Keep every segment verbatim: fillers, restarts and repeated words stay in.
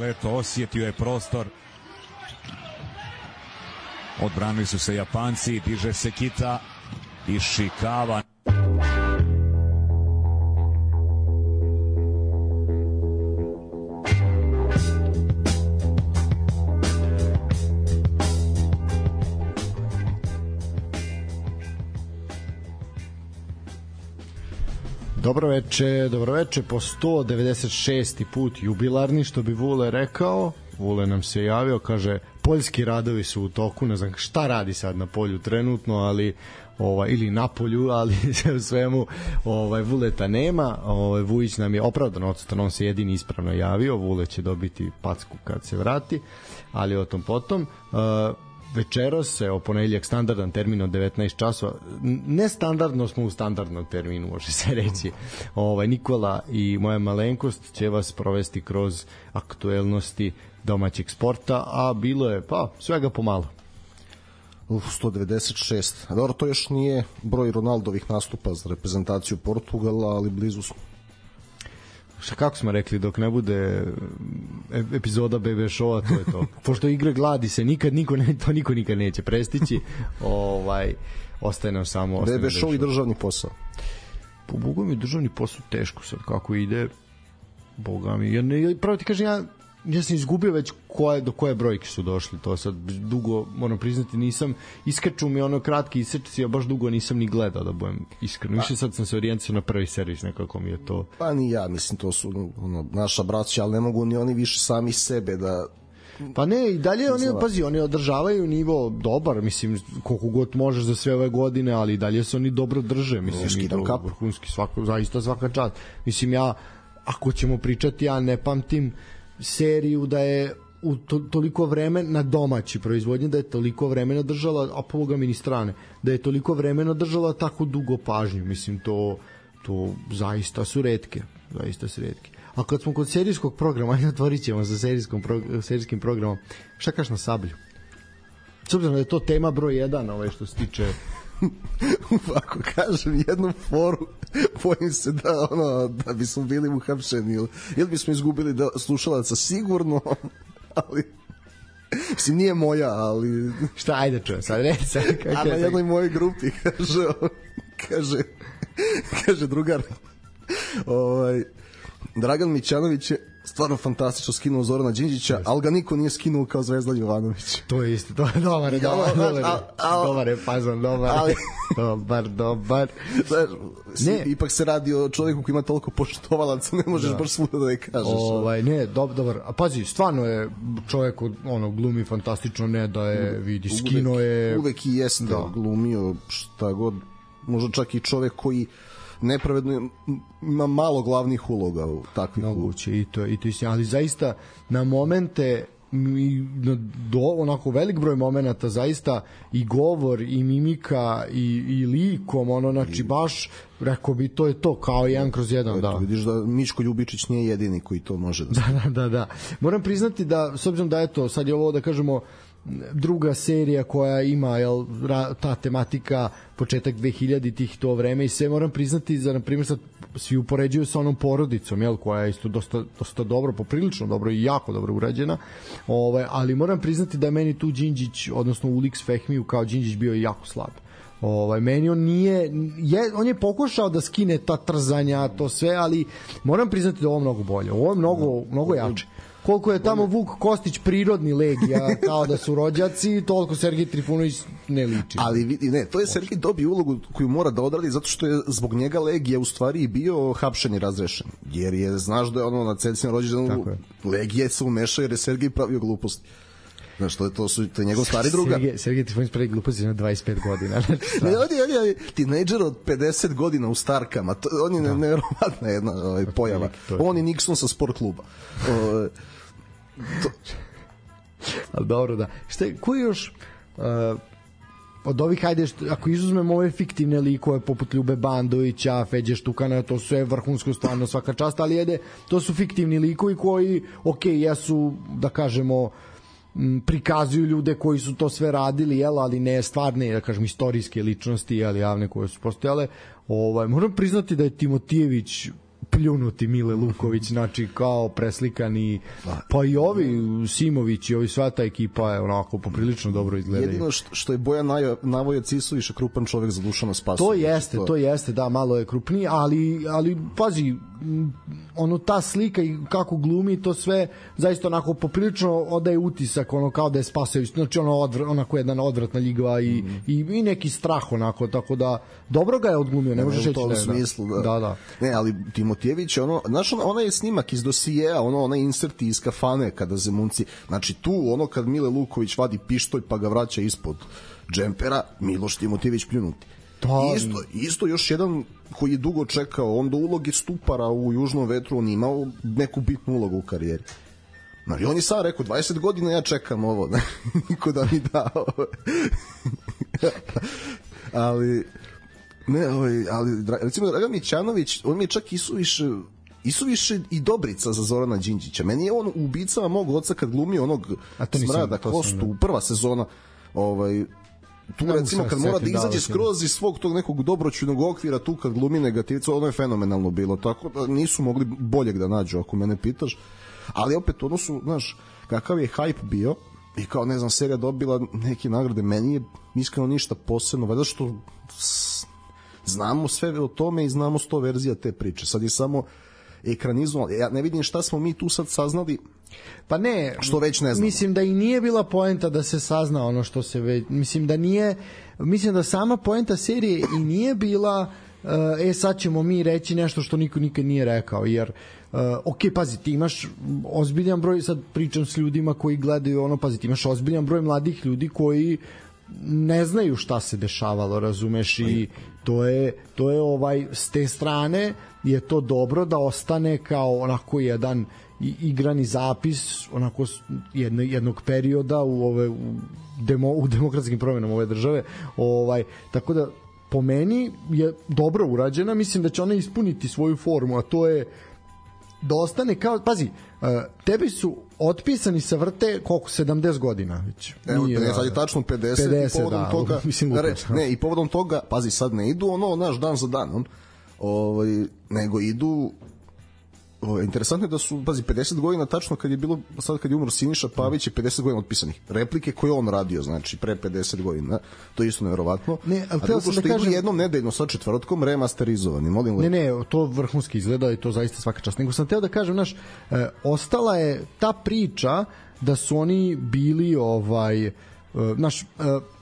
Leto osjetio je prostor, odbranili su se Japanci, diže se Kita, Ishikawa. Dobro veče, dobro veče, po sto devedeset šesti put jubilarni, što bi Vule rekao. Vule nam se javio, kaže, poljski radovi su u toku, ne znam šta radi sad na polju trenutno, ali ovaj, ili na polju, ali sve u svemu ovaj, Vuleta nema. Ovaj, Vujić nam je opravdano odsutan, on se jedini ispravno javio, Vule će dobiti packu kad se vrati, ali o tom potom. Uh, večeros, evo, ponedeljak, standardan termin od devetnaest časova. Nestandardno smo u standardnom terminu, može se reći. Ovaj, Nikola i moja malenkost će vas provesti kroz aktuelnosti domaćeg sporta, a bilo je, pa, svega pomalo. Uf, sto devedeset šest. Dobro, to još nije broj Ronaldovih nastupa za reprezentaciju Portugala, ali blizu smo. Šta, kako smo rekli, dok ne bude epizoda B B Show-a, to je to. Pošto igre gladi se nikad, niko ne, to niko nikad neće prestići. Ovaj, ostaje nam samo... B B Show i državni posao. Po Bogu mi državni posao teško sad, kako ide. Boga mi. Ja ne, pravo ti kažem, ja, ja sam izgubio već koje, do koje brojke su došli. To sad dugo, moram priznati, nisam... Iskaču mi ono kratki isečci, a baš dugo nisam ni gledao, da budem iskreno. Više sad sam se orijentisao na prvi servis, nekako mi je to... Pa ni ja, mislim, to su ono, naša braća, ali ne mogu ni oni više sami sebe da... Pa ne, i dalje oni, pazi, oni održavaju nivo dobar, mislim, koliko god možeš za sve ove godine, ali i dalje se oni dobro drže, mislim, i to vrhunski, svako, zaista svaka čast. Mislim, ja, ako ćemo pričati, ja ne pamtim seriju da je u to, toliko vremena na domaći proizvodnje, da je toliko vremena držala, a po Boga mi ni strane, da je toliko vremena držala tako dugo pažnju, mislim, to, to zaista su retke, zaista su retke. A kad smo kod serijskog programa, ajde otvorit ćemo sa serijskom pro, serijskim programom, šta kažeš na Sablju? S obzirom da je to tema broj jedan, ovaj što se tiče... Ako kažem jednu foru, bojim se da, ono, da bismo bili uhapšeni ili, ili bismo izgubili da, slušalaca sigurno, ali... Mislim, nije moja, ali... Šta, ajde čujem, sad reći sad... A na jednoj mojoj grupi kaže, kaže, kaže drugar, ovaj... Dragan Mićanović je stvarno fantastično skinuo Zorana Đinđića, ali ga niko nije skinuo kao Zvezdan Jovanović. To je isto, to je dobar, dobar, dobar, dobar je fazon, dobar, dobar, dobar. Ne, ipak se radi o čovjeku koji ima toliko poštovalaca, ne možeš baš svuda da ne kažeš. Ovaj, ne, dobar, dobar. A pazi, stvarno je čovjek, ono, glumi fantastično, ne da je, vidi, skino je... Uvek i jeste glumio šta god, možda čak i čovjek koji nepravedno ima malo glavnih uloga u takvih moguće i to i to je, ali zaista na momente i na do onako velik broj momenata zaista i govor i mimika i i likom, ono, znači baš rekao bi to je to kao jedan kroz jedan. Da, vidiš da Miško Ljubičić nije jedini koji to može da... Da, da, da. Moram priznati da, s obzirom da eto sad je ovo, da kažemo, druga serija koja ima, jel, ta tematika početak dvehiljaditih, to vreme, i sve, moram priznati da, na primjer, sad svi upoređuju sa onom Porodicom, jel, koja je isto dosta, dosta dobro, poprilično dobro i jako dobro urađena, ovaj, ali moram priznati da meni tu Đinđić, odnosno Ulix Fehmiju kao Đinđić bio jako slab. Ovaj, meni on nije je, on je pokušao da skine ta trzanja, to sve, ali moram priznati da ovo mnogo bolje, ovo je mnogo, mnogo jače. Koliko je tamo Vuk Kostić prirodni legija, kao da su rođaci, toliko Sergej Trifunović ne liči. Ali vidi, ne, to je Sergej dobio ulogu koju mora da odradi, zato što je zbog njega legija u stvari i bio hapšen i razrešen. Jer je, znaš da je ono na celici rođendanu legije se umeša jer je Sergej pravio gluposti. Znaš, to je, to su, to je njegov stari drugar. Sergej, Sergej Trifunović pravi gluposti na dvadeset pet godina. Ne, on je, on je tinejdžer od pedeset godina u Starkama. To, on je da. nevjerovatna jedna ovaj, pojava. On je Nixon sa sport kluba. O, to... Ali dobro, da. Šta je, ko je još uh, od ovih, hajde, što, ako izuzmemo ove fiktivne likove poput Ljube Bandovića, Feđe Štukana, to su je vrhunsko, stvarno svaka čast, ali jede, to su fiktivni likovi koji, ok, jesu, da kažemo, m, prikazuju ljude koji su to sve radili, jel, ali ne stvarne, da kažem, istorijske ličnosti, jel, javne koje su postojale. Ovaj, moram priznati da je Timotijević pljunuti Mile Luković, znači kao preslikani, pa i ovi Simović i ovi, sva ta ekipa je onako poprilično dobro izgledaju. Jedino što, što je Bojan Navojac Isović krupan čovek za Dušana Spasovića. To jeste, to... to jeste, da, malo je krupniji, ali, ali pazi, ono, ta slika i kako glumi, to sve zaista onako poprilično odaje utisak, ono, kao da je Spasović, znači ono odvr, onako jedan odvratna ljigva i, mm. i, i neki strah onako, tako da dobro ga je odglumio, ne, ne možeš reći da je. Smislu, da. da, da. Ne, ali Timotijević, ono, znaš, onaj snimak iz dosijeja, ono, onaj inserti iz kafane kada Zemunci, znači tu, ono, kad Mile Luković vadi pištolj pa ga vraća ispod džempera, Miloš Timotijević pljunuti. Da. Isto, isto još jedan koji je dugo čekao, on do uloge Stupara u Južnom vetru, on imao neku bitnu ulogu u karijeri. Znači, on je sam rekao, dvadeset godina ja čekam ovo, niko da mi da ovo. ali, ne, ovaj, ali, recimo, Dragan Mićanović, on mi je čak isuviše, isuviše i Dobrica za Zorana Đinđića. Meni je on u Ubicama mog oca kad glumio onog Smrada Kostu, prva sezona, ovaj, tu recimo kad mora da izađe skroz iz svog tog nekog dobroćujnog okvira, tu kad glumi negativca, ono je fenomenalno bilo, tako da nisu mogli boljeg da nađu, ako mene pitaš, ali opet ono su, znaš, kakav je hype bio i kao, ne znam, serija dobila neke nagrade, meni je iskreno ništa posebno, valjda što znamo sve o tome i znamo sto verzija te priče, sad je samo ekranizovan, ja ne vidim šta smo mi tu sad saznali. Pa ne, što već ne znamo. Mislim da i nije bila poenta da se sazna ono što se već, mislim da nije, mislim da sama poenta serije i nije bila e sad ćemo mi reći nešto što niko nikad nije rekao, jer uh, ok, pazi, ti imaš ozbiljan broj, sad pričam s ljudima koji gledaju ono, pazi, ti imaš ozbiljan broj mladih ljudi koji ne znaju šta se dešavalo, razumeš, i to je, to je ovaj, s te strane je to dobro da ostane kao onako jedan igrani zapis onako jedno, jednog perioda u ove u, demo, u demokratskim promjenama ove države, ovaj, tako da po meni je dobro urađena, mislim da će ona ispuniti svoju formu, a to je da ostane kao, pazi, tebi su otpisani sa vrte koliko, sedamdeset godina već. Evo, ne, sad je tačno pedeset, pedeset i povodom da, toga, mislim, ne, ne, i povodom toga, pazi, sad ne idu ono, naš dan za dan, on, ovaj, nego idu. O, interesantno je da su, pazi, pedeset godina tačno kad je bilo, sad kad je umro Siniša Pavić je pedeset godina otpisanih. Replike koje on radio, znači, pre pedeset godina. To je isto nevjerovatno. Ne, a drugo što da kažem, idu jednom nedeljno sa četvrtkom remasterizovani. Molim ne, ne, to vrhunski izgleda i to zaista svaka čast. Nego sam teo da kažem, znaš, e, ostala je ta priča da su oni bili, ovaj, e, znaš, e,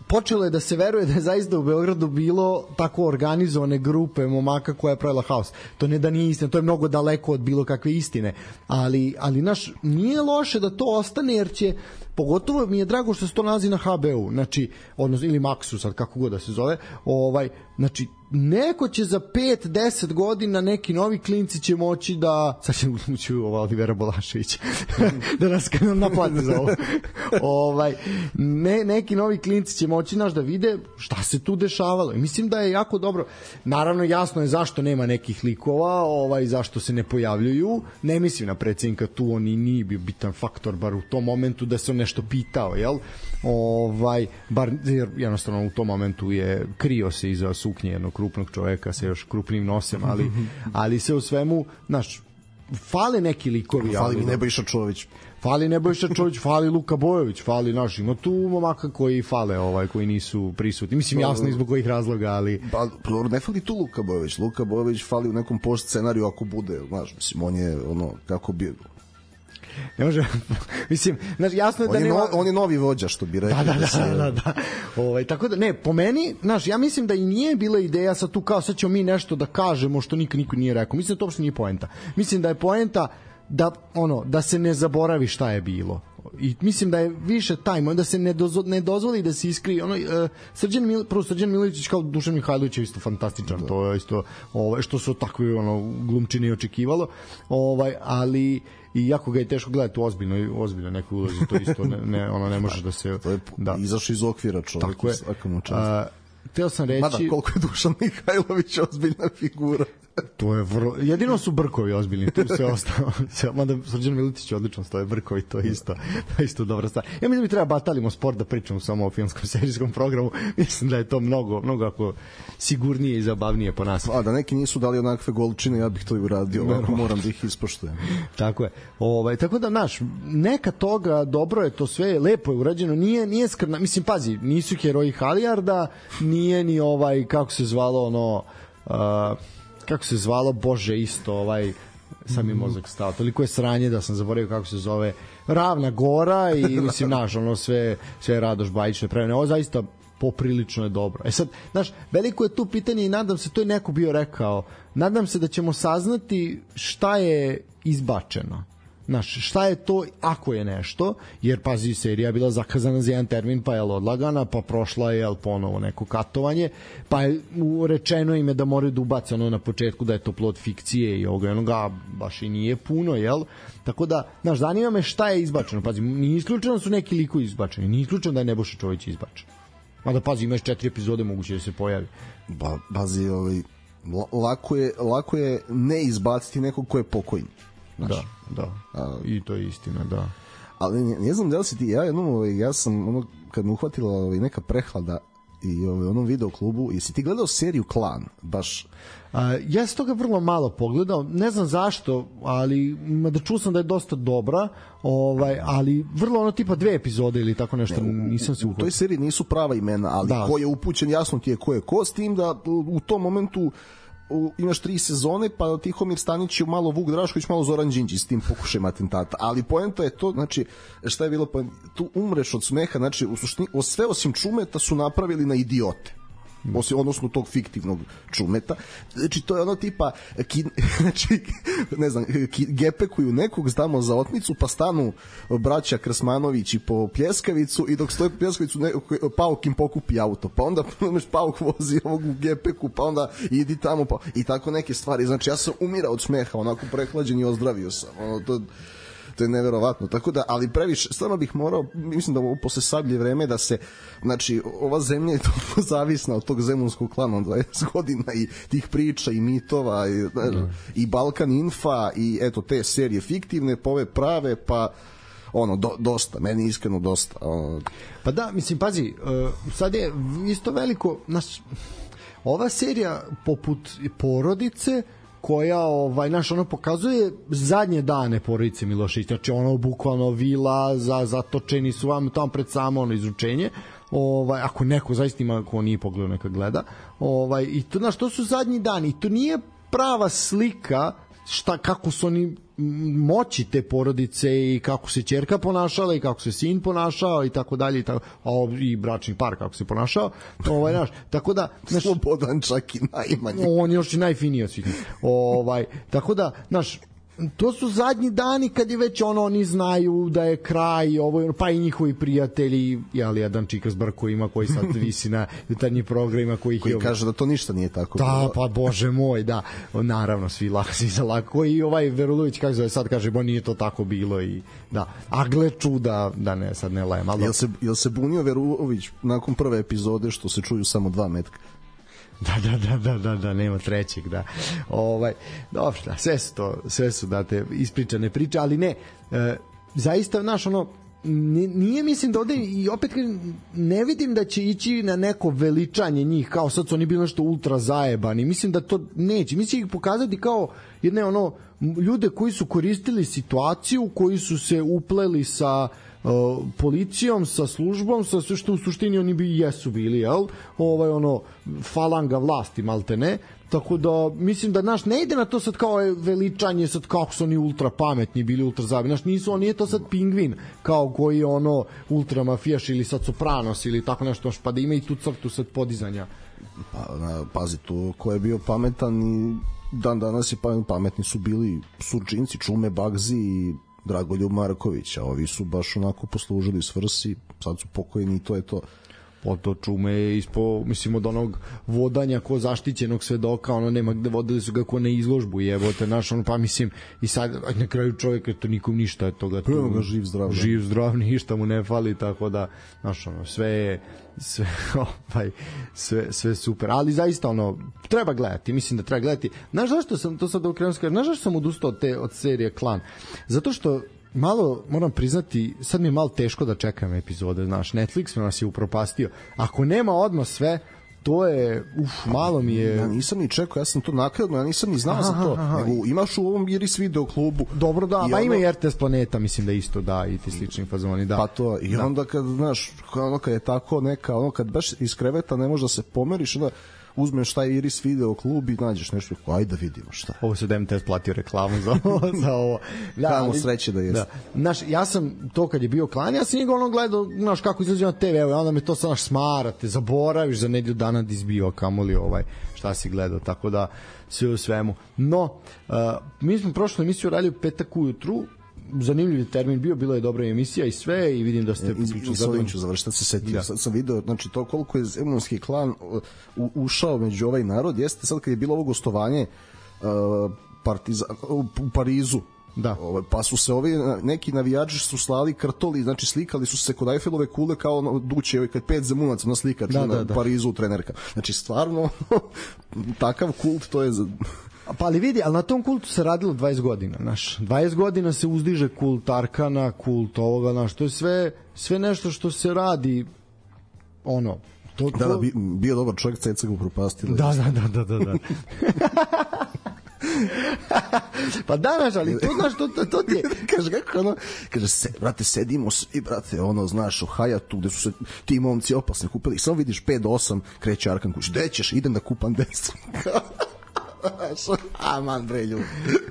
počelo je da se veruje da je zaista u Beogradu bilo tako organizovane grupe momaka koja je pravila haos. To ne da nije istina, to je mnogo daleko od bilo kakve istine, ali, ali naš, nije loše da to ostane, jer će, pogotovo mi je drago što se to nalazi na ha be u, znači, odnosno, ili Maxu, sad kako god da se zove, ovaj, znači, neko će za pet do deset godina, neki novi klinci će moći da, sad će ući ova Olivera Bolašević da nas naplati za ovo, ovaj, ne, neki novi klinci će moći naš da vide šta se tu dešavalo i mislim da je jako dobro. Naravno, jasno je zašto nema nekih likova, ovaj, zašto se ne pojavljuju, ne mislim na predsjednika tu, on i nije bio bitan faktor bar u tom momentu da se on nešto pitao, jel? Ovaj, bar, jer jednostavno u tom momentu je krio se iza suknje jednog krupnog čoveka sa još krupnim nosem, ali, ali se u svemu, znaš, fale neki likovi. Fali mi Nebojša Čović. Fali Nebojša Čović, fali Luka Bojović, fali, znaš, ima tu momaka koji fale, ovaj, koji nisu prisutni. Mislim, jasno i zbog kojih razloga, ali... Pa, ne fali tu Luka Bojović. Luka Bojović fali u nekom post scenariju ako bude, znaš, mislim, on je, ono, kako bi... Ne može, mislim, znaš, jasno je da on je nema... No, on je novi vođa, što bi rekli. Da, da, da, da, da, da. Ovaj, tako da, ne, po meni, znaš, ja mislim da i nije bila ideja sad tu kao sad ćemo mi nešto da kažemo što niko niko nije rekao. Mislim da to uopšte nije poenta. Mislim da je poenta da, ono, da se ne zaboravi šta je bilo. I mislim da je više taj moment da se ne, dozo, ne dozvoli da se iskri ono, uh, Srđan Mil, prvo Srđan Miličić kao Dušan Mihajlović je isto fantastičan, da. To je isto ovaj, što su takvi ono, glumčini očekivalo, ovaj, ali i jako ga je teško gledati u ozbiljnoj, ozbiljnoj nekoj ulozi, to isto ne, ne, ono ne možeš da se... To je da. Izašao iz okvira čovjek. Tako je. Uh, teo sam reći... Mada, koliko je Dušan Mihajlović ozbiljna figura. To je vrlo... Jedino su Brkovi ozbiljni, tu sve ostalo. Mada Srđan Milutić odlično stoje, Brkovi, to je isto, to je isto dobra stvar. Ja mislim da mi treba batalimo sport da pričamo samo o filmskom serijskom programu. Mislim da je to mnogo, mnogo ako sigurnije i zabavnije po nas. A da neki nisu dali onakve golčine, ja bih to i uradio, ovako moram da ih ispoštujem. Tako je. Ovaj, tako da, naš, neka toga, dobro je to sve, lepo je urađeno, nije, nije skrna, mislim, pazi, nisu heroji Halijarda, nije ni ovaj, kako se zvalo, ono, uh, kako se zvalo, bože, isto, ovaj, sam mi mozak stao, toliko je sranje da sam zaboravio kako se zove, Ravna Gora i, mislim, naš, ono, sve, sve Radoš Bajić neprevene, ovo zaista poprilično je dobro. E sad, znaš, veliko je tu pitanje i nadam se, to je neko bio rekao, nadam se da ćemo saznati šta je izbačeno. Znaš, šta je to ako je nešto, jer pazi, serija je bila zakazana za jedan termin, pa je odlagana, pa prošla je jel, ponovo neko katovanje, pa je rečeno im je da moraju da ubace ono na početku da je to plod fikcije i ovoga, onoga baš i nije puno, jel? Tako da, znaš, zanima me šta je izbačeno. Pazi, nije isključeno su neki likovi izbačeni, nije isključeno da je Nebojša Čović izbačen. Mada pazi, imaš četiri epizode, moguće da se pojavi. Ba, bazi, ovaj, lako je, lako je ne izbaciti nekog ko je pokojni. Znaš. Da, da. A, i to je istina, da. Ali ne, ne znam da li si ti, ja jednom, ovaj, ja sam, ono, kad me uhvatila ovaj, neka prehlada i ovaj, onom video klubu, jesi ti gledao seriju Klan? Baš... A, ja sam toga vrlo malo pogledao, ne znam zašto, ali da čuo sam da je dosta dobra, ovaj, ali vrlo ono tipa dve epizode ili tako nešto, ne, u, nisam se uhvatio. U toj seriji nisu prava imena, ali da. Ko je upućen, jasno ti je ko je ko, s tim da u tom momentu u, imaš tri sezone, pa Tihomir Stanić je malo Vuk Drašković, malo Zoran Đinđić s tim pokušajem atentata, ali poenta je to, znači, šta je bilo poenta? Tu umreš od smeha, znači, u suštini, sve osim Čumeta su napravili na idiote. Osim, odnosno tog fiktivnog Čumeta. Znači, to je ono tipa ki, znači, ne znam, ki, gepekuju nekog, zdamo za otmicu, pa stanu braća Krsmanovići po pljeskavicu i dok stoje po pljeskavicu ne, Pauk im pokupi auto, pa onda Pauk vozi ovog u gepeku, pa onda idi tamo, pa, i tako neke stvari. Znači, ja sam umirao od smeha, onako prehlađen i ozdravio sam. Ono, to to je neverovatno, tako da, ali previše, stvarno bih morao, mislim da ovo posle Sablje vreme da se, znači, ova zemlja je toliko zavisna od tog zemunskog klana od dvadeset godina i tih priča i mitova i, mm. i Balkan Infa i eto te serije fiktivne, pa ove prave, pa ono, do, dosta, meni iskreno dosta. Ono. Pa da, mislim, pazi, uh, sad je isto veliko, naš, ova serija poput Porodice, koja ovaj naš ono pokazuje zadnje dane porodice Milošević, znači ono bukvalno vila za zatočeni su vam tamo pred samo ono izručenje, ovaj ako neko zaista ima ko nije pogledao neka gleda, ovaj i to znaš, to su zadnji dani i to nije prava slika šta kako su oni moći te porodice i kako se ćerka ponašala i kako se sin ponašao i tako dalje i tako, a i bračni par kako se ponašao, ovaj naš, tako da naš, Slobodan čak i najmanji, on je još i najfiniji od svih, ovaj tako da naš, to su zadnji dani kad je već ono, oni znaju da je kraj, ovo, pa i njihovi prijatelji, jel, jedan Čikas Brko ima koji sad visi na jutarnjim programima koji, koji kaže da to ništa nije tako da, bilo. Pa bože moj, da, naravno svi lako, svi za lako i ovaj Verulović kako zove sad kaže, bo nije to tako bilo i da, a gle čuda, da ne, sad ne lajem, ali... Jel se, jel se bunio Verulović nakon prve epizode što se čuju samo dva metka? Da, da, da, da, da, da, nema trećeg, da. Ovaj, dobro, da, sve su to, sve su, da, te ispričane priče, ali ne, e, zaista, znaš, ono, nije, mislim da ovde, i opet ne vidim da će ići na neko veličanje njih, kao sad su oni bili nešto ultra zajebani, mislim da to neće, mislim ih pokazati kao jedne, ono, ljude koji su koristili situaciju, koji su se upleli sa Uh, policijom, sa službom, sa sve što u suštini oni bi jesu bili, jel? Ovaj, ono, falanga vlasti, malte ne. Tako da, mislim da, naš, ne ide na to sad kao veličanje, sad kako su oni ultra pametni bili, ultra zabi. Naš, nisu, on nije to sad Pingvin, kao koji je ono ultra mafijaš ili sad Sopranos ili tako nešto, pa da ima i tu crtu sad podizanja. Pa, na, pazi tu, ko je bio pametan i dan danas je pametni su bili Surčinci, Čume, Bagzi i Dragoljub Marković, a ovi su baš onako poslužili svrsi, sad su pokojni i to je to. potoču me ispo, mislim od onog vodanja ko zaštićenog svedoka, ono nema gde, vodili su ga ko na izložbu, jebote, naš, ono, pa mislim i sad na kraju čovjek to nikom ništa je toga tu, ga živ zdrav, živ zdrav, ništa mu ne fali, tako da naš, ono, sve je sve, ovaj, sve, sve super, ali zaista ono, treba gledati, mislim da treba gledati. Znaš zašto sam, to sad okrenuo skažem, znaš zašto sam odustao od, te, od serije Klan? Zato što malo, moram priznati, sad mi je malo teško da čekam epizode, znaš, Netflix nas je upropastio. Ako nema odmah sve, to je, uf, malo mi je... Ja nisam ni čekao, ja sam to nakladno, ja nisam ni znao aha, za to. Aha, nego imaš u ovom Iris video klubu. Dobro, da, pa ono... ima i R T S Planeta, mislim da isto, da, i ti slični fazoni, da. Pa to, i da. Onda kad, znaš, ono kad je tako neka, ono kad baš iz kreveta ne može da se pomeriš, onda uzmeš taj Iris video klub i nađeš nešto, ajde da vidimo šta je. Ovo se da M T S platio reklamu za ovo. za ovo. Da, kamo sreće da jeste. Da. Znaš, ja sam to kad je bio Klan, ja sam njega ono gledao, znaš, kako izlazi na te ve, evo, onda me to sad naš smarate, zaboraviš za nedelju dana da izbio, kamoli ovaj, šta si gledao, tako da sve u svemu. No, uh, mi smo prošlu emisiju radili u petak ujutru, zanimljiv termin bio, bila je dobra emisija i sve, i vidim da ste prično zadovoljni. Ću završiti, se setio, da. Sad sam video, znači to koliko je Zemunski klan u, ušao među ovaj narod, jeste sad kad je bilo ovo gostovanje uh, partiza, u Parizu, da. Ovaj, pa su se ovi neki navijači su slali kartoli, znači slikali su se kod Eiffelove kule kao ono, duće, ovaj, kad pet zemunaca na slikač da, na da, da. Parizu trenerka. Znači stvarno takav kult, to je... Pa ali vidi, ali na tom kultu se radilo dvadeset godina, znaš. dvadeset godina se uzdiže kult Arkana, kult ovoga, znaš, to je sve, sve nešto što se radi, ono, to... Da, da, bio dobar čovjek, ceca ga upropastila. Da, da, da, da, da, da. Pa da, znaš, ali to, znaš, to, to, to ti je... Kaže, kako ono, kaže, se, brate, sedimo svi, brate, ono, znaš, u Hayatu, gde su se ti momci opasni kupili, samo vidiš pet do osam, kreće Arkan kuć, gde ćeš, idem da kupam desu. Aman bre ljudi.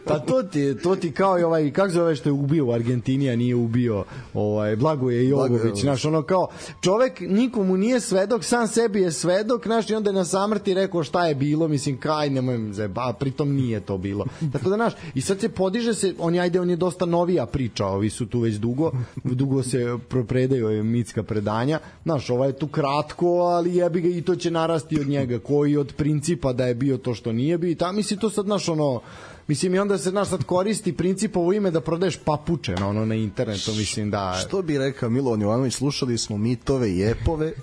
Pa to ti, to ti kao i ovaj, kako zove što je ubio u Argentini, a nije ubio ovaj, Blagoje Jovović, znaš, ono kao čovek nikomu nije svedok, sam sebi je svedok, znaš, i onda je na samrti rekao šta je bilo, mislim, kaj, nemoj zeba, pritom nije to bilo. Tako da, znaš, i sad se podiže se, on je, ajde, on je dosta novija priča, ovi su tu već dugo, dugo se predaju mitska predanja, znaš, ovaj je tu kratko, ali jebi ga i to će narasti od njega, koji od principa da je bio to što nije bio. Ta, mislim, to sad, znaš, ono, mislim, i onda se, znaš, sad koristi principovo ime da prodaješ papuče na, ono, na internetu, mislim, da... Što bi rekao Milovan Jovanović, slušali smo mitove i epove.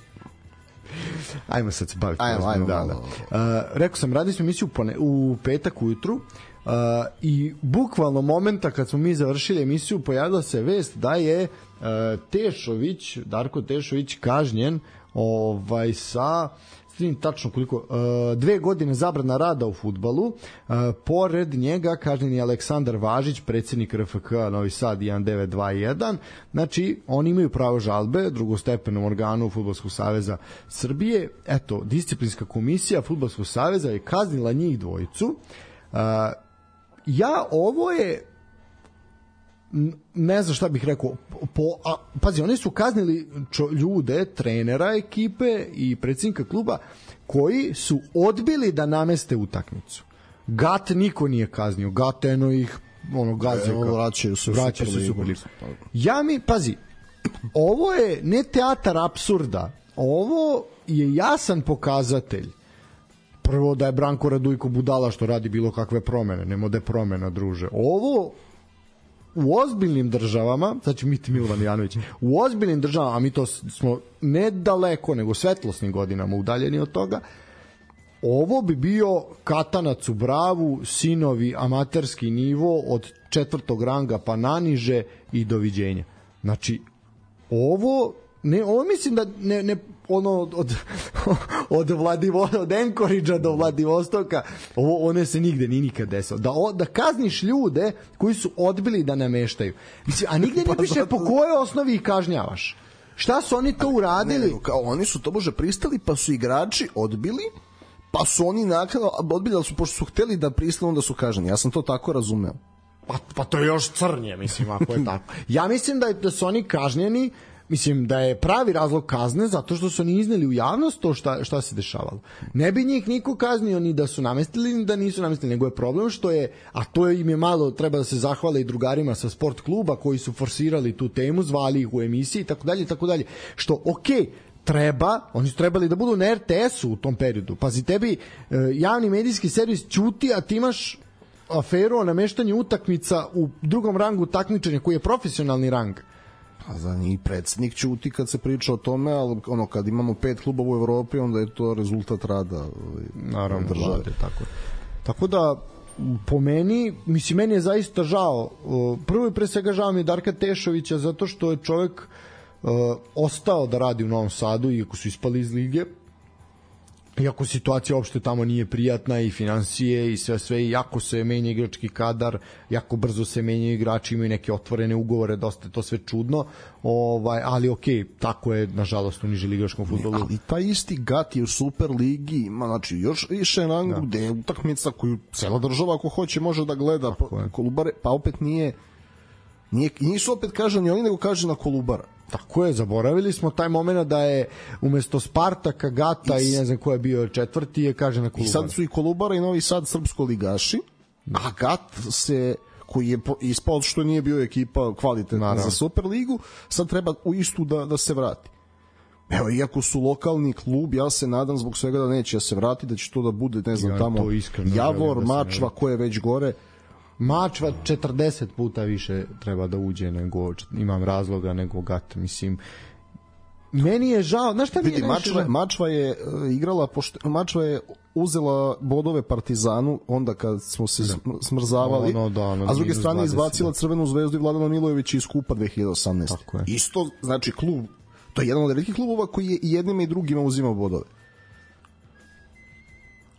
Ajmo sad se baviti. Ajmo, ajmo, da, da. Uh, rekao sam, radili smo emisiju u, u petak ujutru uh, i bukvalno momenta kad smo mi završili emisiju pojavila se vest da je uh, Tešović, Darko Tešović kažnjen ovaj, sa... tačno koliko, uh, dve godine zabrana rada u fudbalu, uh, pored njega kažnjen je Aleksandar Važić, predsjednik R F K Novi Sad jedan devet dva jedan, znači oni imaju pravo žalbe drugostepenom organu Fudbalskog saveza Srbije. Eto, disciplinska komisija Fudbalskog saveza je kaznila njih dvojicu. Uh, ja, ovo je ne znam šta bih rekao po, a, pazi, oni su kaznili čo, ljude, trenera ekipe i predsjednika kluba koji su odbili da nameste utakmicu. Gat niko nije kaznio, Gat eno ih ono gazio, e, vraćaju se vraćaju se Super Ligu. Ja mi, pazi, ovo je ne teatar apsurda, ovo je jasan pokazatelj. Prvo da je Branko Radujko budala što radi bilo kakve promene, nema da je promena, druže. Ovo u ozbiljnim državama, sad će biti Milovan Janović, u ozbiljnim državama, a mi to smo ne daleko, nego svetlosnim godinama udaljeni od toga, ovo bi bio katanac u bravu, sinovi, amaterski nivo od četvrtog ranga pa naniže i doviđenja. Znači, ovo, ne, ovo mislim da ne, ne ono od od Vladivostoka, od Enkoridža do Vladivostoka, ovo one se nigde ni nikad desilo. Da o, da kazniš ljude koji su odbili da nameštaju. Mislim, a nigde ne piše po kojoj osnovi ih kažnjavaš. Šta su oni to uradili? Ne, ne, kao oni su to može pristali, pa su igrači odbili, pa su oni naknadno odbili, su pošto su hteli da pristanu da su kažnjeni. Ja sam to tako razumeo. Pa, pa to je još crnje, mislim, ako je tako. Ja mislim da, je, da su oni kažnjeni. Mislim da je pravi razlog kazne zato što su oni izneli u javnost to šta, šta se dešavalo. Ne bi njih niko kaznio ni da su namestili ni da nisu namestili, nego je problem što je, a to im je malo, treba da se zahvale i drugarima sa sport kluba koji su forsirali tu temu, zvali ih u emisiji i tako dalje i tako dalje. Što, okej, treba, oni su trebali da budu na er te esu u tom periodu. Pazi, tebi e, javni medijski servis ćuti, a ti imaš aferu o nameštanju utakmica u drugom rangu takmičenja koji je profesionalni rang. A za njih predsednik ćuti kad se priča o tome, ali ono, kad imamo pet klubova u Evropi, onda je to rezultat rada naravno države. Tako. tako da po meni, mislim, meni je zaista žao. Prvo i pre svega žao mi je Darka Tešovića zato što je čovjek uh, ostao da radi u Novom Sadu iako su ispali iz lige. Iako situacija uopšte tamo nije prijatna i finansije i sve sve i jako se menja igrački kadar, jako brzo se menjaju igrači, imaju neke otvorene ugovore, dosta je to sve čudno, ovaj, ali okej, tako je nažalost u niželigaškom fudbalu. Ali taj isti Gati u Super ligi ima, znači, još više rangu da. Gde je utakmica koju cela država ako hoće može da gleda, pa, Kolubare, pa opet nije, nije nisu opet kažani oni, nego kaže na Kolubara. Tako je, zaboravili smo taj moment da je umesto Spartaka, Gata i, i ne znam ko je bio četvrti, je kaže na Kolubara. I sad su i Kolubara i Novi Sad srpsko ligaši, a Gat se, koji je ispao što nije bio ekipa kvalitetna Naravno. za Superligu, sad treba u istu da, da se vrati. Evo, iako su lokalni klub, ja se nadam zbog svega da neće da se vrati, da će to da bude, ne znam, ja, tamo Javor, da Mačva, ko je već gore. Mačva četrdeset puta više treba da uđe nego, imam razloga nego Gat, mislim. Meni je žao, znaš šta mi je Vidi, Mačva, Mačva je uh, igrala, pošte, Mačva je uzela bodove Partizanu onda kad smo se da. smrzavali, no, no, da, no, a s druge strane izbacila Crvenu zvezdu i Vladana Milojevića iz kupa dve hiljade osamnaeste. Isto, znači klub, to je jedan od velikih klubova koji je i jednima i drugima uzimao bodove.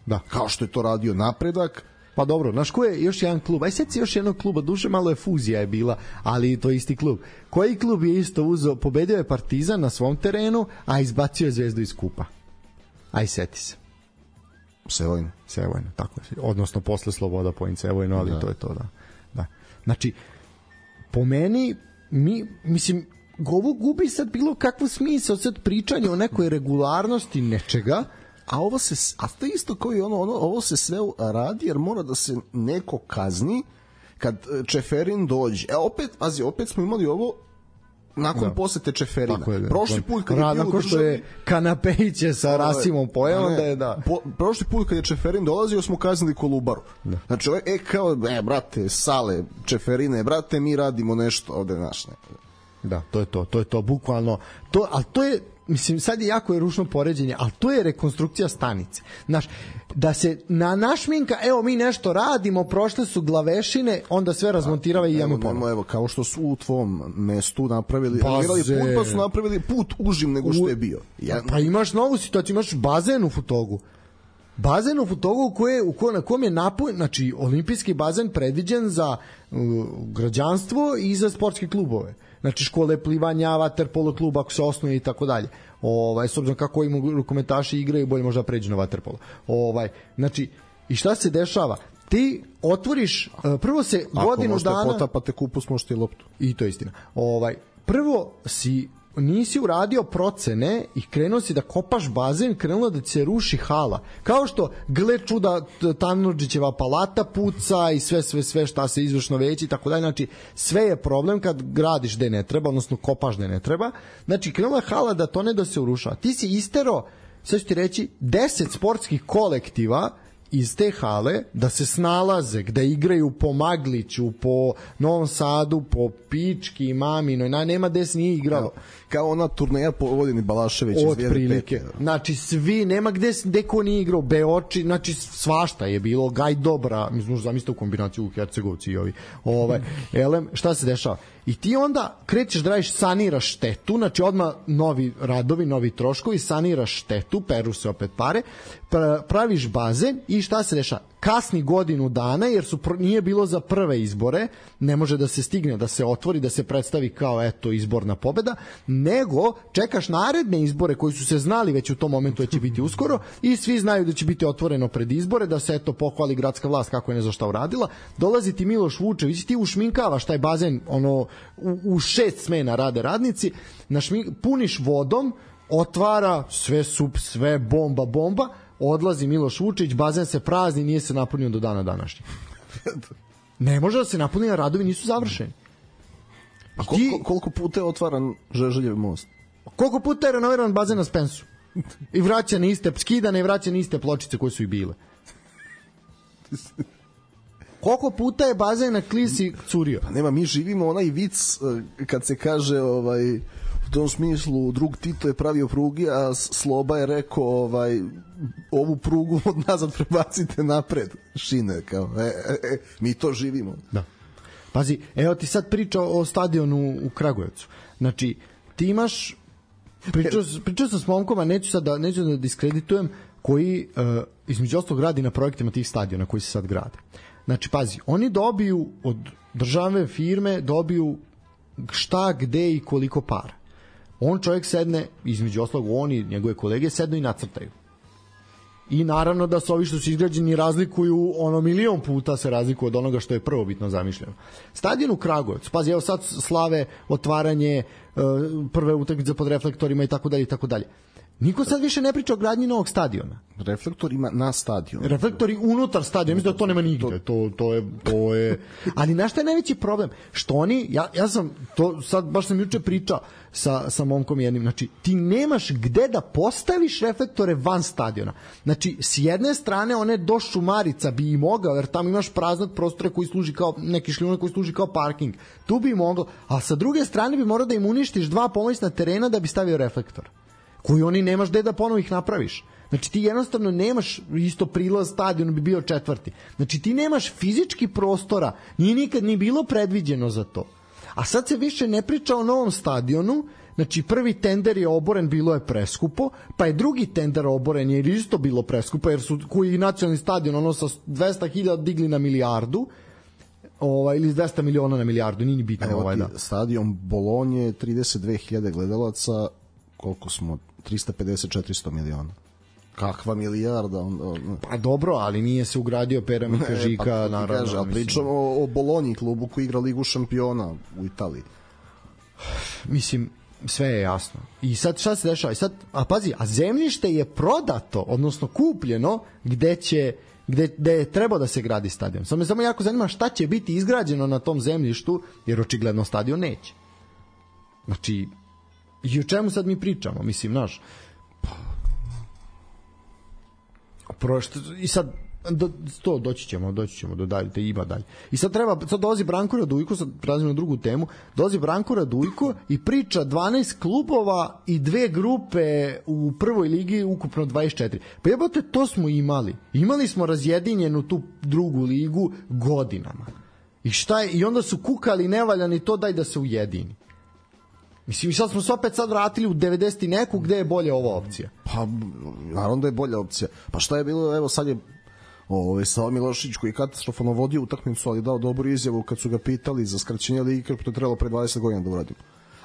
Da. Kao što je to radio Napredak. Pa dobro, znaš ko je još jedan klub? Aj sad si još jednog kluba, duše malo je fuzija je bila, ali to je isti klub. Koji klub je isto uzeo, pobedio je Partizan na svom terenu, a izbacio je Zvezdu iz kupa? Aj seti se. Sevojno. Sevojno, tako je. Odnosno posle Sloboda Point Sevojno, ali da. to je to, da. da. Znači, po meni, mi, mislim, ovo gubi sad bilo kakvo smisao sad pričanje o nekoj regularnosti nečega, a ovo se, a to isto kao i ono, ono, ovo se sve radi jer mora da se neko kazni kad Čeferin dođe. E opet, pazi, opet smo imali ovo nakon da. posete Čeferina. Je, prošli put kad je bio nakon što je Kanapejiće sa Rasimom pojeo, onda je da. Po, prošli put kad je Čeferin dolazio smo kaznili Kolubaru. Da. Znači, e kao, e brate, Sale, Čeferine, brate, mi radimo nešto ovde naš. Ne. Da, to je to, to je to, bukvalno. To, al to je, mislim, sad je jako je ružno poređenje, ali to je rekonstrukcija stanice. Znaš, da se na našminka, evo mi nešto radimo, prošle su glavešine, onda sve razmontirava i idemo ponovo. Evo, kao što su u tvom mestu napravili, put, pa su napravili put užim nego što je bio. Ja... Pa imaš novu situaciju, imaš bazen u Futogu. Bazen u Futogu u koje, u koje, na kojem je napoj, znači olimpijski bazen predviđen za uh, građanstvo i za sportske klubove. Znači škole plivanja, vaterpolo klub ako se osnuje i tako dalje. Ovaj, s obzirom kako im rukometaši igraju, bolje možda pređu na vaterpolo. Ovaj, znači, i šta se dešava? Ti otvoriš, prvo se ako godinu dana... Ako možete potapate kupus, možete i loptu. I to je istina. Ovaj, prvo si nisi uradio procene i krenuo si da kopaš bazen, krenulo da se ruši hala. Kao što, gle čuda, Tanurđićeva palata puca i sve, sve, sve šta se izvršno veći i tako dalje. Znači, sve je problem kad gradiš gde ne treba, odnosno kopaš gde ne treba. Znači, krenula hala da to ne da se uruša. Ti si istero, sad ću ti reći, deset sportskih kolektiva iz te hale da se snalaze, da igraju po Magliću, po Novom Sadu, po Pički i Maminoj, na, nema gde se nije igralo. Kao ona turneja po Vodini Balašević od prilike. Znači svi, nema gde, gde ko nije igrao, Beoči, znači svašta je bilo, Gaj Dobra, mislim, zamislite u kombinaciju u Hercegovci i ovi. Ovaj, elem, šta se dešava? I ti onda krećeš da radiš, saniraš štetu, znači odmah novi radovi, novi troškovi, saniraš štetu, peru se opet pare, praviš bazen i šta se dešava? Kasni godinu dana, jer su nije bilo za prve izbore, ne može da se stigne, da se otvori, da se predstavi kao eto izborna pobeda, nego čekaš naredne izbore koji su se znali već u tom momentu da će biti uskoro i svi znaju da će biti otvoreno pred izbore, da se eto pohvali gradska vlast kako je ne za šta uradila. Dolazi ti Miloš Vučević, ti ušminkavaš taj bazen, ono u, u šest smena rade radnici, našmink, puniš vodom, otvara sve sup, sve bomba, bomba, odlazi Miloš Vučić, bazen se prazni, nije se napunio do dana današnjeg. Ne može da se napuni, radovi nisu završeni. A koliko, koliko puta je otvaran Žeželjev most? Koliko puta je renoviran bazen na Spensu? I vraća na iste, skidane i vraća na iste pločice koje su i bile. Koliko puta je bazen na Klisi curio? Pa nema, mi živimo onaj vic kad se kaže ovaj, u tom smislu drug Tito je pravio prugi, a Sloba je rekao ovaj, ovu prugu od nazad prebacite napred šine, kao e, e, e, mi to živimo. Da. Pazi, evo ti sad priča o stadionu u Kragujevcu. Znači, ti imaš pričao, pričao sam s momkom, a neću sad da, neću da diskreditujem, koji uh, između ostalog radi na projektima tih stadiona koji se sad grade. Znači, pazi, oni dobiju od državne firme, dobiju šta, gde i koliko para. On čovjek sedne, između ostalog oni, njegove kolege, sednu i nacrtaju. I naravno da se ovi što su izgrađeni razlikuju, ono milion puta se razlikuju od onoga što je prvobitno zamišljeno. Stadion u Kragujevcu, pazi, evo sad slave otvaranje, prve utakmice pod reflektorima i tako dalje i tako dalje. Niko sad više ne priča o gradnji novog stadiona. Reflektorima na stadionu. Reflektori unutar stadiona, mislim da to nema nigde. To, to je, to je... Ali na šta je najveći problem? Što oni, ja, ja sam, to sad baš sam juče pričao sa, sa momkom jednim, znači ti nemaš gde da postaviš reflektore van stadiona. Znači, s jedne strane one do Šumarica bi i mogao, jer tamo imaš praznog prostora koji služi kao, neki šljunak koji služi kao parking. Tu bi i mogao, a sa druge strane bi morao da im uništiš dva pomoćna terena da bi stavio reflektor, koji oni nemaš gde da ponovo ih napraviš. Znači ti jednostavno nemaš, isto prilaz stadionu bi bio četvrti. Znači ti nemaš fizički prostora, nije nikad ni bilo predviđeno za to. A sad se više ne priča o novom stadionu, znači prvi tender je oboren, bilo je preskupo, pa je drugi tender oboren jer isto bilo preskupo, jer su koji nacionalni stadion ono sa dvesta hiljada digli na milijardu, ovaj, ili dvesta miliona na milijardu, nije ni bitno. Evo ovaj, ti, da. Stadion Bolonje, trideset dve hiljade gledalaca, koliko smo, trista pedeset do četiristo miliona. Kakva milijarda? On, on... Pa dobro, ali nije se ugradio Pera Mikažika, pa, naravno. Kaže, ali pričamo o, o Bolonji, klubu koji igra Ligu šampiona u Italiji. Mislim, sve je jasno. I sad šta se dešava? I sad, a pazi, a zemljište je prodato, odnosno kupljeno, gde će gde, gde je trebao da se gradi stadion. Samo me samo jako zanima šta će biti izgrađeno na tom zemljištu, jer očigledno stadion neće. Znači, i o čemu sad mi pričamo? Mislim, znaš, prošto, i sad do, to doći ćemo, doći ćemo do dalje, te ima dalje. I sad treba, sad dolazi Branko Radujko, sad prelazimo na drugu temu, dolazi Branko Radujko i priča dvanaest klubova i dve grupe u prvoj ligi, ukupno dvadeset četiri. Pa jebote, to smo imali. Imali smo razjedinjenu tu drugu ligu godinama. I šta je, i onda su kukali nevaljani to, daj da se ujedini. Mislim, sad smo se opet sad vratili u devedeset i neku, gde je bolja ova opcija. Pa, naravno da je bolja opcija. Pa šta je bilo, evo sad je ovaj, Sava Milošić koji katastrofalno vodio utakmicu, ali dao dobru izjavu kad su ga pitali za skraćenje lige, kako to je trebalo pre dvadeset godina da uradim.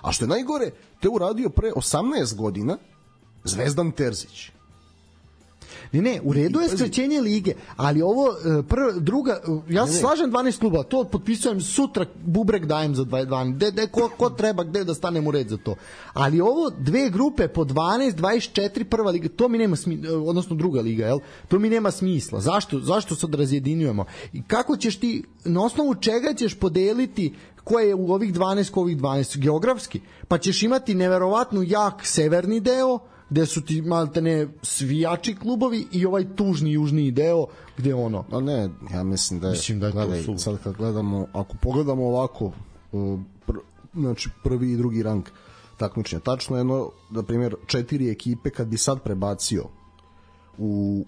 A što je najgore, to je uradio pre osamnaest godina Zvezdan Terzić. Ne, ne, u redu je skraćenje lige, ali ovo prva, druga, ja se slažem dvanaest kluba, to potpisujem sutra, bubrek dajem za dvanaest, de, de, ko, ko treba gde da stanem u red za to. Ali ovo dve grupe po dvanaest, dvadeset četiri, prva liga, to mi nema smisla, odnosno druga liga, jel? To mi nema smisla. Zašto, zašto sad razjedinjujemo? I kako ćeš ti, na osnovu čega ćeš podeliti ko je u ovih dvanaest, ko ovih dvanaest, geografski? Pa ćeš imati neverovatno jak severni deo, gde su ti maltene svijači klubovi i ovaj tužni južni deo gde ono. No ne, ja mislim da je, mislim da je gledaj, to sad kad gledamo, ako pogledamo ovako pr, znači prvi i drugi rang takmičenja, tačno jedno, na primjer, četiri ekipe kad bi sad prebacio u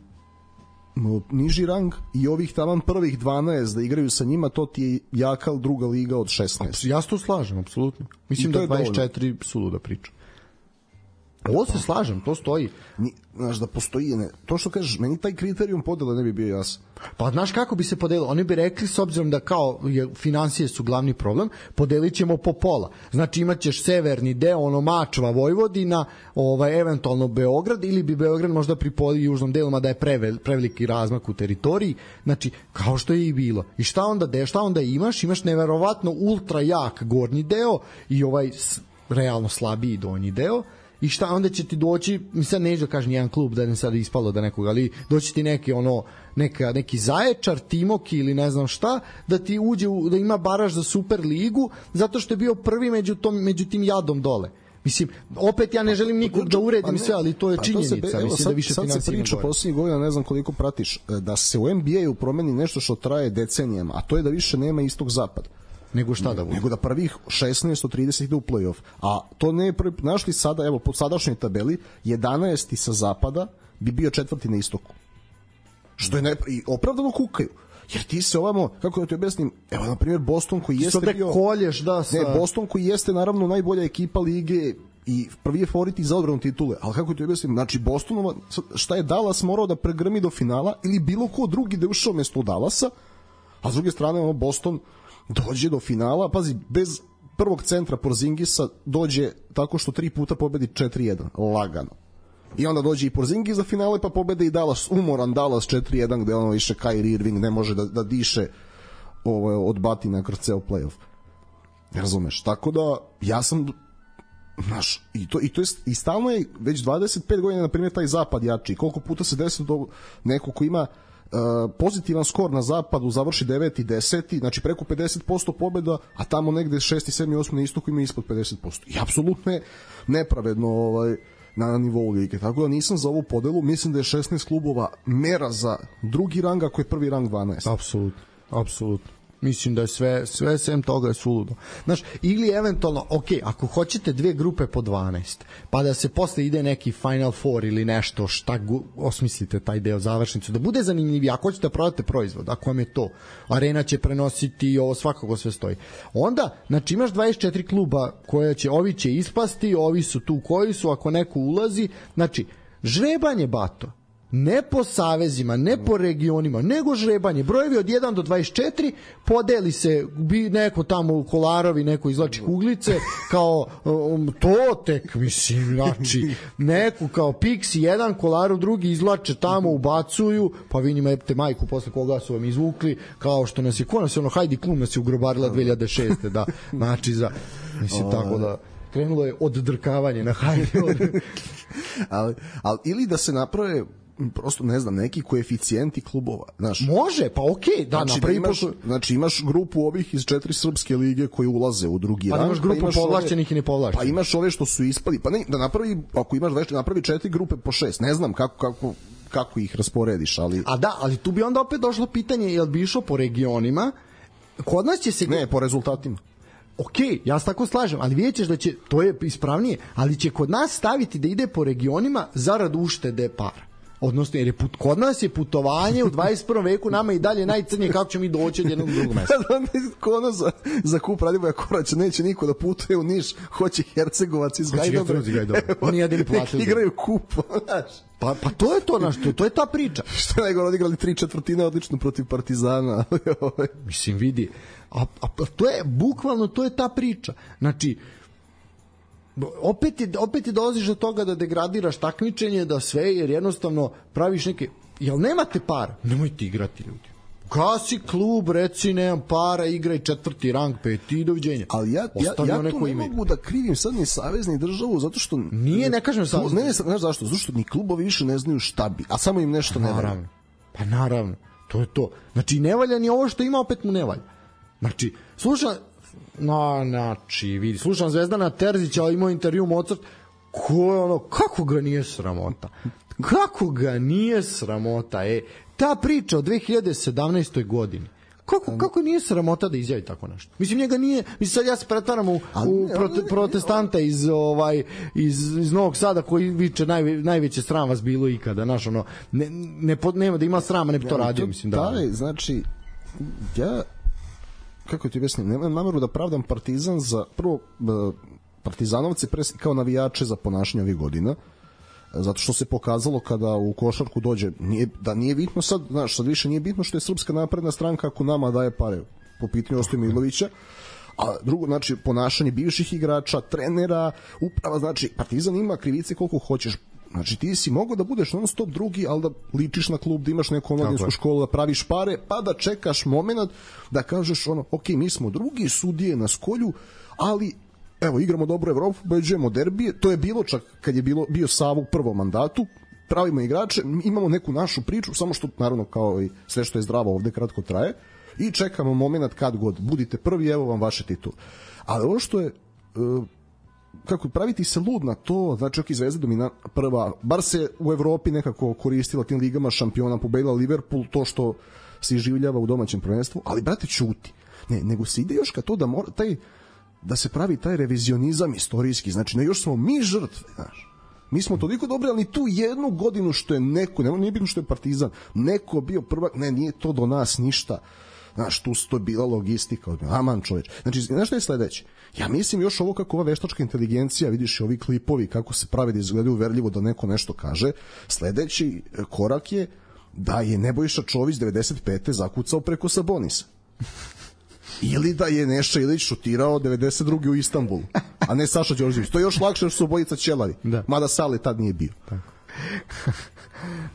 niži rang i ovih taman prvih dvanaest da igraju sa njima, to ti je jaka druga liga od šesnaest. Ja se to slažem, apsolutno. Mislim da dvadeset četiri suluda priča. Ovo se slažem, to stoji. Ni, znaš da postoji, ne, to što kažeš, meni taj kriterijum podele ne bi bio jasan. Pa znaš kako bi se podelilo? Oni bi rekli, s obzirom da kao je, financije su glavni problem, podelit ćemo po pola. Znači imat ćeš severni deo, ono Mačva, Vojvodina, ovaj, eventualno Beograd, ili bi Beograd možda pripodi južnom delima da je prevel, preveliki razmak u teritoriji. Znači, kao što je i bilo. I šta onda, de, šta onda imaš? Imaš neverovatno ultra jak gornji deo i ovaj realno slabiji donji deo. I šta onda će ti doći, mi sad neću da kažem jedan klub da ne sad ispalo da nekog, ali doći ti neki ono neka, neki Zaječar, Timoki ili ne znam šta, da ti uđe u, da ima baraž za Super ligu zato što je bio prvi među, tom, među tim jadom dole. Mislim, opet ja ne želim nikog da uredim sve, ali to je činjenica. Be, evo, mislim sad, da više sad se priča posljednjih godina, ne znam koliko pratiš, da se u N B A-u promeni nešto što traje decenijama, a to je da više nema istog zapad. Nego šta da bude? Nego da prvih šesnaest od trideset ide u play-off. A to ne je prvi, znaš li sada, evo, po sadašnjoj tabeli, jedanaesti sa zapada bi bio četvrti na istoku. Što je ne, i opravdano kukaju. Jer ti se ovamo, kako da ti objasnim, evo, na primjer, Boston koji jeste bio... kolješ, da, sa... Ne, Boston koji jeste, naravno, najbolja ekipa lige i prvi je favorit za odbranu titule, ali kako ti objasnim, znači Bostonova, šta je Dallas morao da pregrmi do finala ili bilo ko drugi da je ušao mesto Dallasa, a s druge strane, ono, Boston dođe do finala, pazi, bez prvog centra Porzingisa dođe tako što tri puta pobedi četiri jedan, lagano. I onda dođe i Porzingis za finale, pa pobede i Dallas, umoran Dallas četiri jedan, gde ono više Kyrie Irving ne može da, da diše ovo, od batina kroz ceo play-off. Ne razumeš? Tako da, ja sam, znaš, i to, i to je, i stalno je već dvadeset pet godina, na primjer, taj zapad jači. Koliko puta se desi do neko ko ima Uh, pozitivan skor na zapadu završi deveti deseti, znači preko pedeset posto pobjeda, a tamo negde šesti sedmi osmi na istoku ima ispod pedeset posto. I apsolutno je nepravedno ovaj, na nivou lige. Tako da nisam za ovu podelu, mislim da je šesnaest klubova mera za drugi rang, ako je prvi rang dvanaest. Apsolutno, apsolutno. Mislim da je sve, sve sem toga je suludo. Znaš, ili eventualno, ok, ako hoćete dve grupe po dvanaest, pa da se posle ide neki Final Four ili nešto, šta gu, osmislite taj deo, završnicu, da bude zanimljiviji, ako hoćete da prodate proizvod, ako vam je to, arena će prenositi, ovo svakako sve stoji. Onda, znači imaš dvadeset četiri kluba koje će, ovi će ispasti, ovi su tu koji su, ako neko ulazi, znači, žrebanje, bato, ne po savezima, ne po regionima, nego žrebanje. Brojevi od jedan do dvadeset četiri, podeli se bi neko tamo u Kolarovi, neko izlači kuglice, kao um, to tek, mislim, znači, neku kao Pixi jedan, Kolarov drugi izlače tamo, ubacuju, pa vi njima jebte majku posle koga su vam izvukli, kao što nas je, ko nas je ono, Heidi Klum nas je ugrobarila dve hiljade šeste, da, znači, za, mislim, tako da krenulo je oddrkavanje na Heidi. ali, ali, ili da se naprave prosto, ne znam, neki koeficijenti klubova, znaš. Može, pa okej, okay, da, znači, da imaš, znači imaš grupu ovih iz četiri srpske lige koji ulaze u drugi pa rang, imaš grupu pa imaš povlašćenih ove, i nepovlašćenih. Pa imaš ove što su ispali, pa ne, da napravi, ako imaš već, napravi četiri grupe po šest, ne znam kako, kako, kako ih rasporediš, ali... A da, ali tu bi onda opet došlo pitanje, jel bi išlo po regionima, kod nas će se... Ne, po rezultatima. Ok, ja se tako slažem, ali vidjet ćeš da će, to je ispravnije, ali će kod nas staviti da ide po regionima zarad uštede para. Odnosno, jer je put, kod nas je putovanje u dvadeset prvom veku nama i dalje najcrnije kako ćemo mi doći od jednog drugog mesta. Kod nas za, za kup Radivoja Koraća neće niko da putuje u Niš, hoće Hercegovac iz Gajdobra. Oni jedini platili. Igraju kup. Pa, pa to je to, naš, to, to je ta priča. Što je najgore, odigrali tri četvrtine odlično protiv Partizana. Mislim, vidi, a, a to je, bukvalno to je ta priča. Znači, opet je, opet je dolaziš do toga da degradiraš takmičenje, da sve, jer jednostavno praviš neke, jel nemate para? Nemojte igrati, ljudi. Gasi klub, reci nemam para, igraj četvrti rang, peti i doviđenja. Ali ja, ja, ja tu ne ime. mogu da krivim sad ni savez ni državu, zato što... Nije, ne kažem savez. Ne, ne, znaš zašto? Zato što ni klubovi više ne znaju šta bi, a samo im nešto ne valja. Pa naravno, to je to. Znači, ne valja ni ovo što ima, opet mu ne valja. Znači, slušam, no, znači, vidi, slušam Zvezdana Terzića, ali imao intervju Mozart, ko je ono, kako ga nije sramota? Kako ga nije sramota, e? Ta priča o dve hiljade sedamnaestoj godini, kako, kako nije sramota da izjavi tako nešto? Mislim, njega nije, mislim, sad ja se pretvaram u, u prote, protestanta iz, ovaj, iz, iz Novog Sada koji viče naj, najveće sram vas bilo ikada, znaš, ono, ne, ne, nema da ima srama, ne bi to radio, mislim, da. Da, znači, ja, kako ti objasnim, nemam nameru da pravdam Partizan za, prvo, Partizanovci kao navijače za ponašanje ovih godina, zato što se pokazalo kada u košarku dođe, nije, da nije bitno sad, znaš, sad više nije bitno što je Srpska napredna stranka ako nama daje pare po pitanju Ostoje Milovića, a drugo, znači, ponašanje bivših igrača, trenera, uprava, znači, Partizan ima krivice koliko hoćeš, znači, ti si mogao da budeš non stop drugi, ali da ličiš na klub, da imaš neku omladinsku školu, da praviš pare, pa da čekaš moment da kažeš ono, ok, mi smo drugi, sudije na skolju, ali evo, igramo dobro Evropu, pobeđujemo derbije, to je bilo čak kad je bilo, bio Savo u prvom mandatu, pravimo igrače, imamo neku našu priču, samo što, naravno, kao i sve što je zdravo ovde kratko traje, i čekamo moment kad god, budite prvi, evo vam vaše titule. Ali ovo što je, kako praviti se lud na to, znači ok, Zvezda domina prva, bar se u Evropi nekako koristila tim ligama šampiona, pobedila Liverpool, to što se iživljava u domaćem prvenstvu, ali brate ćuti. Ne, nego se ide još ka to da mora taj da se pravi taj revizionizam istorijski, znači ne još smo mi žrtve, znaš. Mi smo toliko dobri, ali tu jednu godinu što je neko, ne, nije bitno što je Partizan, neko bio prvak, ne, nije to do nas ništa. Znaš, tu to je bila logistika. Aman čoveč. Znači, znaš što je sledeće? Ja mislim još ovo kako ova veštačka inteligencija, vidiš ovi klipovi, kako se pravi da izgledaju uverljivo da neko nešto kaže. Sledeći korak je da je Nebojša Čović devedeset pete zakucao preko Sabonisa. Ili da je Neša Ilić šutirao devedeset druge u Istanbulu, a ne Saša Đorđević. To je još lakše što su obojica ćelari. Da. Mada Sale tad nije bio. Tako.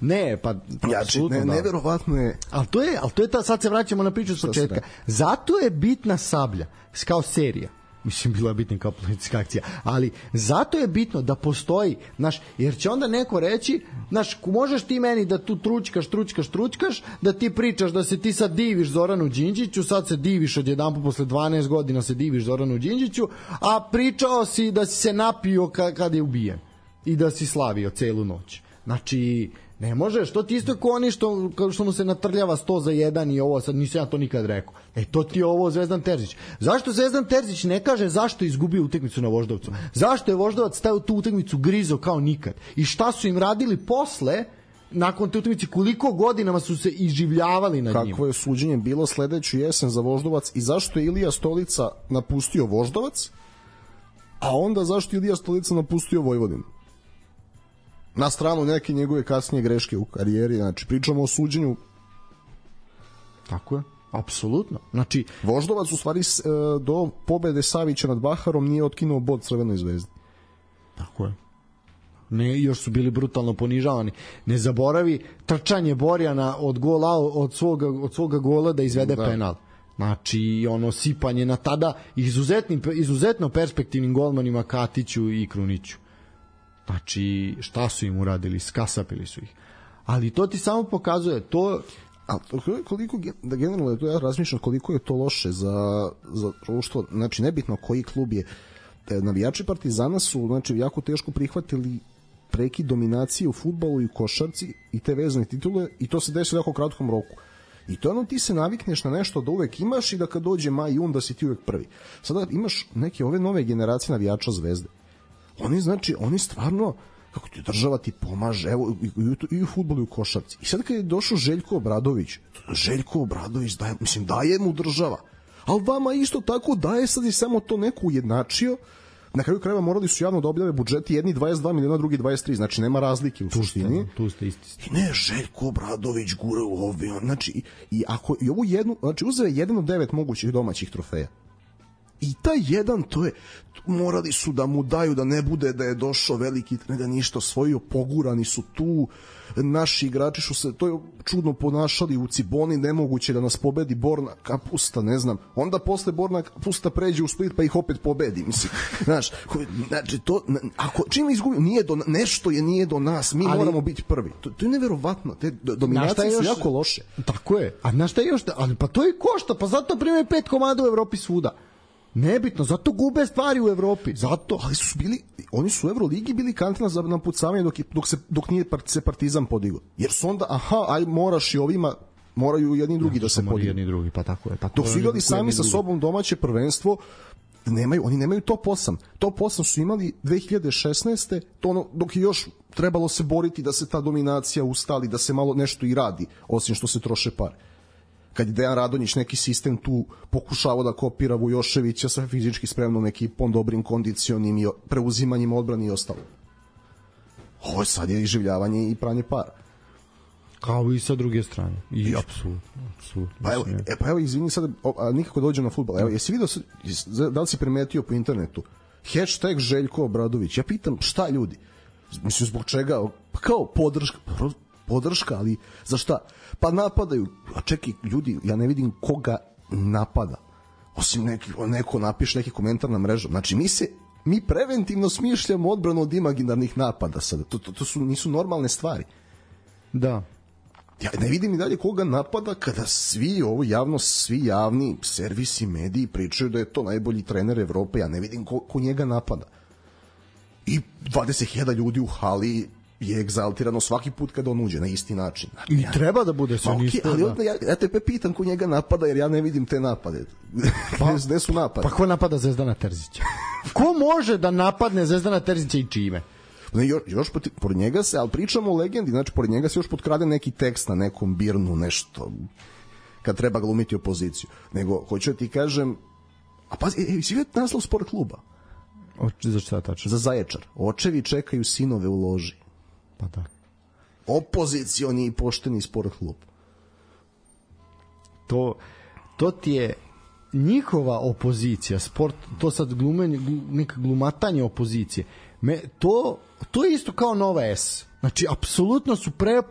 Ne, pa ja, ne, neverovatno je. Al to je, al to je ta, sad se vraćamo na priču s početka. Zato je bitna Sablja kao serija. Mislim, bila je bitna kao politička akcija, ali zato je bitno da postoji, znaš, jer će onda neko reći, znaš, možeš ti meni da tu tručkaš, tručkaš, tručkaš, da ti pričaš da se ti sad diviš Zoranu Đinđiću, sad se diviš odjedanput posle dvanaest godina se diviš Zoranu Đinđiću, a pričao si da si se napio kad, kad je ubijen i da si slavio celu noć. Znači, ne možeš, to ti isto kao oni što, što mu se natrljava sto za jedan i ovo, sad nisam ja to nikad rekao. E, to ti je ovo Zvezdan Terzić. Zašto Zvezdan Terzić ne kaže zašto je izgubio utakmicu na Voždovcu? Zašto je Voždovac stavio tu utakmicu grizo kao nikad? I šta su im radili posle, nakon te utakmice, koliko godinama su se iživljavali nad njim? Kako je suđenje bilo sledeću jesen za Voždovac i zašto je Ilija Stolica napustio Voždovac, a onda zašto je Ilija Stolica napustio Vojvodinu? Na stranu neke njegove kasnije greške u karijeri, znači pričamo o suđenju. Tako je, apsolutno. Znači, Voždovac u stvari do pobede Savića nad Baharom nije otkinuo bod Crvenoj Zvezdi. Tako je. Ne, još su bili brutalno ponižavani. Ne zaboravi trčanje Borjana od gola, od svoga, od svoga gola da izvede da. penal. Znači, ono sipanje na tada izuzetnim, izuzetno perspektivnim golmanima Katiću i Kruniću. Znači, šta su im uradili? Skasapili su ih. Ali to ti samo pokazuje to... A koliko, da generalno to ja razmišljam koliko je to loše za, za društvo, znači nebitno koji klub je. Navijači Partizana su znači jako teško prihvatili prekid dominacije u fudbalu i košarci i te vezane titule i to se desi u jako kratkom roku. I to ono ti se navikneš na nešto da uvek imaš i da kad dođe maj i jun da si ti uvek prvi. Sada imaš neke ove nove generacije navijača Zvezde. Oni znači, oni stvarno kako ti država ti pomaže, evo i, i, i u fudbalu i u košarci. I sad kad je došao Željko Obradović, Željko Obradović daje, mislim, daje mu država, ali vama isto tako daje, sad je samo to neko ujednačio. Na kraju krajeva morali su javno da objave budžeti, jedni dvadeset dva miliona, drugi dvadeset tri, znači nema razlike u suštini. Tu ste isti. I ne, Željko Obradović gura u ovi, znači, i, i ako i ovu jednu, znači uzeo je jedan od devet mogućih domaćih trofeja. I taj jedan, to je, morali su da mu daju da ne bude da je došao veliki trener, ništa osvojio, pogurani su tu, naši igrači su se, to je čudno ponašali u Ciboni, nemoguće da nas pobedi Borna Kapusta, ne znam, onda posle Borna Kapusta pređe u Split pa ih opet pobedi, mislim, znaš, znači to, ako čim izgubimo, nije do, nešto je nije do nas, mi ali, moramo biti prvi, to, to je neverovatno, te dominacije su jako loše. Tako je, a znaš šta je još, ali pa to je košta, pa zato prime pet komada u Evropi svuda. Nebitno, zato gube stvari u Evropi, zato. Ali su bili, oni su u Evroligi bili kantina za napucavanje dok, dok, se, dok nije se Partizan podigao. Jer su onda, aha, aj moraš i ovima, moraju jedni drugi ja, da se podignu. Jedni drugi, pa tako je. Pa dok su igrali sami sa sobom domaće prvenstvo, nemaju, oni nemaju top osam. Top osam su imali dve hiljade šesnaeste. To ono, dok je još trebalo se boriti da se ta dominacija ustali, da se malo nešto i radi, osim što se troše pare. Kad je Dejan Radonjić neki sistem tu pokušavao da kopira Vujoševića sa fizički spremnom ekipom, dobrim kondicionim i preuzimanjem odbrane i ostalo. Ovo sad je iživljavanje i pranje para. Kao i sa druge strane. I apsolutno, apsolutno. Pa evo, e, pa evo izvini sad, a nikako dođem na fudbal. Evo, jesi vidio, da li si primetio po internetu hashtag Željko Obradović? Ja pitam šta ljudi? Mislim, zbog čega? Pa kao podrška, podrška, ali za šta? Pa napadaju, a čekaj ljudi, ja ne vidim koga napada, osim neki, neko napiše neki komentar na mrežu, znači mi se mi preventivno smišljamo odbranu od imaginarnih napada sada, to, to, to su, nisu normalne stvari. Da. Ja ne vidim i dalje koga napada kada svi ovo javno, svi javni servisi, mediji pričaju da je to najbolji trener Evrope, ja ne vidim ko, ko njega napada. i dvadeset hiljada ljudi u hali je egzaltirano svaki put kada on uđe na isti način. I ja, treba da bude sve okay, isto. Ali onda ja, ja tebe pitam ko njega napada, jer ja ne vidim te napade. Pa, gde su napade? Pa ko napada Zvezdana Terzića? Ko može da napadne Zvezdana Terzića i čime? Ne, još, još pored njega se, ali pričamo o legendi, znači pored njega se još potkrade neki tekst na nekom birnu, nešto, kad treba glumiti opoziciju. Nego, hoću da ti kažem, a pazi, e, si vidio naslov sport kluba? O, za šta tačno? Za Zaječar. Očevi čekaju sinove u loži. Pa da. Opozicioni i pošteni sport klub. To, to ti je njihova opozicija, sport, to sad glumenje, neka glumatanje opozicije. Me, to, to je isto kao Nova S. Znači, apsolutno su pre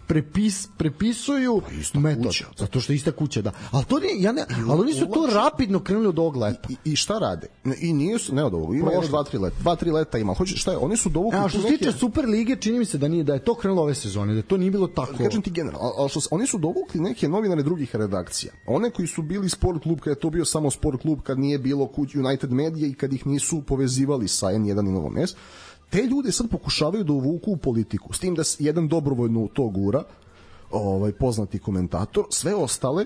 prepis, prepisuju pa metod. Kuća. Zato što je ista kuća, da. Ali, to nije, ja ne, ali oni su to rapidno krenuli od ovog leta. I, i šta rade? I nije su, ne od ovog, ima još dva, tri leta. Dva, tri leta ima. Hoće, šta je? Oni su dovukli... A što se tiče Super lige, čini mi se da nije, da je to krenulo ove sezone, da to nije bilo tako... Kažem ti generalno, ali što, oni su dovukli neke novinare drugih redakcija. One koji su bili sport klub, kad je to bio samo sport klub, kad nije bilo United Media i kad ih nisu povezivali sa N jedan i Novom S, te ljude sad pokušavaju da uvuku u politiku. S tim da jedan dobrovoljno to gura, ovaj, poznati komentator, sve ostale,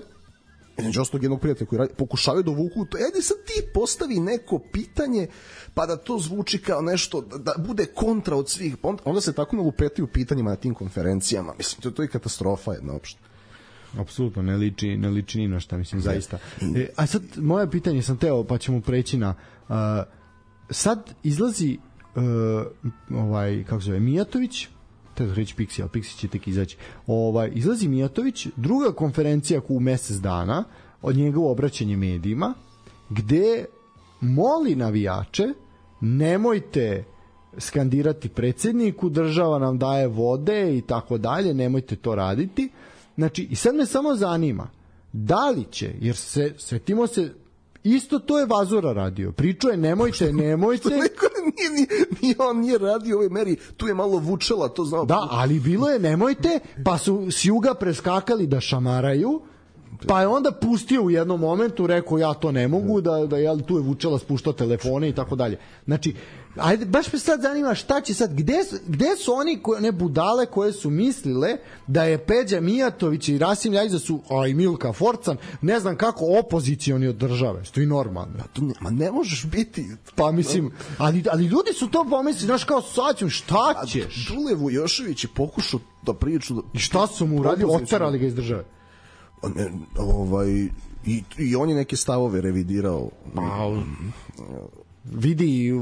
među ostalog jednog prijatelja koji radi, pokušavaju da uvuku to. Ajde sad ti postavi neko pitanje, pa da to zvuči kao nešto, da, da bude kontra od svih. Onda, onda se tako nalupetaju pitanjima na tim konferencijama. Mislim, to, to je katastrofa jedna uopšte. Apsolutno, ne liči, ne liči ni na šta, mislim, zaista. E, a sad, moje pitanje sam teo, pa ćemo preći na... Uh, sad izlazi uh, ovaj, kako se zove, Mijatović, treba reći Pixi, ali Pixi će tek izaći. Ovaj, izlazi Mijatović, druga konferencija u mesec dana, od njegovo obraćanje medijima, gde moli navijače, nemojte skandirati predsjedniku, država nam daje vode i tako dalje, nemojte to raditi. Znači, i sad me samo zanima, da li će, jer se, setimo se, isto to je Vazura radio. Pričao je nemojte, nemojte. Što neko nije, nije, nije, on nije radio u ovoj meri, tu je malo vučela, to znao. Da, ali bilo je nemojte, pa su s juga preskakali da šamaraju, pa je onda pustio u jednom momentu, rekao ja to ne mogu, da, da jel, tu je vučela spuštao telefone i tako dalje. Znači, ajde, baš me sad zanima šta će sad, gde, gde su oni koje, ne budale koje su mislile da je Peđa Mijatović i Rasim Ljajić da su, a i Milka Forcan, ne znam kako opozicioni od države, što je normalno. Ma, to ne, ma ne možeš biti. Pa mislim, ali, ali ljudi su to pomislili, znaš kao sad ću, šta ćeš? Dule Vujošević je pokušao da priču. Da, I šta su mu uradili, oterali ga iz države? Ne, ovaj, i, i on je neke stavove revidirao. Pa, vidi,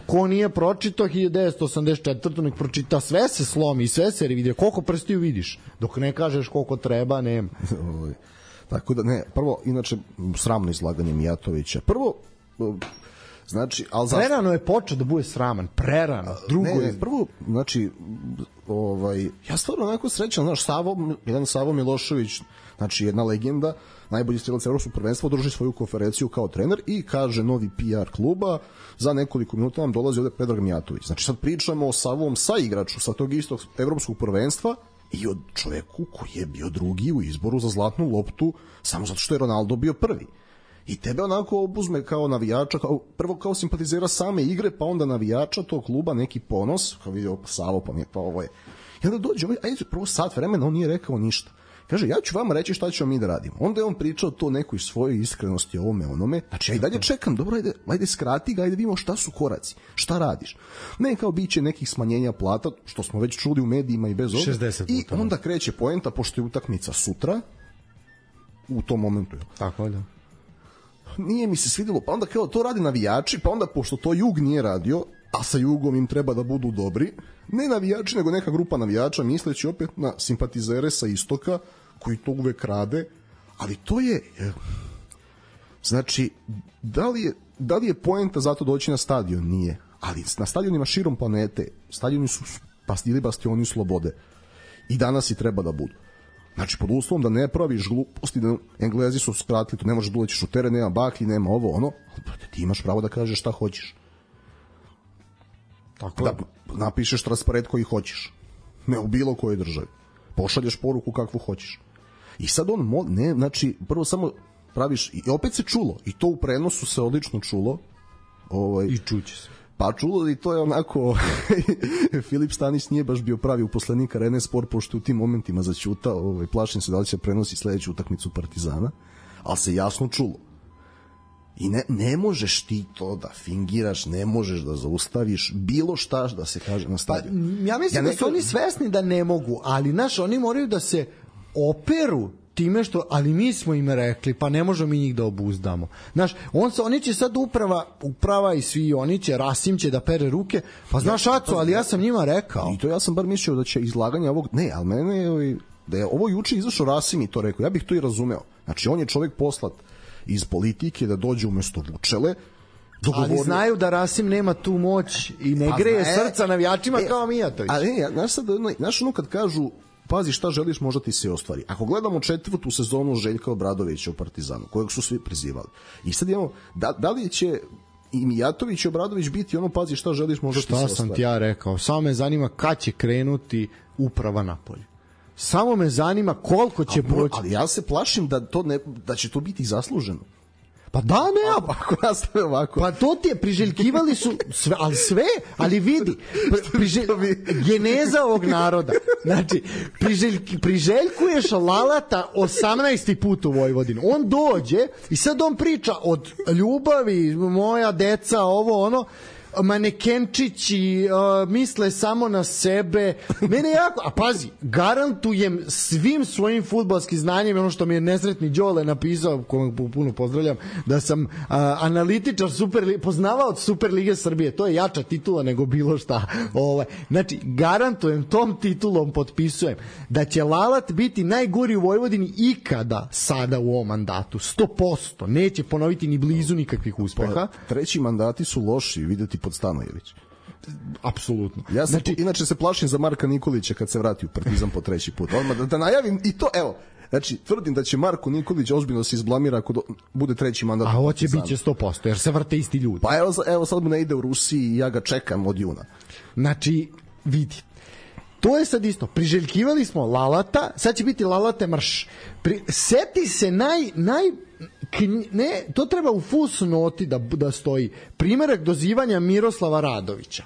ko nije pročitao hiljadu devetsto osamdeset četvrte nek pročita, sve se slomi, sve se revidira, koliko prstiju vidiš, dok ne kažeš koliko treba, nema. Tako da ne, prvo, inače sramno izlaganje Mijatovića. Prvo, znači, al za... prerano je počeo da bude sraman, prerano. Drugo ne, ne, je... prvo, znači, ovaj, ja stvarno onako srećan, znaš, Savo, jedan Savo Milošević, znači jedna legenda, najbolji strelac evropskog prvenstva, održi svoju konferenciju kao trener i kaže novi P R kluba, za nekoliko minuta nam dolazi ovde Predrag Mijatović. Znači sad pričamo o Savom saigraču sa tog istog evropskog prvenstva i od čoveku koji je bio drugi u izboru za zlatnu loptu samo zato što je Ronaldo bio prvi. I tebe onako obuzme kao navijača, kao, prvo kao simpatizera same igre, pa onda navijača tog kluba, neki ponos, kao vidio Savo, pa mi je pa ovo je. I onda dođe, ovaj, ajde, prvo sat vremena, on nije rekao ništa. Kaže, ja ću vam reći šta ćemo mi da radimo. Onda je on pričao to nekoj svojoj iskrenosti, ovome, onome. Znači, ja i dalje čekam, dobro, ajde, ajde skrati ga, ajde vidimo šta su koraci, šta radiš. Ne kao biće nekih smanjenja plata, što smo već čuli u medijima i bez ovoga. I onda kreće poenta, pošto je utakmica sutra, u tom momentu. Tako je, da. Nije mi se svidjelo, pa onda kao to radi navijači, pa onda pošto to Jug nije radio, a sa Jugom im treba da budu dobri, ne navijači, nego neka grupa navijača, misleći opet na simpatizere sa istoka, koji to uvek rade, ali to je, znači, da li je, da li je poenta zato doći na stadion? Nije, ali na stadionima širom planete, stadioni su ili bastioni slobode i danas i treba da budu. Znači, pod uslovom da ne praviš gluposti, da Englezi su skratili, tu ne možeš da ulećiš u teren, nema baklji, nema ovo, ono, ti imaš pravo da kažeš šta hoćeš. Tako da napišeš transparent koji hoćeš. Ne u bilo kojoj državi. Pošalješ poruku kakvu hoćeš. I sad on, mo, ne, znači, prvo samo praviš, i opet se čulo, i to u prenosu se odlično čulo. Ovaj, I čuće se. Pa čulo i to je onako Filip Stanić nije baš bio pravi uposlenik Arene Sport, pošto u tim momentima zaćutao, ovaj, plašim se da li će prenosi sledeću utakmicu Partizana, ali se jasno čulo. I ne, ne možeš ti to da fingiraš, ne možeš da zaustaviš bilo šta da se kaže na stadionu. Pa, ja mislim ja da su oni svesni da ne mogu, ali znaš, oni moraju da se operu time što, ali mi smo im rekli, pa ne možemo mi njih da obuzdamo. Znaš, on se, oni će sad uprava, uprava i svi oni će, Rasim će da pere ruke, pa znaš, Aco, ali ja sam njima rekao. I to ja sam bar mislio da će izlaganje ovog, ne, ali mene je, da je ovo juče izašao Rasim i to rekao, ja bih to i razumeo. Znači, on je čovjek poslat iz politike da dođe umesto Vučele, dogovorno. Ali znaju da Rasim nema tu moć i ne pa greje zna, srca navijačima e, kao Mijatović. Ali ne, znaš sad, znaš ono kad kažu pazi šta želiš, možda ti se ostvari. Ako gledamo četvrtu sezonu Željka Obradovića u Partizanu, kojeg su svi prizivali, i sad imamo, da, da li će i Mijatović i Obradović biti ono pazi šta želiš, možda šta ti se ostvari. Šta sam ti ja rekao? Samo me zanima kad će krenuti uprava napolje. Samo me zanima koliko će proći. Ali ja se plašim da, to ne, da će to biti zasluženo. Pa da, ne, ako, ako nastave ovako. Pa to ti je, priželjkivali su sve, ali sve, ali vidi, priželj, geneza ovog naroda. Znači, priželjk, priželjkuješ Lalata osamnaesti put u Vojvodinu. On dođe i sad on priča od ljubavi, moja deca, ovo, ono, manekenčići, uh, misle samo na sebe. Mene jako, a pazi, garantujem svim svojim fudbalskim znanjem, ono što mi je nesretni Đole napisao, kojeg puno pozdravljam, da sam uh, analitičar super, poznavao od Super Lige Srbije, to je jača titula nego bilo šta. Ovaj. Znači, garantujem, tom titulom potpisujem da će Lalat biti najgori u Vojvodini ikada sada u ovom mandatu. sto posto. Neće ponoviti ni blizu nikakvih uspeha. Pa, treći mandati su loši, videti pod Stanojević. Apsolutno. Ja se, znači, inače se plašim za Marka Nikolića kad se vrati u Partizan po treći put. Odmah da, da najavim i to, evo, znači tvrdim da će Marko Nikolić ozbiljno se izblamira ako do, bude treći mandat. A ovo će biće sto posto jer se vrte isti ljudi. Pa evo, evo sad mu ne ide u Rusiji i ja ga čekam od juna. Znači, vidi. To je sad isto. Priželjkivali smo Lalata, sad će biti Lalate marš. Pri, seti se naj, naj ne, to treba u fusnoti da, da stoji. Primerak dozivanja Miroslava Radovića.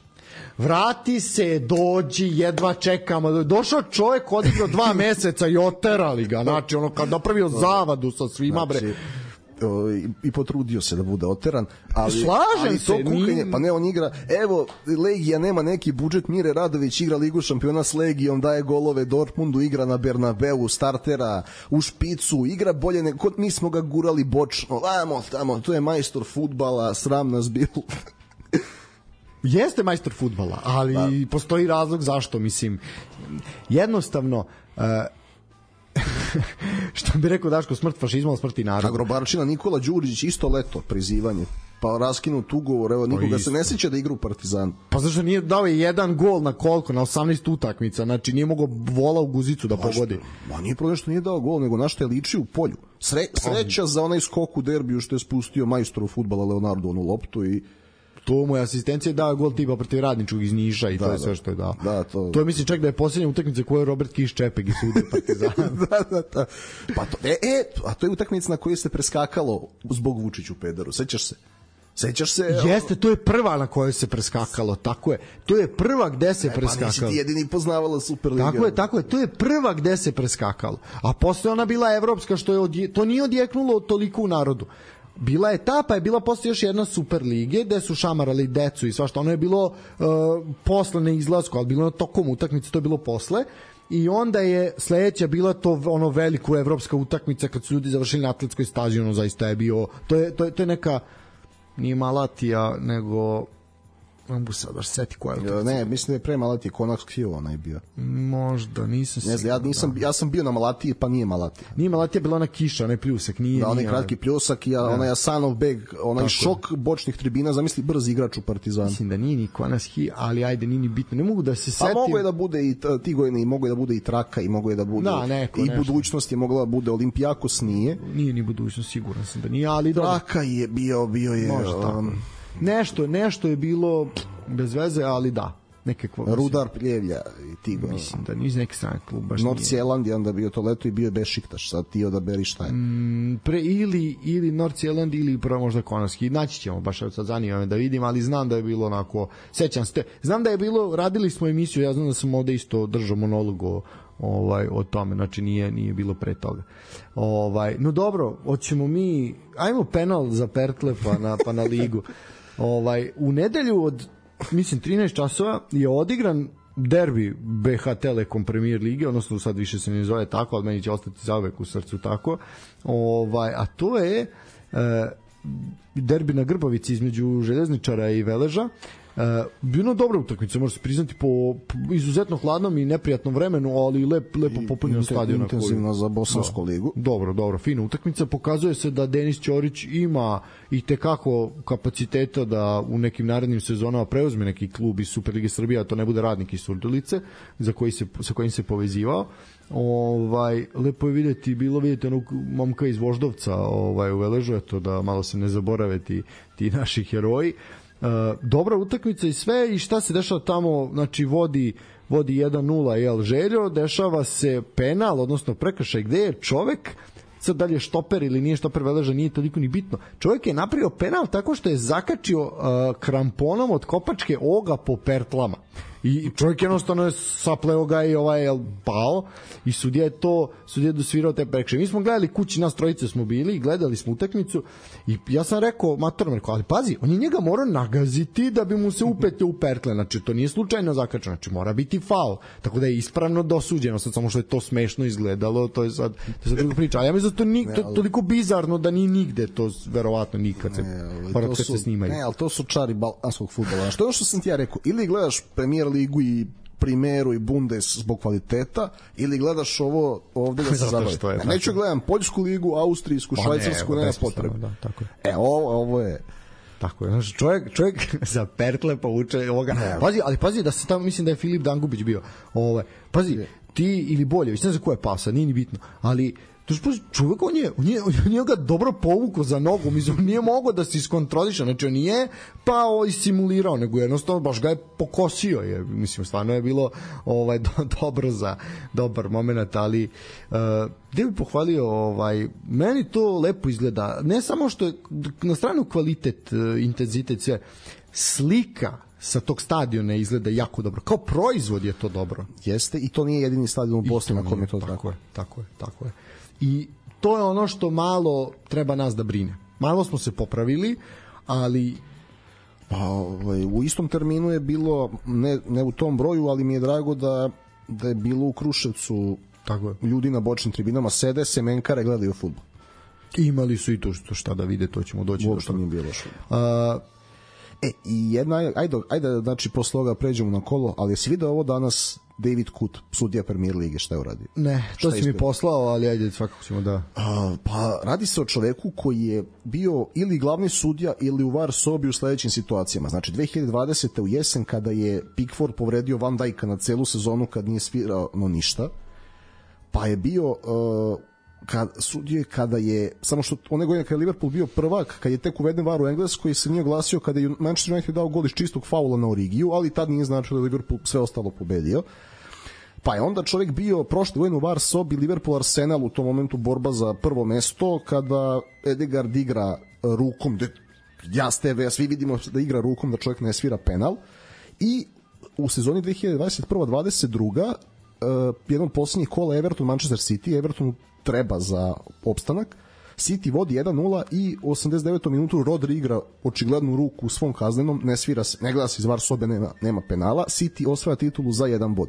Vrati se, dođi, jedva čekamo. Došao čovjek, odigrao dva meseca i oterali ga. Znači, ono, kad napravio zavadu sa svima, bre. Znači, i, i potrudio se da bude oteran, ali slažem ali se, to kukanje, pa ne, on igra, evo, Legija nema neki budžet, Mire Radović igra Ligu šampiona s Legijom, daje golove Dortmundu, igra na Bernabeu, startera u špicu, igra bolje nego, mi smo ga gurali bočno, vamo, tamo, to je majstor fudbala, sram nas bilo. Jeste majstor fudbala, ali da. Postoji razlog zašto, mislim, jednostavno, uh, što bi rekao Daško, smrt fašizma, smrt i naroda. Agrobarčina, Nikola Đurić isto leto prizivanje, pa raskinut ugovor, evo, nikoga se ne sjeća da igra u Partizanu. Pa zašto nije dao jedan gol na koliko, na osamnaest utakmica, znači nije mogao vola u guzicu da pogodi. Ma nije problem što nije dao gol, nego na što je ličio u polju. Sre, sreća za onaj skok u derbiju što je spustio majstoru fudbala Leonardo onu loptu i to mu je asistencija dao gol tipa protiv Radničkog iz Niša i da, to je sve što je dao. Da, to... to je mislim čak da je posljednja utakmica koju je Robert Kiš Čepeg i sudio Partizan. da, da, da. Pa to, e, e, a to je utakmica na kojoj se preskakalo zbog Vučiću pederu. Sećaš se? Sećaš se? Jeste, to je prva na kojoj se preskakalo, tako je. To je prva gde se e, preskakalo. Pa nisi ti jedini poznavala Superliga. Tako je, tako je, to je prva gde se preskakalo. A posle ona bila evropska, što je odje... to nije odjeknulo toliko u narodu. Bila je ta, pa je bila posle još jedna Super lige gde su šamarali decu i svašta. Ono je bilo uh, posle na izlasku, ali bilo na tokom utakmice, to je bilo posle. I onda je sledeća bila to ono veliko evropska utakmica kad su ljudi završili na atletskoj stazi, ono zaista je bio, to je, to je, to je neka, nije Malatija, nego ne mogu se baš seti koja je utakmica. Ne, mislim da je pre Malatije, Konax Kio onaj bio. Možda, nisam ne znam, ja, nisam, ja sam bio na Malatiji, pa nije Malatija. Nije Malatija, bila ona kiša, onaj pljusak, nije. Da, onaj nije, kratki pljusak i onaj Asanov beg, onaj tako šok bočnih tribina, zamisli brz igrač u Partizanu. Mislim da nije ni Konax Kio, ali ajde, nije ni bitno, ne mogu da se setim. A mogu je da bude i Tigojne, i mogu je da bude i Traka, i mogu je da bude da, neko, i nešto. Budućnost je mogla da bude, Olimpijakos nije. Nije ni Budućnost, siguran sam da nije, ali Traka je bio, bio je... Nešto, nešto, nešto je bilo bez veze, ali da. nekakva Rudar Pljevlja i ti go. Mislim da nije neki strani klub baš. North Zealand je onda bio to leto i bio je Bešiktaš, sad ti odaberi šta je. Mm, pre ili ili North Zealand ili prvo možda Konarski. Naći ćemo baš sad zanima me da vidim, ali znam da je bilo onako, sećam se. Znam da je bilo, radili smo emisiju, ja znam da sam ovde isto držao monolog o ovaj o tome, znači nije nije bilo pre toga. Ovaj, no dobro, hoćemo mi, ajmo penal za Pertle pa na pa na ligu. Ovaj, u nedelju od mislim trinaest časova je odigran derbi B H Telekom Premier lige, odnosno sad više se ne zove tako, ali meni će ostati zauvek u srcu tako. Ovaj, a to je e, derbi na Grbavici između Željezničara i Veleža. Uh, bilo dobra utakmica, može se priznati po, po izuzetno hladnom i neprijatnom vremenu, ali lep, lepo popunjen stadion. Intenzivno za Bosansku ligu. Dobro, dobro, fina utakmica. Pokazuje se da Denis Ćorić ima i tekako kapaciteta da u nekim narednim sezonama preuzme neki klub iz Superlige Srbije, a to ne bude Radnik iz Surdulice, za koji se, sa kojim se povezivao. Ovaj, lepo je vidjeti, bilo vidjeti onog momka iz Voždovca ovaj, u Veležu, eto da malo se ne zaborave ti, ti naši heroji. Uh, dobra utakmica i sve, i šta se dešava tamo, znači vodi vodi jedan nula jel Željo, dešava se penal, odnosno prekršaj gde je čovek, sad dalje štoper ili nije štoper Veleža, nije toliko ni bitno, čovek je napravio penal tako što je zakačio uh, kramponom od kopačke oga po pertlama i čovjek jednostavno je sapleo ga i ovaj je pao i sudija je to sudija je dosvirao te prekršaje. Mi smo gledali kući, nas trojice smo bili i gledali smo utakmicu i ja sam rekao matorno, rekao, ali pazi, on je njega morao nagaziti da bi mu se upetio u pertle, znači to nije slučajno zakačeno, znači mora biti faul, tako da je ispravno dosuđeno, sad samo što je to smešno izgledalo, to je sad, to je sad druga priča, a ja mislim da to ni, to, toliko bizarno da ni nigde to verovatno nikad se, ne, to kad su, se snimaju. Ne, ali to su čari balkanskog fudbala. Što je ono što sam ti ja rekao, ili gledaš Premier ligu i Primeru i Bundes zbog kvaliteta, ili gledaš ovo ovde da se zabavi. Neću gledam Poljsku ligu, Austrijsku, pa Švajcarsku, ne, nema potrebe. Da, tako je. E, ovo, ovo je tako je. Znači, čovjek, čovjek za pertle povuče ovoga. Ne, pazi, ali pazi da se tamo, mislim da je Filip Dangubić bio. Ovaj, pazi, ti ili Boljević, ne znam ko je pasa, nije ni bitno, ali čovjek, on je, on je, on je ga dobro povukao za nogu, mislim, on nije mogao da se iskontroliše, znači on nije pao i simulirao, nego jednostavno baš ga je pokosio, je, mislim, stvarno je bilo ovaj, do, dobro za dobar moment, ali uh, gde bi pohvalio, ovaj, meni to lepo izgleda, ne samo što je na stranu kvalitet, intenzitet, sve, slika sa tog stadiona izgleda jako dobro. Kao proizvod je to dobro. Jeste, i to nije jedini stadion u Bosni na kom je to tako. Tako je, tako je, tako je. I to je ono što malo treba nas da brine. Malo smo se popravili, ali pa ovaj, u istom terminu je bilo, ne, ne u tom broju, ali mi je drago da, da je bilo u Kruševcu tako je. Ljudi na bočnim tribinama sede, semenkare, gledaju fudbal. Imali su i to što šta da vide, to ćemo doći. Uopšte nije bilo što. A, e, i jedna, ajde, ajde, znači posle ovoga pređemo na kolo, ali jesi vidio ovo danas David Kut, sudija Premier lige, šta je uradio? Ne, to si mi poslao, ali ajde, svakako ćemo da... A, pa radi se o čoveku koji je bio ili glavni sudija ili u var sobi u sledećim situacijama. Znači, dve hiljade dvadesete u jesen kada je Pickford povredio Van Dijka na celu sezonu kad nije svirao no ništa, pa je bio... Uh, kad, sudije kada je, samo što one godine kada je Liverpool bio prvak, kad je tek uveden var u Engleskoj, se nije oglasio kada je Manchester United dao gol iz čistog faula na Origiju, ali tad nije značilo da je Liverpool sve ostalo pobedio. Pa je onda čovjek bio prošli godinu u var sobi Liverpool Arsenal, u tom momentu borba za prvo mesto, kada Edegard igra rukom, de, ja s tebe, svi vidimo da igra rukom, da čovjek ne svira penal, i u sezoni dve hiljade dvadeset prva dvadeset druga uh, jedan od posljednjih kola Everton Manchester City, Everton treba za opstanak, City vodi jedan nula i u osamdeset devetoj minutu Rodri igra očiglednu ruku u svom kaznenom, ne svira se, ne gleda se iz var sobe, nema, nema penala, City osvaja titulu za jedan bod.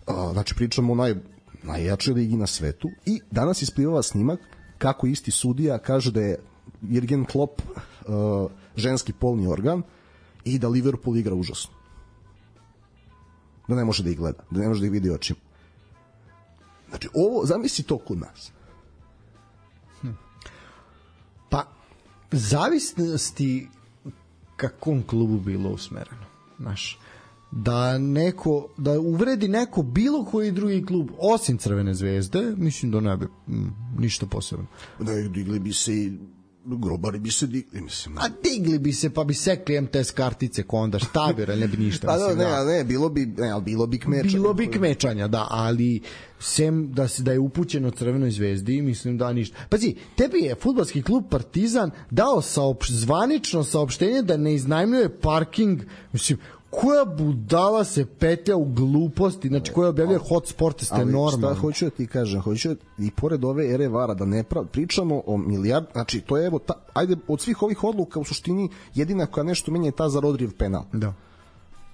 Uh, znači pričamo o naj, najjačoj ligi na svetu, i danas isplivava snimak kako isti sudija kaže da je Jurgen Klopp uh, ženski polni organ i da Liverpool igra užasno, da ne može da ih gleda, da ne može da ih vidi očima. Znači, ovo, zamisli to kod nas. Hm. Pa, zavisnosti kakvom klubu bilo usmereno, znaš, da neko, da uvredi neko bilo koji drugi klub osim Crvene zvezde, mislim da ne bi m, ništa posebno. Da, digli bi se i grobari bi se digli, mislim. A digli bi se, pa bi sekli em te es kartice, ko onda šta bi, ne bi ništa. Pa ne, ne, ne, bilo bi, ne, ali bilo bi kmečanja. Bilo bi kmečanja, da, ali sem da se da je upućeno Crvenoj zvezdi, mislim da ništa. Pazi, tebi je fudbalski klub Partizan dao saopš, zvanično saopštenje da ne iznajmljuje parking, mislim, koja budala se petlja u gluposti, znači koja objavljuje hotsport, ste normalni. Ali šta hoću da ti kažem, hoću i pored ove ere vara da ne prav, pričamo o milijard, znači to je evo, ta, ajde, od svih ovih odluka u suštini jedina koja nešto menja je ta za Rodrijev penal. Da.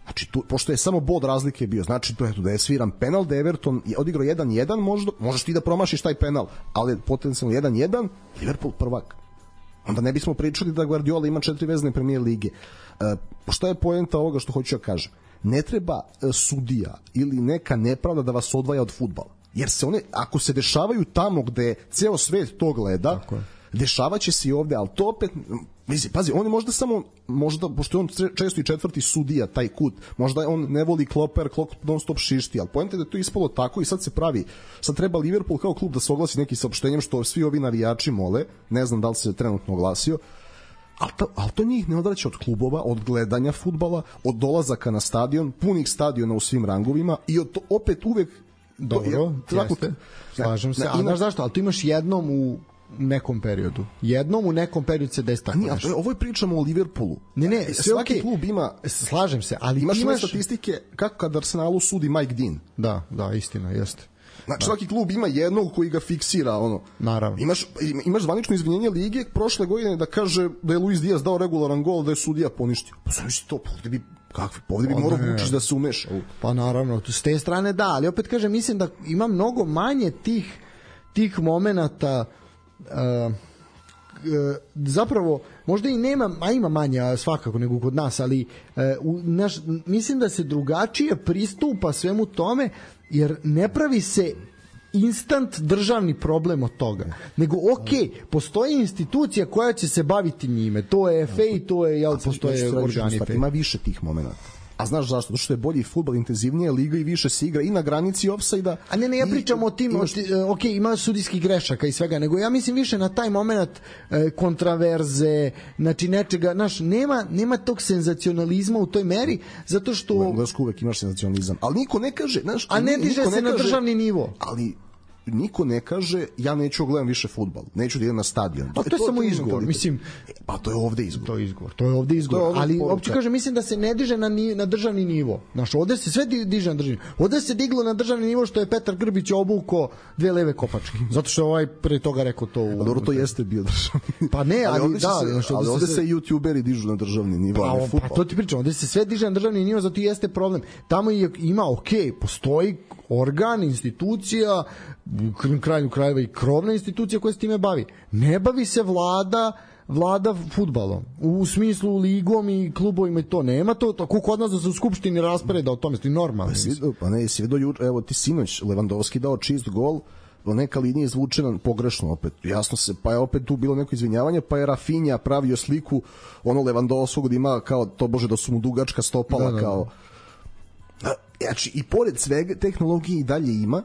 Znači, tu, pošto je samo bod razlike bio, znači to je da je sviran penal, da Everton je odigrao jedan jedan, možda, možeš ti da promašiš taj penal, ali potencijalno jedan jedan, Liverpool prvak. Onda ne bismo pričali da Guardiola ima četiri vezne premijer lige. E, šta je poenta ovoga što hoću da kažem? Ne treba e, sudija ili neka nepravda da vas odvaja od fudbala. Jer se one, ako se dešavaju tamo gde ceo svet to gleda, dešavaće se i ovde, ali to opet, mislim, pazi, on je možda samo, možda, pošto je on često i četvrti sudija, taj kut, možda on ne voli Kloppa jer Klopp non stop šišti, ali poenta je da je to ispalo tako i sad se pravi, sad treba Liverpool kao klub da se oglasi neki saopštenjem što svi ovi navijači mole, ne znam da li se trenutno oglasio, ali to, ali to njih ne odvraća od klubova, od gledanja fudbala, od dolazaka na stadion, punih stadiona u svim rangovima i od to, opet uvek dobro, jeste, slažem se, a znaš zašto, ali tu imaš jednom u nekom periodu. Jednom u nekom periodu se desi tako nešto. Nije, ovo je pričamo o Liverpoolu. Ne, ne, sve svaki okay. klub ima, slažem se, ali imaš, imaš statistike kako kad Arsenalu sudi Mike Dean. Da, da, istina, jeste. Znači, da. Svaki klub ima jednog koji ga fiksira, ono. Naravno. Imaš, imaš zvanično izvinjenje lige prošle godine da kaže da je Luis Diaz dao regularan gol, da je sudija poništio. Pa sam misli to, ovde bi, kakvi, ovde bi morao Vučić da se umeša. Pa naravno, s te strane da, ali opet kažem, mislim da ima mnogo manje tih, tih momenata uh, zapravo možda i nema, a ima manje svakako nego kod nas, ali u, naš, mislim da se drugačije pristupa svemu tome, jer ne pravi se instant državni problem od toga, nego ok, postoji institucija koja će se baviti njime, to je F A i to je, jel, postoje organi F A. Ima više tih momenata. A znaš zašto? Zato što je bolji fudbal, intenzivnije liga i više se igra i na granici ofsajda. A ne, ne, ja pričam i, o tim, imaš... ok, ima sudijskih grešaka i svega, nego ja mislim više na taj moment e, kontraverze, znači nečega, znaš, nema, nema tog senzacionalizma u toj meri, zato što... U Englesku uvek imaš senzacionalizam, ali niko ne kaže, znaš... A ne diže se na kaže, državni nivo. Ali niko ne kaže ja neću gledam više fudbal, neću da idem na stadion. Pa to, to je samo izgovor, mislim. Pa to je ovde izgovor. To je izgovor. To je ovde izgovor, je ovde ali uopće kaže mislim da se ne diže na ni, na državni nivo. Znaš, ovde se sve diže na državni. Ovde se diglo na državni nivo što je Petar Grbić obuko dve leve kopačke. Zato što ovaj pre toga rekao to. U... Pa dobro, to jeste bio državni. Pa ne, ali, ali da, se, znaš, ali ovde se, se youtuberi dižu na državni nivo, pa, a ne fudbal. Pa to ti pričam, ovde se sve diže na državni nivo, zato i jeste problem. Tamo je, ima, okej, okay, postoji organ, institucija, krajnju krajeva i krovna institucija koja se time bavi. Ne bavi se vlada vlada fudbalom, u smislu ligom i klubovima i to nema to, tako kod nas da se u skupštini raspreda o tome, sti normalno. Pa, pa ne, si vidio juče, evo ti sinoć Lewandowski dao čist gol, neka linija izvučena pogrešno opet, jasno se, pa je opet tu bilo neko izvinjavanje, pa je Rafinha pravio sliku ono Lewandowskog da ima kao, to bože da su mu dugačka stopala, da, da, da. Kao znači i pored svega tehnologije i dalje ima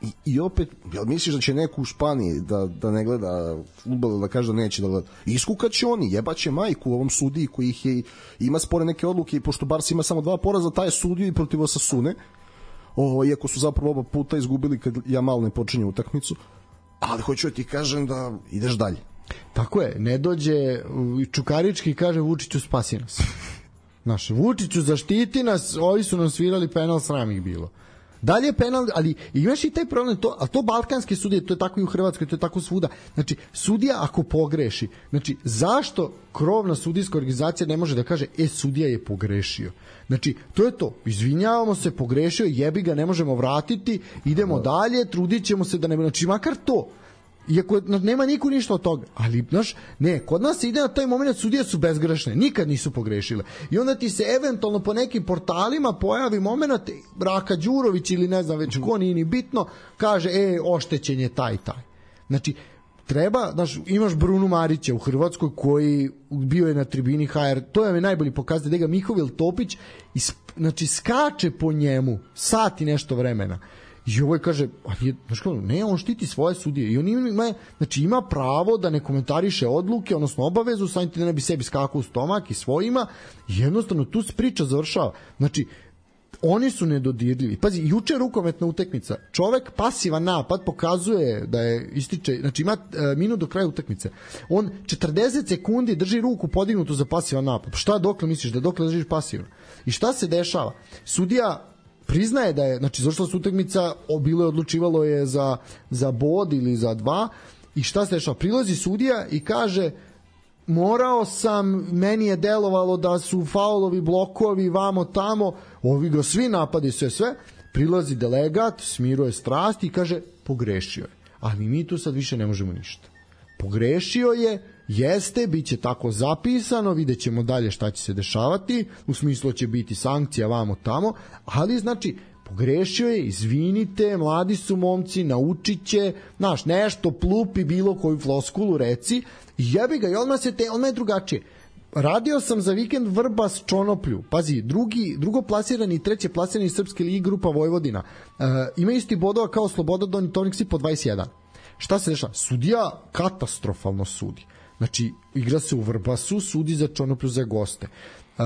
i, i opet, jel misliš da će neko u Španiji da, da ne gleda fudbal, da kaže da neće da gleda, iskukaće oni, jebaće majku u ovom sudiji koji ih je, ima spore neke odluke i pošto Barca ima samo dva poraza, taj je sudio i protiv Osasune, o, iako su zapravo oba puta izgubili kad Jamal ne počinje utakmicu, ali hoću da ti kažem da ideš dalje. Tako je, ne dođe Čukarički i kaže Vučiću spasi nas. Naš Vučiću zaštiti nas, ovi su nam svirali penal, sram ih bilo. Dalje penal, ali imaš i taj problem, to, ali to balkanske sudije, to je tako i u Hrvatskoj, to je tako svuda. Znači, sudija ako pogreši, znači, zašto krovna sudijska organizacija ne može da kaže, e, sudija je pogrešio? Znači, to je to, izvinjavamo se, pogrešio, jebi ga, ne možemo vratiti, idemo dalje, trudit ćemo se da ne... Znači, makar to. Iako nema niko ništa od toga, ali znaš, ne, kod nas se ide na taj moment, sudije su bezgrešne, nikad nisu pogrešile. I onda ti se eventualno po nekim portalima pojavi moment, Raka Đurović ili ne znam već ko, nije ni bitno, kaže, e, oštećen je taj, taj. Znači, treba, znaš, imaš Brunu Marića u Hrvatskoj koji bio je na tribini H R, to je najbolji pokazatelj, da ga Mihovil Topić, isp, znači, skače po njemu sat i nešto vremena. I ovaj kaže, a nije, znaš kao, ne, on štiti svoje sudije i on ima, znači ima pravo da ne komentariše odluke, odnosno obavezu, samim tim da ne bi sebi skakao u stomak i svojima, i jednostavno tu se priča završava. Znači, oni su nedodirljivi. Pazi, juče rukometna utakmica, čovek pasivan napad pokazuje da je ističe, znači ima e, minut do kraja utakmice. On četrdeset sekundi drži ruku podignutu za pasivan napad. Šta dokle misliš da dokle držiš pasivno? I šta se dešava? Sudija priznaje da je, znači završila se utakmica, bilo je odlučivalo je za, za bod ili za dva, i šta se dešava? Prilazi sudija i kaže, morao sam, meni je delovalo da su faulovi, blokovi, vamo tamo, ovi ga svi napadi, sve sve, prilazi delegat, smiruje strasti i kaže, pogrešio je, ali mi tu sad više ne možemo ništa. Pogrešio je, jeste, bit će tako zapisano, vidjet ćemo dalje šta će se dešavati, u smislu će biti sankcija vamo tamo, ali znači, pogrešio je, izvinite, mladi su momci, naučit će, znaš, nešto plupi, bilo koju floskulu reci, i jebi ga, i odmah se te, odmah je drugačije. Radio sam za vikend Vrbas Čonoplju, pazi, drugi, drugo plasirani i treće plasirani Srpske ligi grupa Vojvodina, e, ima isti bodova kao Sloboda Donji Toniksi po dvadeset jedan. Šta se dešava? Sudija katastrofalno sudi. Znači, igra se u Vrbasu, sudi za Čonoplju za goste. Uh,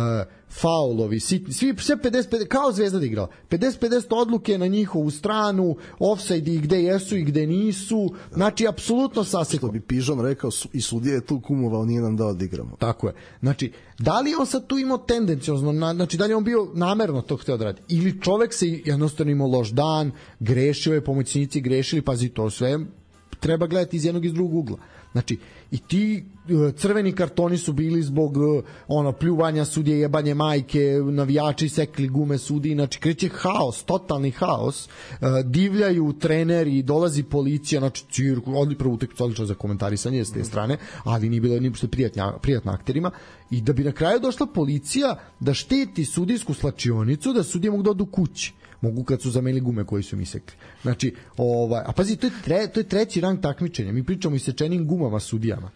faulovi, svi, svi, sve pedeset pedeset, kao Zvezda da igrala, pedeset pedeset odluke na njihovu stranu, ofsaidi gde jesu i gde nisu, znači apsolutno saseko. Što bi Pižon rekao, i sudija je tu kumovao, nije nam da odigramo. Tako je. Znači, da li on sad tu imao tendencijozno, na, znači da li on bio namerno to hteo da radi, ili čovek se jednostavno imao loš dan, grešio je, pomoćnici grešili, pazi, to sve treba gledati iz jednog i iz drugog ugla. Znači, i ti crveni kartoni su bili zbog ono pljuvanja sudije, jebanje majke, navijači sekli gume sudiji, znači kreće haos, totalni haos, divljaju treneri, dolazi policija, znači cirku, odli prvu utakmicu odlično za komentarisanje s te strane, ali nije bilo ništa prijatno, prijatno akterima, i da bi na kraju došla policija da štiti sudijsku slačionicu, da sudije mogu da odu kući. Mogu kad su zamenili gume koji su mi sekli. Znači, ovaj, a pazi, to je, tre, to je treći rang takmičenja. Mi pričamo i sečenim gumama sudijama.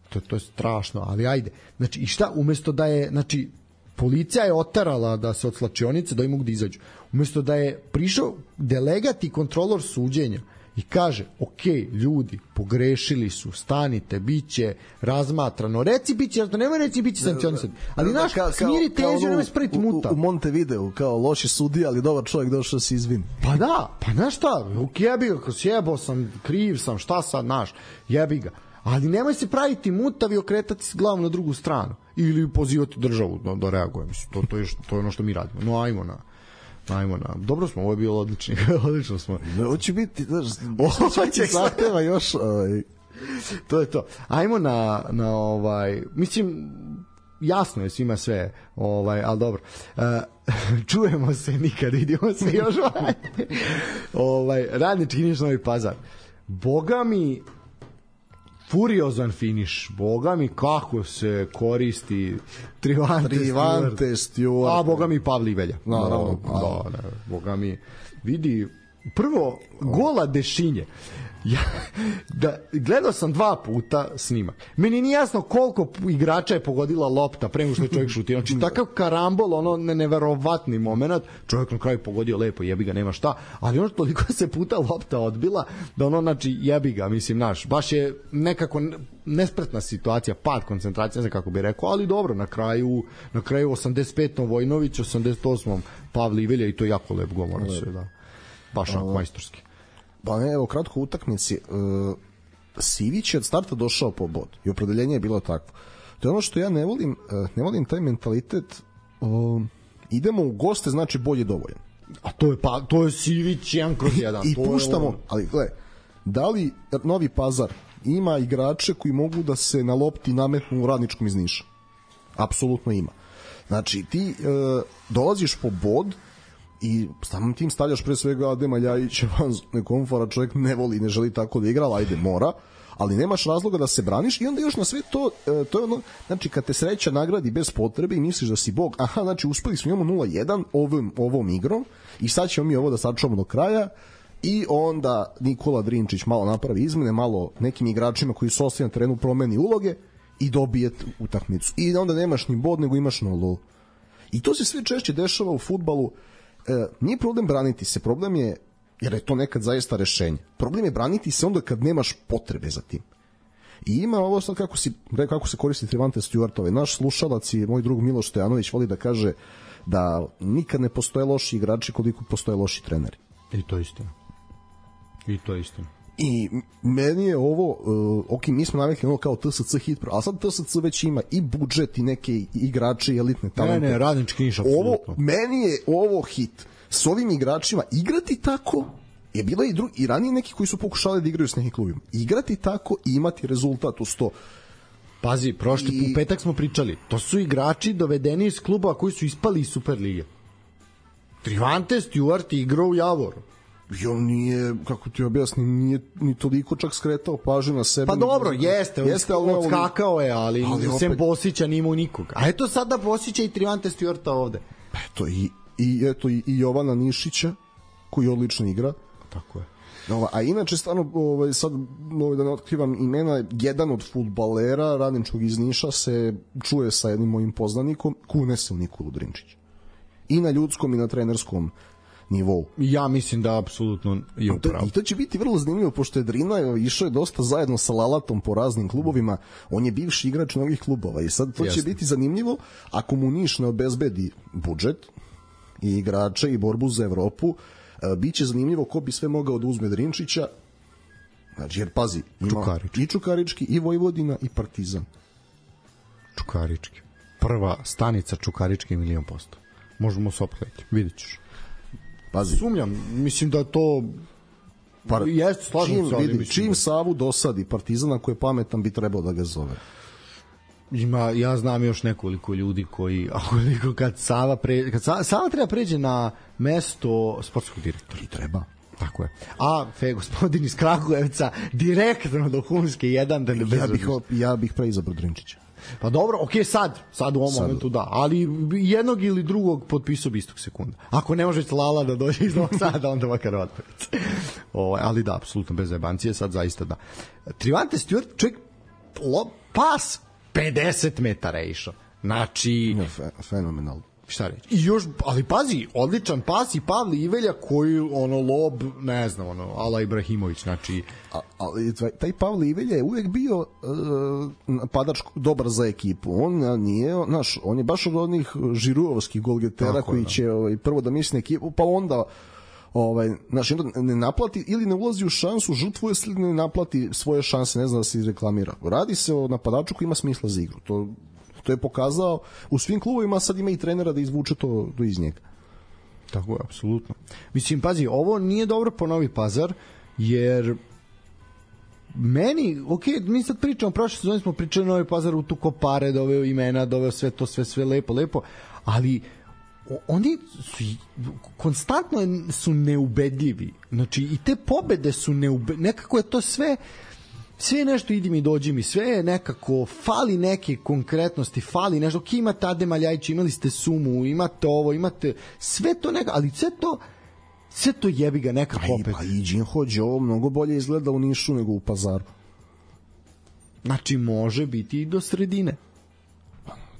To, to je strašno, ali ajde. Znači, i šta, umesto da je, znači, policija je otarala da se od slačionice da im mogu da izađu. Umesto da je prišao delegat i kontrolor suđenja i kaže, ok, ljudi, pogrešili su, stanite, bit će razmatrano, reci bit će, nemoj reci bit će sankcionisati, ali naš, smiri tenziju, nemoj spraviti muta. U, u Montevideo, kao loši sudija, ali dobar čovjek došao se izvini. Pa da, pa znaš šta, ok, jebi ga, sjebao sam, kriv sam, šta sad, naš, jebi ga. Ali nemoj se praviti mutavi i okretati se glavom na drugu stranu. Ili pozivati državu da, da reaguje. Mislim, to, to, je, to je ono što mi radimo. No, ajmo na... Ajmo na... Dobro smo, ovo je bilo odlično. Odlično smo. Ovo će biti, znaš, ovo će zahteva još... Ovaj. To je to. Ajmo na, na ovaj... Mislim, jasno je svima sve, ovaj, ali dobro. Uh, čujemo se, nikad vidimo se još. ovaj, Radnički Niš, Novi Pazar. Boga mi... furiozan finiš, boga mi kako se koristi Trivante, Trivante Stewart, a boga mi Pavli Velja, naravno, da, da, boga mi vidi prvo gola Dešinje. Ja, da, gledao sam dva puta snimak. Meni nije jasno koliko igrača je pogodila lopta pre nego što je čovjek šutio. Znači takav karambol, ono ne, neverovatni moment. Čovjek na kraju pogodio lepo, jebi ga, nema šta. Ali ono toliko se puta lopta odbila da ono, znači, jebi ga, mislim, naš. Baš je nekako nespretna situacija, pad koncentracija, ne znam kako bi rekao, ali dobro, na kraju, na kraju osamdeset petom Vojnović, osamdeset osmom Pavli Velja i to je jako lep gol, mora se, da. Baš onako majstorski. Pa ne, evo, kratko utakmici. Uh, Sivić je od starta došao po bod i opredeljenje je bilo takvo. To je ono što ja ne volim, uh, ne volim taj mentalitet. Uh, idemo u goste, znači bolje dovoljan. A to je, pa, to je Sivić jedan kroz jedan. I, i to puštamo, je... ali gle, da li Novi Pazar ima igrače koji mogu da se na lopti nametnu u Radničkom iz Niša? Apsolutno ima. Znači, ti uh, dolaziš po bod i samim tim stavljaš pre svega Adema Ljajića van nekomfora, čovjek ne voli, ne želi tako da igra, ajde mora, ali nemaš razloga da se braniš i onda još na sve to, to je ono, znači kad te sreća nagradi bez potrebe i misliš da si bog, aha, znači uspeli smo, imamo nula jedan ovom, ovom igrom i sad ćemo mi ovo da sačuvamo do kraja i onda Nikola Drinčić malo napravi izmene, malo nekim igračima koji su ostali na terenu promeni uloge i dobije utakmicu. I onda nemaš ni bod, nego imaš nulu. I to se sve češće dešava u fudbalu. E, nije problem braniti se, problem je jer je to nekad zaista rešenje. Problem je braniti se onda kad nemaš potrebe za tim. I ima ovo sad kako, si, kako se koristi Trevante Stewartove. Naš slušalac i moj drug Miloš Stojanović voli da kaže da nikad ne postoje loši igrači koliko postoje loši treneri. I to je istina. I to je istina. I meni je ovo, uh, ok, mi smo navikli ono kao T S C hit, ali sad T S C već ima i budžet i neke igrače i elitne talente. Ne, ne, Radnički Niš, apsolutno. Ovo, meni je ovo hit. S ovim igračima igrati tako, je bilo i, drugi, i ranije neki koji su pokušali da igraju s nekim klubima. Igrati tako i imati rezultat u sto. Pazi, prošli I... u petak smo pričali, to su igrači dovedeni iz klubova koji su ispali iz Superlige. Trevante Stewart igrao u Javoru. I on nije, kako ti objasnim, nije ni toliko čak skretao pažnju na sebe. Pa dobro, jeste, jeste ali odskakao je, ali, ali opet... sem Bosića nimao nikoga. A eto sada Bosića i Trevante Stewarta ovde. Eto, i, i, eto, i, i Jovana Nišića, koji odlično igra. Tako je. Ova, a inače, stvarno, ovaj, sad ovaj, da ne otkrivam imena, jedan od fudbalera Radničkog iz Niša se čuje sa jednim mojim poznanikom, kune se u Nikolu Drinčića. I na ljudskom i na trenerskom nivou. Ja mislim da apsolutno je upravo. I to će biti vrlo zanimljivo, pošto je Drina išao je dosta zajedno sa Lalatom po raznim klubovima, on je bivši igrač mnogih klubova i sad to Jasne. će biti zanimljivo ako mu Niš ne obezbedi budžet i igrače i borbu za Evropu, bit će zanimljivo ko bi sve mogao da uzme Drinčića, znači jer pazi, ima Čukarički. i Čukarički, i Vojvodina, i Partizan. Čukarički. Prva stanica Čukarički milion posto. Možemo se oprediti, vidit ćeš. Pazi. Sumnjam, mislim da to Par... jeste slažem se, ali vidi, mislim čim da... Savu dosadi Partizan, ako je pametan bi trebao da ga zove. Ima, ja znam još nekoliko ljudi koji, ako kad Sava pre, kad Sava, Sava treba pređe na mesto sportskog direktora. I treba. Tako je. A fe gospodin iz Kragujevca direktno do Humske jedan da ne bez. Ja bih ja bih preizabrao Drinčića. Pa dobro, okej, okay, sad, sad u ovom sad. momentu da, ali jednog ili drugog potpisao bi istog sekunda. Ako ne može Lala da dođe iz Novog Sada, onda makar Otporica. Ovaj, ali da, apsolutno bez jebancije, sad zaista da. Trevante Stewart, čovjek, pas pedeset metara je išao. Znači, no, fe, fenomenalno. Šta reći? I još, ali pazi, odličan pas i Pavle Ivelja koji, ono, lob, ne znam, ono, Ala Ibrahimović, znači... A, ali taj Pavle Ivelja je uvek bio uh, napadač dobar za ekipu. On nije, znaš, on je baš od onih žiruovskih golgetera Tako, koji da. će ovaj, prvo da misli na ekipu, pa onda ovaj, znaš, ne naplati ili ne ulazi u šansu, žrtvuje se ili ne naplati svoje šanse, ne znam da se izreklamira. Radi se o napadaču koji ima smisla za igru. To To je pokazao u svim klubovima, sad ima i trenera da izvuče to do iz njega. Tako je, apsolutno. Mislim, pazi, ovo nije dobro po Novi Pazar, jer meni, ok, mi sad pričamo, prošle sezone smo pričali Novi Pazar, u tu kopare, doveo imena, doveo sve to, sve, sve lepo, lepo, ali oni su konstantno su neubedljivi. Znači, i te pobede su neubedljivi. Nekako je to sve... sve nešto idi mi, dođi mi, sve je nekako, fali neke konkretnosti, fali nešto, ok, imate Adema Ljajića, imali ste Sumu, imate ovo, imate sve to nekako, ali sve to sve to jebi ga nekako opet. Pa i Đin Hođe ovo mnogo bolje izgleda u Nišu nego u Pazaru. Znači može biti i do sredine.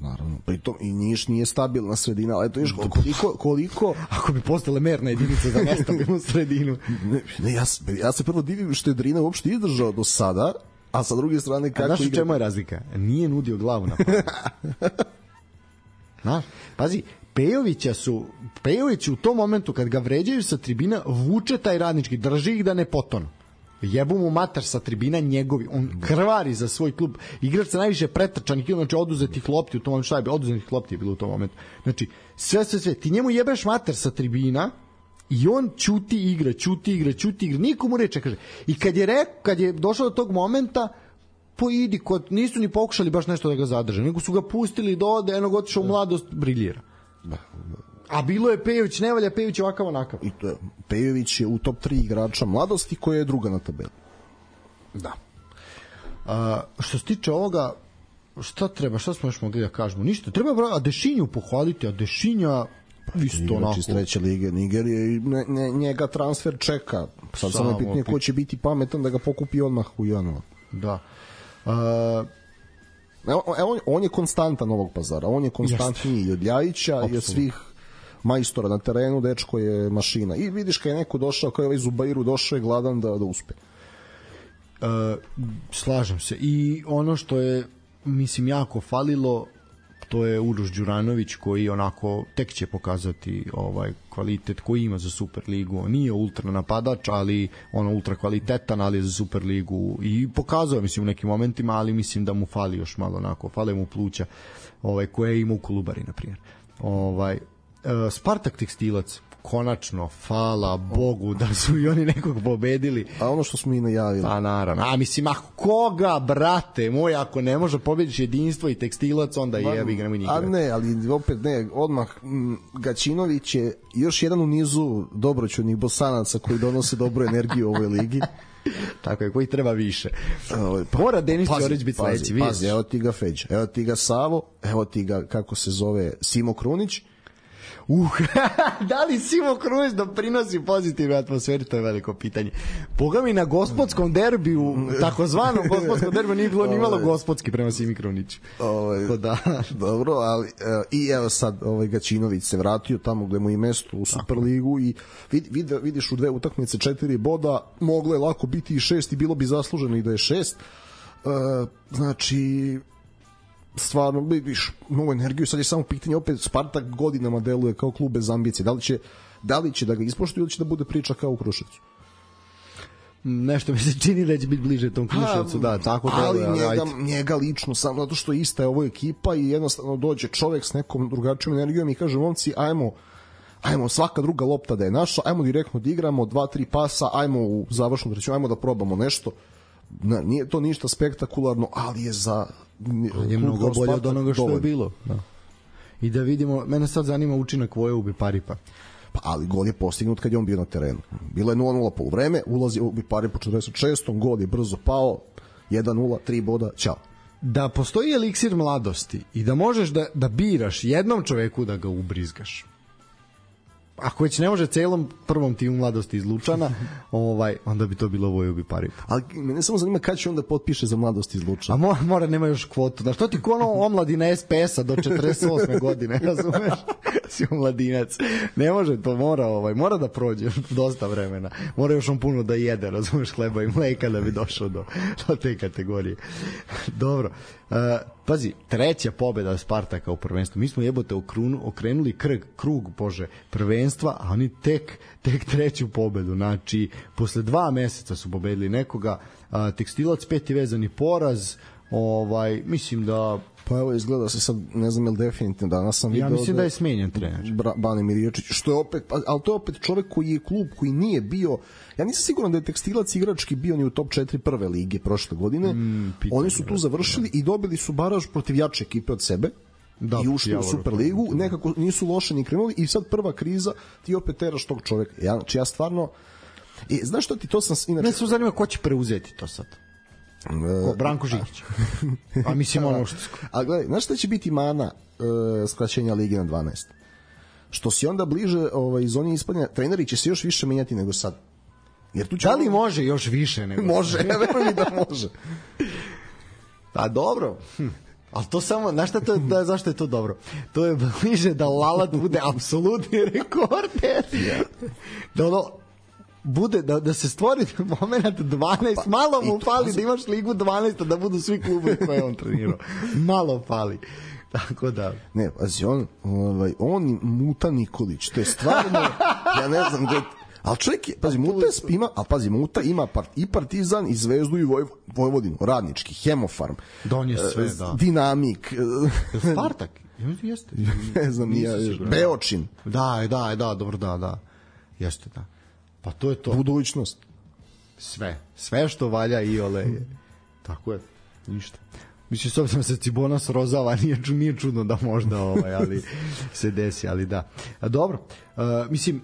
Naravno, pritom i Niš nije stabilna sredina, ali to je koliko, koliko... Ako bi postale merna jedinica za nestabilnu sredinu. Ne, ne, ja, ja se prvo divim što je Drina uopšte izdržao do sada, a sa druge strane kako... A znaš u čemu je razlika? Nije nudio glavu na pamet. Znaš, pazi, Pejovića su, Pejović u tom momentu kad ga vređaju sa tribina, vuče taj Radnički, drži ih da ne potonu. Jebu mu matar sa tribina njegovi, on krvari za svoj klub, igrač sa najviše pretrčanih, znači oduzetih lopti u tom momentu, šta je bilo, oduzetih lopti je bilo u tom momentu, znači sve, sve, sve, ti njemu jebeš matar sa tribina i on ćuti igra, ćuti igra, ćuti igra, nikomu reče, kaže, i kad je rekao, kad je došao do tog momenta, po idi, kod, nisu ni pokušali baš nešto da ga zadrže, nego su ga pustili do ode, jednog otišao u mladost, briljira. Da, da. A bilo je Pejović, ne valja Pejović ovakav onakav. I to je, Pejović je u top tri igrača mladosti koja je druga na tabeli. Da. A, što se tiče ovoga, šta treba, šta smo još mogli da kažemo? Ništa, treba a Dešinju pohvaliti, a Dešinja pa, isto onako. Iz treće lige Nigerije i ne, ne, njega transfer čeka. Sad samo je pitanje ko će biti pametan da ga pokupi odmah u januar. Da. A, Evo, on, on je konstantan Novog Pazara, on je konstantniji i od Ljajića i od svih majstora na terenu, dečko je mašina. I vidiš kad je neko došao, kao je ovaj Zubairu, došao je gladan da, da uspe. Uh, slažem se. I ono što je, mislim, jako falilo, to je Uroš Đuranović, koji onako tek će pokazati ovaj kvalitet koji ima za Superligu. On nije ultra napadač, ali ono ultra kvalitetan, ali je za Superligu i pokazao, mislim, u nekim momentima, ali mislim da mu fali još malo onako, fale mu pluća ovaj, koje ima u Kolubari, na primjer. Ovaj, uh, Spartak Tekstilac, konačno, hvala Bogu da su i oni nekog pobedili. A ono što smo i najavili. Pa naravno. A mislim, ako koga, brate moj, ako ne može pobediš Jedinstvo i Tekstilac, onda je jebi ga, nemoj nikada. A ne, ali opet ne, odmah m, Gaćinović je još jedan u nizu dobroćudnih Bosanaca koji donose dobru energiju u ovoj ligi. Tako je, koji treba više. Ovaj, pa, mora Denis Ćorić biti sledeći. Pazi, pazi, evo ti ga Feđa, evo ti ga Savo, evo ti ga, kako se zove, Simo Krunić. Uh, da li Simo Krunić doprinosi pozitivnu atmosferu, to je veliko pitanje. Boga mi na gospodskom derbiju, takozvanom gospodskom derbiju, nije bilo ni malo gospodski prema Simi Kruniću. Ovaj, da. Dobro, ali evo, i evo sad ovaj Gaćinović se vratio tamo gde mu je mesto u Superligu i vid, vid, vidiš u dve utakmice četiri boda, moglo je lako biti i šest i bilo bi zasluženo i da je šest. E, znači stvarno vidiš novu energiju, sad je samo pitanje, opet Spartak godinama deluje kao klub bez ambicije, da li će, da li će da ga ispoštuju ili će da bude priča kao u Kruševcu? Nešto mi se čini da će biti bliže tom Kruševcu, da, tako da. Ali deluje, njega, njega lično, samo zato što ista je ovo ekipa i jednostavno dođe čovek s nekom drugačijom energijom i kaže, momci, ajmo ajmo svaka druga lopta da je naša, ajmo direktno da igramo, dva, tri pasa, ajmo u završnu trećinu, ajmo da probamo nešto. Ne, nije to ništa spektakularno, ali je za je mnogo bolje od onoga što je bilo. Da. I da vidimo, mene sad zanima učinak Voje Ubi Paripa. Pa, ali gol je postignut kad je on bio na terenu. Bilo je nula nula po vreme, ulazi Ubi Parip po četrdeset šestom gol je brzo pao, jedan nula, tri boda, ćao. Da postoji eliksir mladosti i da možeš da, da biraš jednom čoveku da ga ubrizgaš. Ako već ne može celom prvom timu mladosti iz Lučana, ovaj, onda bi to bilo Voje Ubi Parip. Ali mene samo zanima kada će onda potpiše za mladosti iz Lučana. A mora, mora nema još kvotu. Da što ti ko ono omladina es pe es-a do četrdeset osme godine, razumeš? Si omladinac. Ne može, to mora, ovaj, mora da prođe dosta vremena. Mora još on puno da jede, razumeš, hleba i mleka da bi došao do, do te kategorije. Dobro. Uh, pazi, treća pobeda Spartaka u prvenstvu. Mi smo jebote okrunu, okrenuli krug, krug bože, prvenstva, a oni tek, tek treću pobedu. Znači, posle dva meseca su pobedili nekoga. Uh, Tekstilac peti vezani poraz. Ovaj, mislim da pa evo izgleda se sad, ne znam je li definitivno danas sam video ja mislim da, da je smenjen trener Bane Mirječić, što je opet, ali to je opet čovek koji je klub koji nije bio, ja nisam siguran da je Tekstilac igrački bio ni u top četiri prve lige prošle godine, mm, oni su tu završili da. I dobili su baraž protiv jače ekipe od sebe da, i ušli u Superligu, nekako nisu loše ni krenuli i sad prva kriza ti opet teraš tog čoveka, ja, znači ja stvarno i znaš što ti to sam inače... Ne se zanima ko će preuzeti to sad. Ko, Branko Žikić. A mislim ono što... A gledaj, znaš šta će biti mana uh, skraćenja ligi na dvanaest? Što si onda bliže ovaj, zoni ispadanja, treneri će se još više menjati nego sad. Jer tu će da li ono... može još više nego može, ja verujem da može. A dobro. Hm. Ali to samo, znaš šta to je, da, zašto je to dobro? To je bliže da Lalat bude apsolutni rekorder. Yeah. Da ono, bude, da, da se stvori moment dvanaest, pa, malo mu fali da imaš ligu dvanaest, da budu svi klubovi koje on trenirao. Malo fali. Tako da. Ne, pazi, on, ovaj, on i Muta Nikolić, to je stvarno, ja ne znam gde, ali čovjek je, pazi, Muta ima, a pazi, Muta ima part, i Partizan, i Zvezdu, i Voj, Vojvodinu, Radnički, Hemofarm, Don je sve, da. Dinamik, Spartak, jeste. Ne znam, ja, Beočin. Da, da, da, dobro, da, da. Jeste, da. Pa to je to. Budućnost. Sve. Sve što valja i ole je. Tako je. Ništa. Mislim, s obzirom se Cibona srozava, nije, nije čudno da možda ovaj, ali se desi, ali da. A, dobro. Uh, mislim,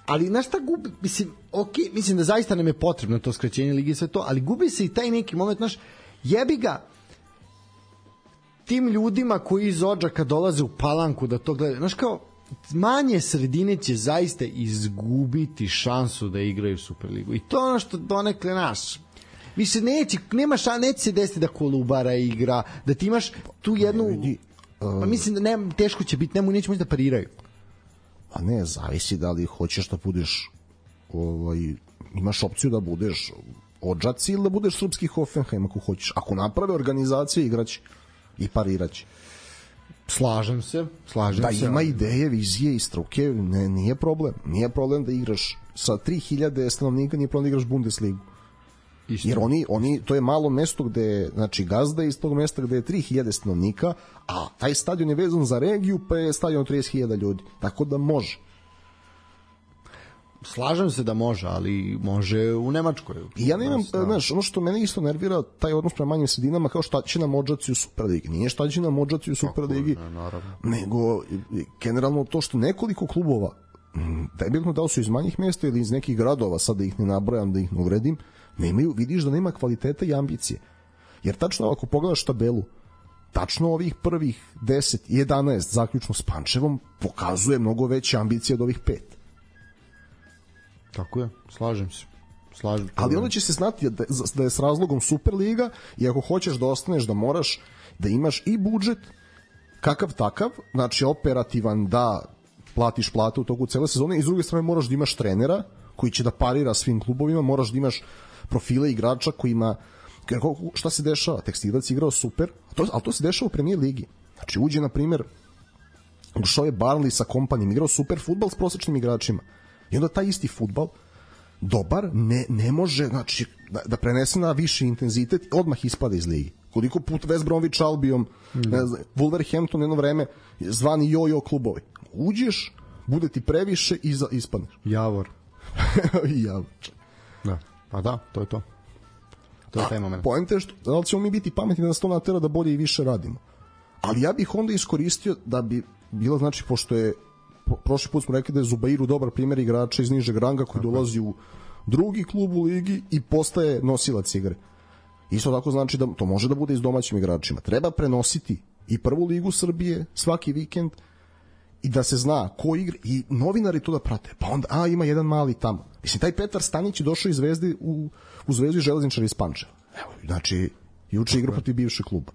ali znaš šta gubi, mislim, ok, mislim da zaista nam je potrebno to skraćenje ligi i sve to, ali gubi se i taj neki moment, znaš, jebi ga tim ljudima koji iz Odžaka dolaze u Palanku da to gledaju. Znaš kao, manje sredine će zaista izgubiti šansu da igraju Superligu. I to je ono što donekle naš. Više neće, nema ša, neće se desiti da Kolubara igra, da ti imaš tu jednu... Pa mislim da ne, teško će biti, nemo, neće moći da pariraju. A ne, zavisi da li hoćeš da budeš ovaj, imaš opciju da budeš Odžaci ili da budeš srpski Hoffenheim ako hoćeš. Ako naprave organizacije, igraće i pariraće. Slažem se, slažem da se. Da ima ideje, vizije i struke, ne, nije problem. Nije problem da igraš sa tri hiljade stanovnika, nije problem da igraš Bundesligu. Isto. Jer oni, oni, to je malo mesto gde, znači gazda iz tog mesta gde je tri hiljade stanovnika, a taj stadion je vezan za regiju, pa je stadion trideset hiljada ljudi. Tako da može. Slažem se da može, ali može u Nemačkoj. I ja nemam, znaš, ono što mene isto nervira, taj odnos prema manjim sredinama, kao šta će nam Odžaci u Superligi. Nije šta će nam Odžaci u Superligi, nego generalno to što nekoliko klubova, da je bitno da li su iz manjih mesta ili iz nekih gradova, sad da ih ne nabrojam, da ih ne uvredim, nemaju, vidiš da nema kvaliteta i ambicije. Jer tačno ako pogledaš tabelu, tačno ovih prvih deset, jedanaest, zaključno s Pančevom, pokazuje mnogo veće ambicije od ovih pet. Tako je, slažem se. Slažem, ali onda će se znati da, da je s razlogom Superliga i ako hoćeš da ostaneš da moraš da imaš i budžet kakav takav, znači operativan da platiš plate u toku cele sezone i s druge strane moraš da imaš trenera koji će da parira svim klubovima, moraš da imaš profile igrača kojima, šta se dešava, Tekstilac igrao super, to, ali to se dešava u Premier ligi. Znači uđe na primjer ušao je Barnley sa kompanijom, igrao super fudbal s prosečnim igračima. I onda taj isti fudbal, dobar, ne, ne može znači, da, da prenese na viši intenzitet i odmah ispada iz ligi. Koliko put West Bromwich Albion, mm. ne znam, Wolverhampton jedno vreme, zvani jojo klubovi. Uđeš, bude ti previše i za, ispadneš. Javor. Javor. Da. Pa da, to je to. To je taj moment. Poenta je što, da li ćemo mi biti pametni da nas to natera da bolje i više radimo. Ali ja bih onda iskoristio da bi bilo, znači, pošto je prošli put smo rekli da je Zubairu dobar primjer igrača iz nižeg ranga koji tako dolazi u drugi klub u ligi i postaje nosilac igre. Isto tako znači da to može da bude i s domaćim igračima. Treba prenositi i prvu ligu Srbije svaki vikend i da se zna ko igra i novinari to da prate. Pa onda, a ima jedan mali tamo. Mislim, taj Petar Stanić je došao iz Zvezde u, u Zvezdu Železničara iz Pančeva. Evo, znači, juče igra protiv bivšeg kluba.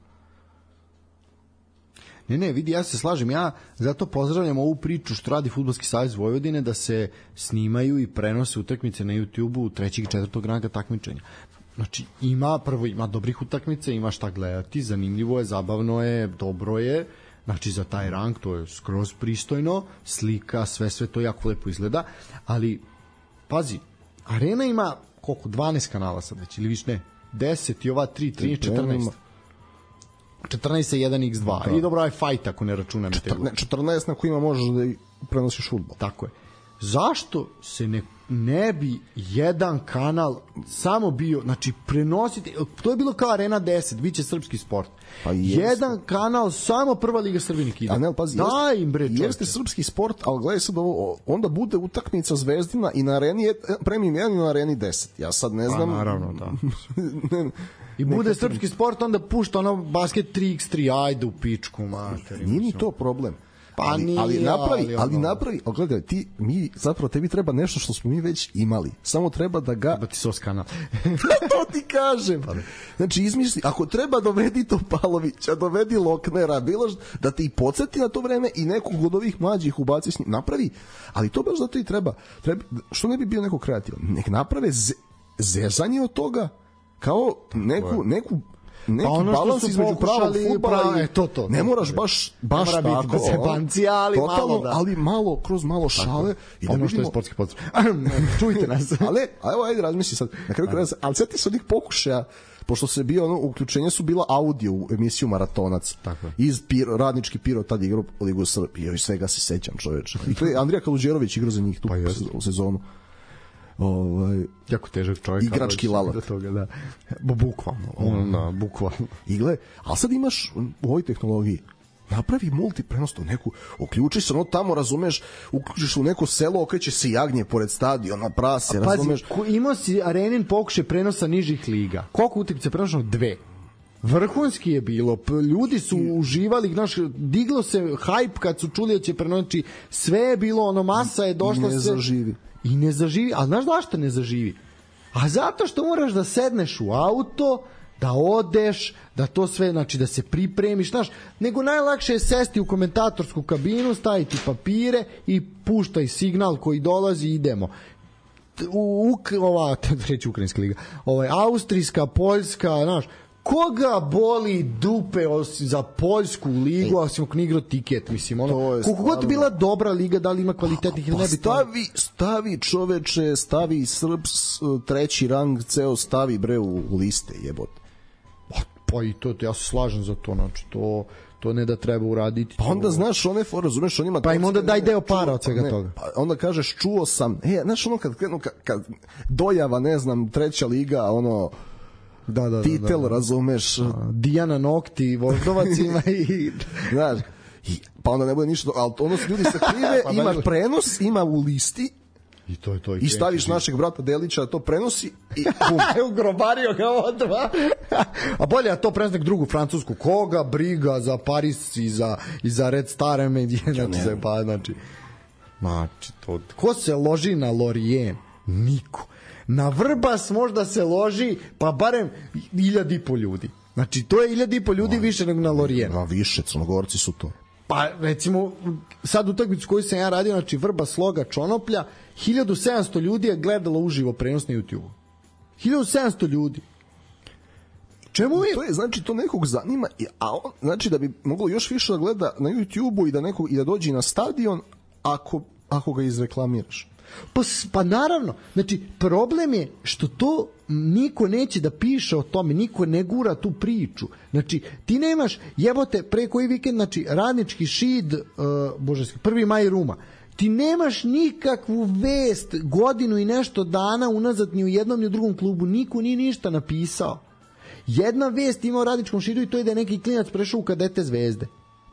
Ne, ne, vidi, ja se slažem, ja zato pozdravljam ovu priču što radi Fudbalski savez Vojvodine da se snimaju i prenose utakmice na YouTubeu trećeg i četvrtog ranga takmičenja. Znači, ima, prvo ima dobrih utakmica, ima šta gledati, zanimljivo je, zabavno je, dobro je, znači za taj rang to je skroz pristojno, slika, sve, sve to jako lepo izgleda, ali, pazi, Arena ima koliko, dvanaest kanala sad već, ili više ne, deset i ova tri, tri, četrnaest. četrnaest je jedan iks dva. Da. I dobro, aj fight ako ne računam. četrnaest na kojima možeš da prenosiš fudbal. Tako je. Zašto se ne, ne bi jedan kanal samo bio, znači prenositi, to je bilo kao Arena deset, biće srpski sport. Pa jedan kanal, samo prva liga Srbije nek ide. A ne, pazi, daj im bre, jeste srpski sport, ali gledaj sad ovo, onda bude utakmica Zvezdina i na Areni premium jedan i na Areni deset. Ja sad ne znam. Pa naravno, da. ne, I bude nekako srpski sport, onda pušta ono basket tri iks tri, ajde u pičku materi. Nije ni to problem. Pa ali, nije, ali napravi, ali, ali napravi, ali gledaj, ti, mi, zapravo tebi treba nešto što smo mi već imali. Samo treba da ga... Treba ti sos kanal. To ti kažem. Znači, izmisli, ako treba dovedi Topalovića, dovedi Loknera, bilo da te i podsjeti na to vreme i nekog od ovih mlađih ubaci s njim. Napravi, ali to baš zato i treba. treba što ne bi bio neko kreativan? Nek naprave ze, zezanje od toga kao neku, neku neki pa ono balans između pravog fudbala i to, to, ne moraš baš baš ne mora tako biti ali totalno, malo da. ali malo kroz malo šale i da ono što je sportski pozdrav. Čujte nas. Ali evo ajde razmisli sad. Na kraju kraja, ali sjeti se onih pokušaja pošto se bio ono uključenje su bila audio u emisiju Maratonac. Tako. Iz Piro, radnički Piro tad igrao Ligu Srbije i svega se sećam, čoveče. I to je Andrija Kaluđerović igrao za njih tu pa sezonu. Ovaj jako težak čovjek, igrački lalak do toga, da. Bukvalno, on na bukvalno. Igle, al sad imaš u ovoj tehnologiji napravi multiprenos to neku, uključiš se ono tamo, razumeš, uključiš u neko selo, okreće se jagnje pored stadiona, prase, pazi, razumeš. Imao si Arenin pokušaj prenosa nižih liga. Koliko utakmica prenošeno? Dve. Vrhunski je bilo, ljudi su uživali, znaš, diglo se hype kad su čuli da će prenositi, sve je bilo, ono, masa je došla se... zaživi. I ne zaživi, a znaš zašto ne zaživi? A zato što moraš da sedneš u auto, da odeš, da to sve, znači da se pripremiš, znaš, nego najlakše je sesti u komentatorsku kabinu, staviti papire i puštaj signal koji dolazi, idemo. U, u ova, treći ukrajinska liga, ovaj, austrijska, poljska, znaš, koga boli dupe osim za poljsku ligu, osim ako ne igra tiket, mislim, ono, koliko god bila dobra liga, da li ima kvalitetnih ili pa ne bi stavi, stavi čoveče, stavi Srbs, treći rang, ceo stavi bre u, u liste, jebote. Pa, pa i to, ja se slažem za to, znači, to, to ne da treba uraditi. Pa onda, znaš, one for, razumeš, on ima... Pa im onda daj deo para od svega ne, toga. Pa onda kažeš, čuo sam, e, znaš, ono, kad, kad, kad dojava, ne znam, treća liga, ono, da, da, titel, da, da. razumeš, Dijana Nokti, Voždovac ima i... znaš, i, pa onda ne bude ništa, ali ono se ljudi sakrive, pa ima prenos, ima u listi, I to je to. I, I staviš našeg brata Delića da to prenosi i bum. Ugrobario ga odva. A bolje da to prenosi drugu francusku. Koga briga za Paris i za, i za Red Star Media. Znači, se, pa, znači, znači to, ko se loži na Lorient? Niko. Na Vrbas možda se loži pa barem hiljad i po ljudi. Znači, to je hiljad i po ljudi no, više nego na Lorient. Na više, Crnogorci su to. Pa recimo sad utakmicu koju sam ja radio, znači Vrba Sloga Čonoplja, hiljadu sedamsto ljudi je gledalo uživo prenos na YouTube. hiljadu sedamsto ljudi. Čemu je? To je, znači, to nekog zanima, a on, znači da bi moglo još više da gleda na YouTube-u i da nekog i da dođe na stadion ako, ako ga izreklamiraš. Pa, pa naravno, znači problem je što to niko neće da piše o tome, niko ne gura tu priču. Znači ti nemaš, jebote, pre koji vikend, znači Radnički Šid, uh, božanski, prvi maj Ruma, ti nemaš nikakvu vest godinu i nešto dana unazad ni u jednom ni u drugom klubu, niko nije ništa napisao. Jedna vest ima o Radničkom Šidu i to je da je neki klinac prešao u kadete Zvezde.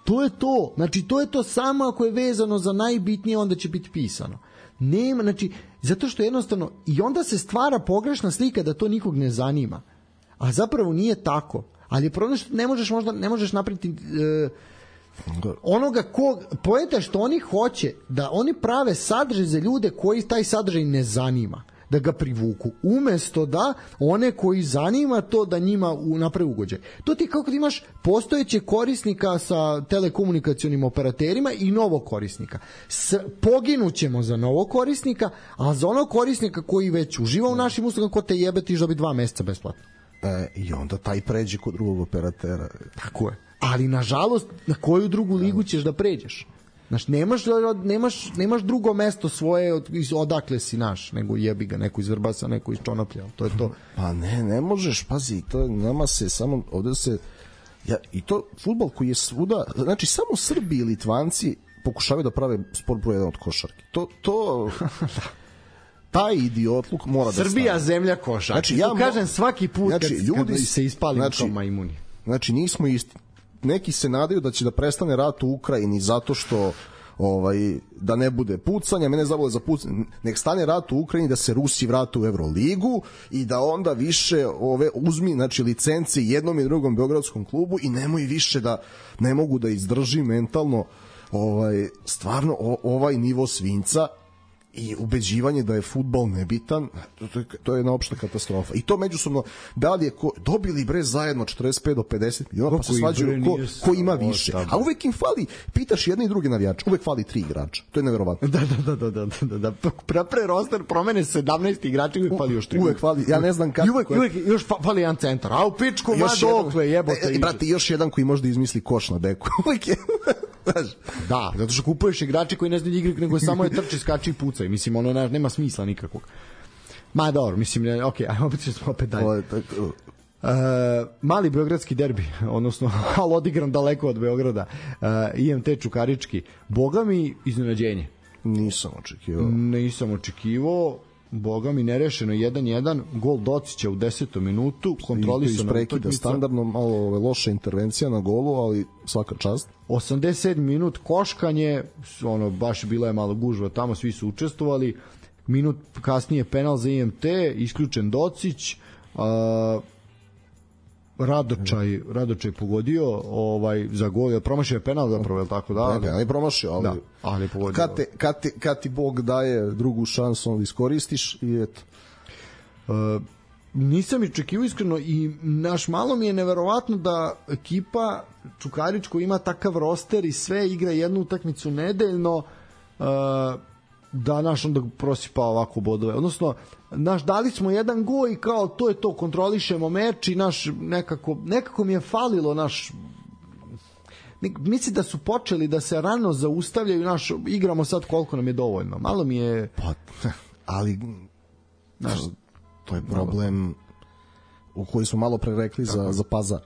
To je to, znači to je to, samo ako je vezano za najbitnije, onda će biti pisano. Nema, znači, zato što jednostavno i onda se stvara pogrešna slika da to nikog ne zanima. A zapravo nije tako. Ali je problem što ne možeš možda ne možeš napraviti e, onoga ko poenta što oni hoće da oni prave sadržaj za ljude koji taj sadržaj ne zanima, da ga privuku, umesto da one koji zanima to da njima naprave ugođaj. To ti kako ti imaš postojeće korisnika sa telekomunikacionim operaterima i novog korisnika. S, poginućemo za novog korisnika, a za onog korisnika koji već uživa u našim uslugama, ko te jebe, ti dobi dva meseca besplatno. E, I onda taj pređe kod drugog operatera. Tako je. Ali nažalost, na koju drugu ligu ćeš da pređeš? Znaš, nemaš, nemaš, nemaš drugo mesto svoje od, odakle si naš, nego jebi ga, neko iz Vrbasa, neko iz Čonoplja, to je to. Pa ne, ne možeš, pazi, to nama se samo, ovde se, ja, i to fudbal koji je svuda, znači samo Srbi i Litvanci pokušavaju da prave sport broj jedan od košarke. To, to, taj idiotluk mora da stane. Srbija zemlja košarke. Znači, ja kažem svaki put znači, kad, ljudi, kad se ispali znači, kao majmuni. Znači, nismo isti. Neki se nadaju da će da prestane rat u Ukrajini zato što ovaj da ne bude pucanja, mene zavole za pucanje, nek stane rat u Ukrajini, da se Rusi vrate u Evroligu i da onda više ove uzmi, znači licence jednom i drugom beogradskom klubu i nemoj više da ne mogu da izdrži mentalno ovaj stvarno o, ovaj nivo svinjca i ubeđivanje da je fudbal nebitan, to je, to je jedna opšta katastrofa. I to međusobno, da li je ko, dobili bre zajedno četrdeset pet do pedeset miliona, pa se svađaju ko, ko ima više. A uvek im fali, pitaš jedne i druge navijače, uvek fali tri igrača. To je neverovatno. Da, da, da, da, da, da. Pre, pre roster promene sedamnaest igrača, uvek fali još tri. Uvek fali, ja ne znam kako. Uvek, uvek još fali jedan centar. A u pičku, ma dokle, jebote. E, brate, još jedan koji može da izmisli koš na beku. Uvek je... Da, zato što kupuješ igrače koji ne znaju igrati, nego samo je trči, skači i pucaj. Mislim, ono ne, nema smisla nikakvog. Ma dobro, mislim, ne, ok, ajmo opet ćemo opet dalje. Uh, mali beogradski derbi, odnosno, ali odigran daleko od Beograda, uh, I M T Čukarički. Boga mi iznenađenje. Nisam očekivao. Nisam očekivao. Boga mi nerešeno jedan jedan, gol Docića u desetom minutu, kontrolisana utakmica, standardno malo loša intervencija na golu, ali svaka čast. osamdeset sedmi minut koškanje, ono baš bila je malo gužva tamo, svi su učestvovali. Minut kasnije penal za I M T, isključen Docić. A, Radočaj, Radočaj pogodio ovaj za gol, promašio je penal zapravo, je tako da? Ne, ne promašio, ali, da, ali pogodio. Kad, te, kad, te, kad ti Bog daje drugu šansu, onda iskoristiš i eto. Uh, nisam očekivao iskreno i naš malo mi je neverovatno da ekipa Čukarić koja ima takav roster i sve igra jednu utakmicu nedeljno uh, da naš onda prosipa ovako bodove. Odnosno, naš dali smo jedan go i kao to je to, kontrolišemo meč i naš nekako, nekako mi je falilo naš mislim da su počeli da se rano zaustavljaju naš, igramo sad koliko nam je dovoljno. Malo mi je pa, ali naš, to je problem u koji smo malo pre rekli za, za Pazar.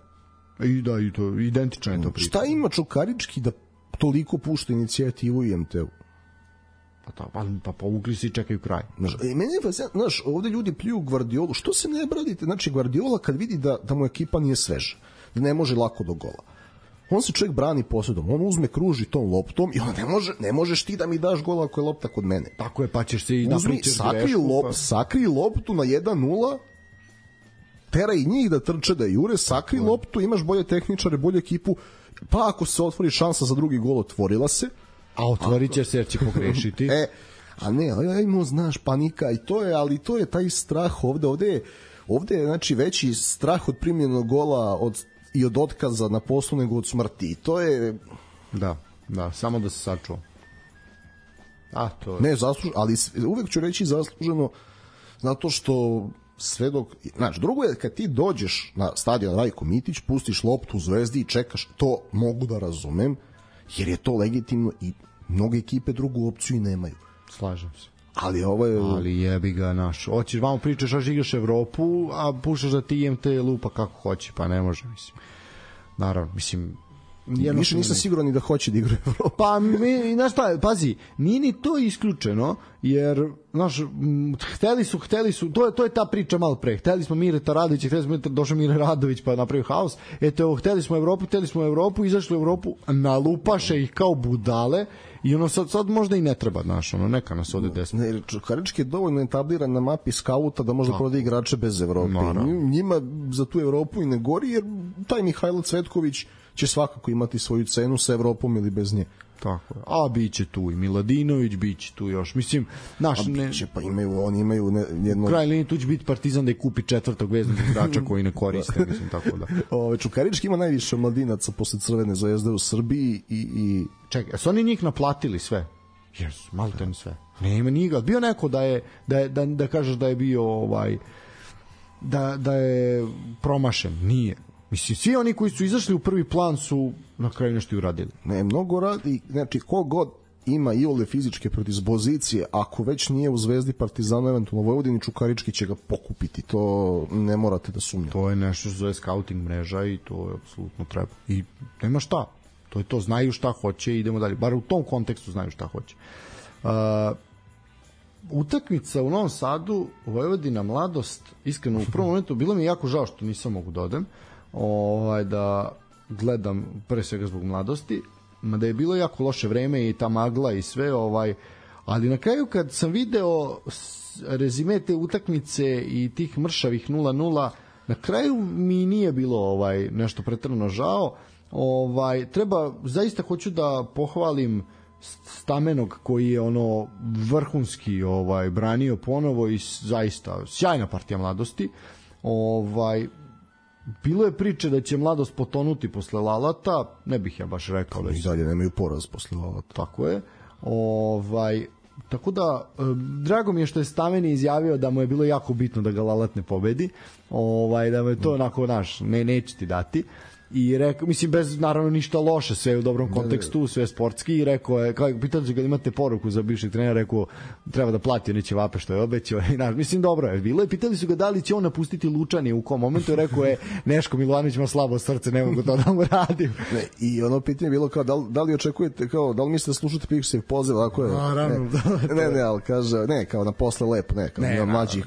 I da, i to, identično je to priča. Šta ima Čukarički da toliko pušta inicijativu i em te u? Pa, ta, pa, pa povukli se i čekaju kraj. Znaš, i meni je fascinantno, znaš, ovde ljudi pljuju Gvardiolu, što se ne bradite? Znači, Gvardiola kad vidi da, da mu ekipa nije sveža, da ne može lako do gola, on se čovjek brani posjedom, on uzme, kruži tom loptom i on ne može, ne možeš ti da mi daš gola ako je lopta kod mene. Tako je, pa ćeš se i napričaš sakri, lop, pa... sakri loptu na jedan nula, teraj njih da trče, da jure, sakri tako loptu, imaš bolje tehničare, bolju ekipu, pa ako se otvori šansa za drugi gol, otvorila se. A otvorit će se jer će pogrešiti. E, a ne, ajmo, znaš, panika i to je, ali to je taj strah ovde, ovde je, ovde je znači, veći strah od primljenog gola od, i od otkaza na poslu nego od smrti. To je... Da, da, samo da se sačuva. A, to je... Ne, zasluženo, ali uvek ću reći zasluženo zato što sve dok... Znači, drugo je kad ti dođeš na stadion Rajko Mitić, pustiš loptu u Zvezdi i čekaš, to mogu da razumem, jer je to legitimno i mnoge ekipe drugu opciju i nemaju. Slažem se. Ali ovo je... Ali jebi ga naš. Hoćeš vamo pričaš, až igraš Evropu, a puštaš da ti em te lupa kako hoće, pa ne može, mislim. Naravno, mislim... Više nisam siguran ni da hoće da igra Evropu. Pa, mi, znaš šta, pazi, nije ni to isključeno, jer, znaš, hteli su, hteli su, to je, to je ta priča malo pre, hteli smo Mireta Radovića, hteli smo došao Mire Radović pa napravio haos, eto, evo, hteli smo Evropu, hteli smo Evropu, izašli u Evropu, nalupaše ih kao budale, i ono sad, sad možda i ne treba, znaš, ono, neka nas ode desno. Ne, Čukarički je dovoljno etabliran na mapi skauta da možda prodaje igrače bez Evrope. Njima za tu Evropu i ne gori, jer taj Mihajlo Cvetković će svakako imati svoju cenu sa Evropom ili bez nje. Tako je. A biće tu i Miladinović, biće tu još. Mislim, naš... A biće, ne... pa imaju, oni imaju ne, jedno... Kraj linije tu će biti Partizan da je kupi četvrtog veznog igrača koji ne koriste, mislim, tako da. Ove, Čukarički ima najviše mladinaca posle Crvene Zvezde u Srbiji i... i... Čekaj, a su oni njih naplatili sve? Jesu, malo ten sve. Ne ima njega. Bio neko da je, da, je, da, da kažeš da je bio ovaj... Da, da je promašen. Nije. Mislim, svi oni koji su izašli u prvi plan su na kraju nešto i uradili. Ne, mnogo radi, znači, kogod ima i ole fizičke predispozicije, ako već nije u Zvezdi, Partizanu, eventualno Vojvodini, Čukarički će ga pokupiti, to ne morate da sumnjate. To je nešto što zove scouting mreža i to je apsolutno treba. I nema šta, to je to, znaju šta hoće i idemo dalje, bar u tom kontekstu znaju šta hoće. Uh, utakmica u Novom Sadu, Vojvodina Mladost, iskreno u prvom momentu, bilo mi je jako žao što nisam mogu da odem, ovaj, da gledam pre svega zbog Mladosti, da je bilo jako loše vreme i ta magla i sve, ovaj, ali na kraju kad sam video rezime te utakmice i tih mršavih nula nula, na kraju mi nije bilo ovaj nešto preterano žao. Ovaj, treba, zaista hoću da pohvalim Stamenog koji je ono vrhunski ovaj branio ponovo i zaista sjajna partija Mladosti. Ovaj, bilo je priče da će Mladost potonuti posle Lalata, ne bih ja baš rekao da i dalje nemaju poraz posle Lalata. Tako je. Ovaj, tako da drago mi je što je Stameni izjavio da mu je bilo jako bitno da ga Lalat ne pobedi. Ovaj, da mu je to onako naš, ne neće ti dati. I rekao, mislim, bez naravno ništa loše, sve u dobrom kontekstu, sve sportski, i rekao je, kao pitali su ga imate poruku za bivšeg trenera, rekao treba da plati neće vape što je obećao, i naš, mislim, dobro je bilo, i pitali su ga da li će on napustiti Lučani u kom momentu, i rekao je Neško Milovanović ima slabo srce, ne mogu to da mu radim. Ne, i ono pitanje je bilo kao, da li, da li očekujete, kao, da li mislite da slušate Pikšev poziv, ako je, naravno, ne, ne, ne, ali kaže, ne, kao na posle lepo, ne, kao ne, mlađih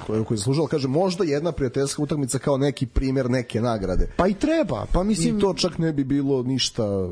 koji koji je služao, kaže, možda jedna prijateljska utakmica kao neki primer neke nagrade. Pa i treba, pa mislim i to čak ne bi bilo ništa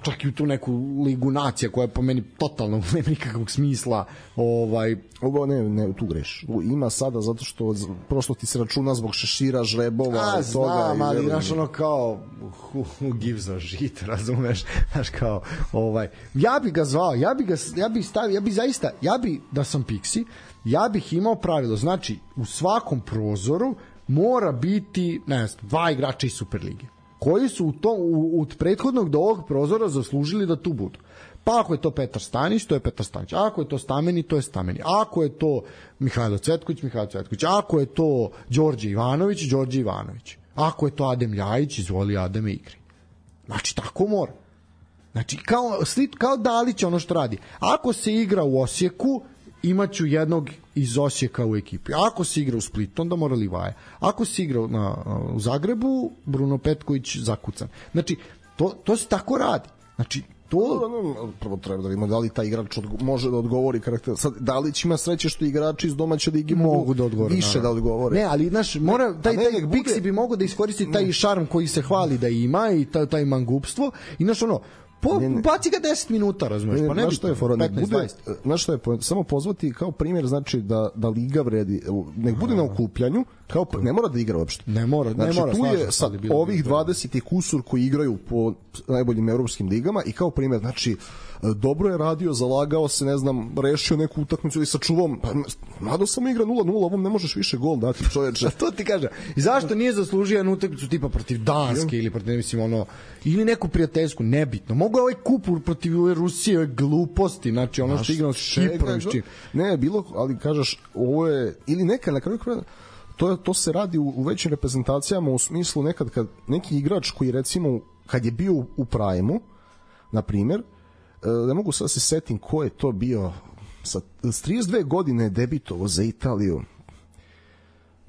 čak i u tu neku ligu nacija koja po meni totalno nema nikakvog smisla. Ovaj ovo ne, ne tu greš. Ima sada zato što prosto ti se računa zbog šešira, žrebova, a, i toga. Znam, ali znaš ono kao who, who gives a shit, razumeš? Znaš kao, ovaj, ja bi ga zvao, ja bi ga, ja bi stavio, ja bi zaista, ja bi, da sam Pixi, ja bih imao pravilo, znači u svakom prozoru mora biti, ne znam, dva igrača iz Superlige koji su u tom, u, od prethodnog do ovog prozora zaslužili da tu budu. Pa ako je to Petar Stanić, to je Petar Stanić. Ako je to Stameni, to je Stameni. Ako je to Mihajlo Cvetković, Mihajlo Cvetković. Ako je to Đorđe Ivanović, Đorđe Ivanović. Ako je to Adem Ljajić, izvoli Ademe igri. Znači, tako mora. Znači, kao, kao Dalić ono što radi. Ako se igra u Osijeku, imaću jednog iz Osijeka u ekipi. Ako se igra u Splitu, onda mora Livaja. Ako se igra na, u Zagrebu, Bruno Petković zakucan. Znači, to, to se tako radi. Znači, to... Prvo treba da vidimo da li taj igrač može da odgovori karakter. Sad, da li će ima sreće što igrači iz domaće ligi mogu da odgovore, više naravno. Da odgovore. Ne, ali znaš, mora, taj, taj Pixi bude... bi mogao da iskoristi taj šarm koji se hvali da ima i taj, taj mangupstvo i znaš ono, Po, ne, ne. Baci ga deset minuta, razumeš, pa ne bi što je fora, petnaest dvadeset. Znaš što je, samo pozvati kao primjer, znači da, da liga vredi, nek bude na okupljanju, kao, ne mora da igra uopšte. Ne mora, znači, ne mora. Tu je sad ovih dvadeset kusur koji igraju po najboljim evropskim ligama i kao primjer, znači, dobro je radio, zalagao se, ne znam, rešio neku utakmicu ili sačuvom, pa mado samo igra nula nula, ovom ne možeš više gol dati, čoveče. To ti kaže. I zašto nije zaslužio jednu utakmicu tipa protiv Danske ili protiv, mislim, ono, ili neku prijateljsku, nebitno. Mogu je ovaj kupur protiv ove Rusije, ove gluposti, znači ono što igrao s Kiprom. Ne, bilo, ali kažeš, ovo je, ili neka na kraju kraja, to, to se radi u, u većim reprezentacijama u smislu nekad kad neki igrač koji recimo, kad je bio u Prime-u, na primjer, ne mogu sad se setim ko je to bio sa trideset dve godine debitovo za Italiju,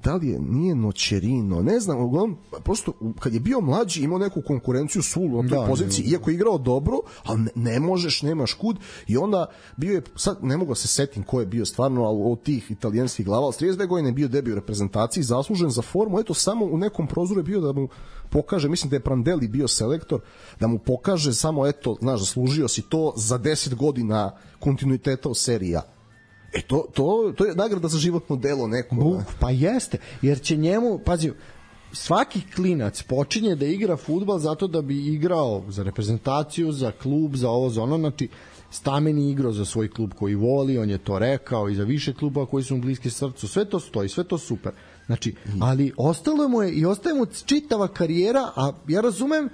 da li je, nije Nocerino, ne znam, uglavnom, prosto kad je bio mlađi imao neku konkurenciju sulu na toj da, poziciji, ne, iako je igrao dobro, ali ne, ne možeš, nemaš kud, i onda bio je, sad ne mogu se setim ko je bio stvarno, ali od tih italijanskih glava, ali trideset dve godine je bio debio u reprezentaciji, zaslužen za formu, eto samo u nekom prozoru je bio da mu pokaže, mislim da je Prandelli bio selektor, da mu pokaže samo, eto, znaš, zaslužio si to za deset godina kontinuiteta u seriji A. E to, to, to je nagrada za životno delo neko. Buk, pa jeste, jer će njemu, pazi, svaki klinac počinje da igra fudbal zato da bi igrao za reprezentaciju, za klub, za ovo, za ono, znači Stameni igrao za svoj klub koji voli, on je to rekao, i za više kluba koji su mu bliski srcu, sve to stoji, sve to super. Znači, ali ostalo mu je i ostaje mu čitava karijera, a ja razumem